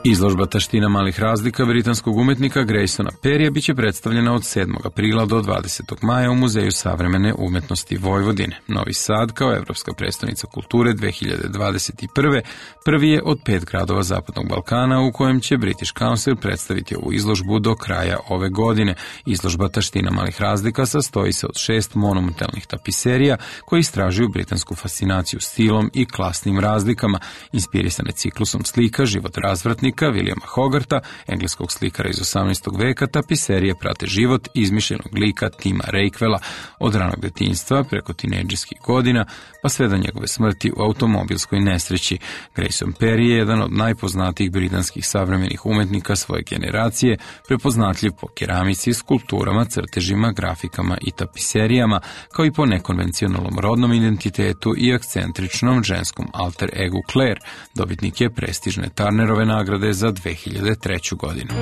Izložba Taština malih razlika britanskog umetnika Graysona Perrya biće predstavljena od 7. aprila do 20. maja u Muzeju savremene umetnosti Vojvodine. Novi Sad, kao evropska prestonica kulture 2021. prvi je od 5 gradova Zapadnog Balkana u kojem će British Council predstaviti ovu izložbu do kraja ove godine. Izložba Taština malih razlika sastoji se od 6 monumentalnih tapiserija koji istražuju britansku fascinaciju stilom i klasnim razlikama, inspirisane ciklusom slika Život razvratnika književnika Williama Hogarta, engleskog slikara iz 18. veka, tapiserije prate život izmišljenog lika Tima Reikvela od ranog detinjstva preko tinejdžerskih godina, pa sve do njegove smrti u automobilskoj nesreći. Grayson Perry je jedan od najpoznatijih britanskih savremenih umetnika svoje generacije, prepoznatljiv po keramici, skulpturama, crtežima, grafikama i tapiserijama, kao i po nekonvencionalnom rodnom identitetu i akcentričnom ženskom alter egu Claire. Dobitnik je prestižne Turnerove nagrade za 2003. godinu.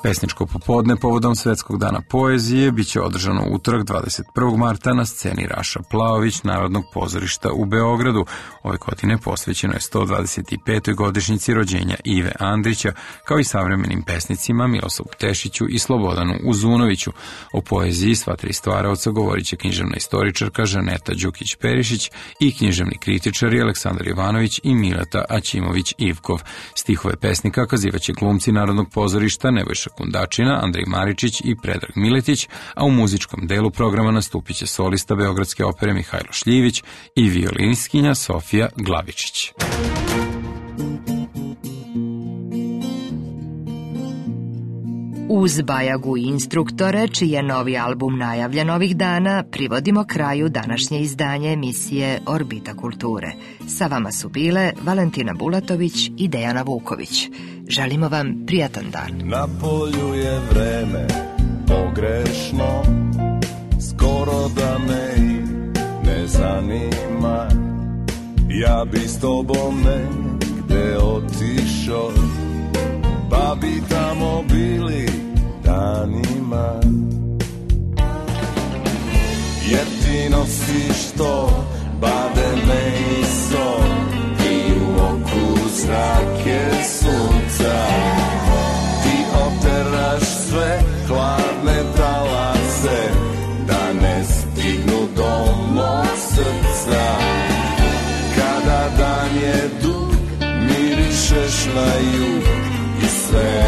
Pesničko popodne povodom Svetskog dana poezije biće održano utorak 21. marta na sceni Raša Plaović Narodnog pozorišta u Beogradu. Ove godine posvećeno je 125. godišnjici rođenja Ive Andrića, kao i savremenim pesnicima Miroslavu Tešiću i Slobodanu Uzunoviću. O poeziji sva tri stvaraoca govorit će književna istoričarka Žaneta Đukić-Perišić i književni kritičari Aleksandar Ivanović i Mileta Aćimović-Ivkov. Stihove pesnika kazivaće glumci Narodnog pozorišta Nebojša Kundačina, Andrej Maričić i Predrag Miletić, a u muzičkom delu programa nastupit će solista Beogradske opere Mihajlo Šljivić i violinistkinja Sofija Glavičić. Uz Bajagu i instruktore, čiji je novi album najavljen ovih dana, privodimo kraju današnje izdanje emisije Orbita kulture. Sa vama su bile Valentina Bulatović i Dejana Vuković. Želimo vam prijatan dan. Na polju je vreme pogrešno, skoro da me i ne zanima. Ja bi s tobom negde otišao, pa bi tamo bili danima. Jer ti nosiš to bademe i sol i u oku zrake sunca. Ti oteraš sve hladne talase da ne stignu do mog srca. Kada dan je dug, mirišeš na jug i sve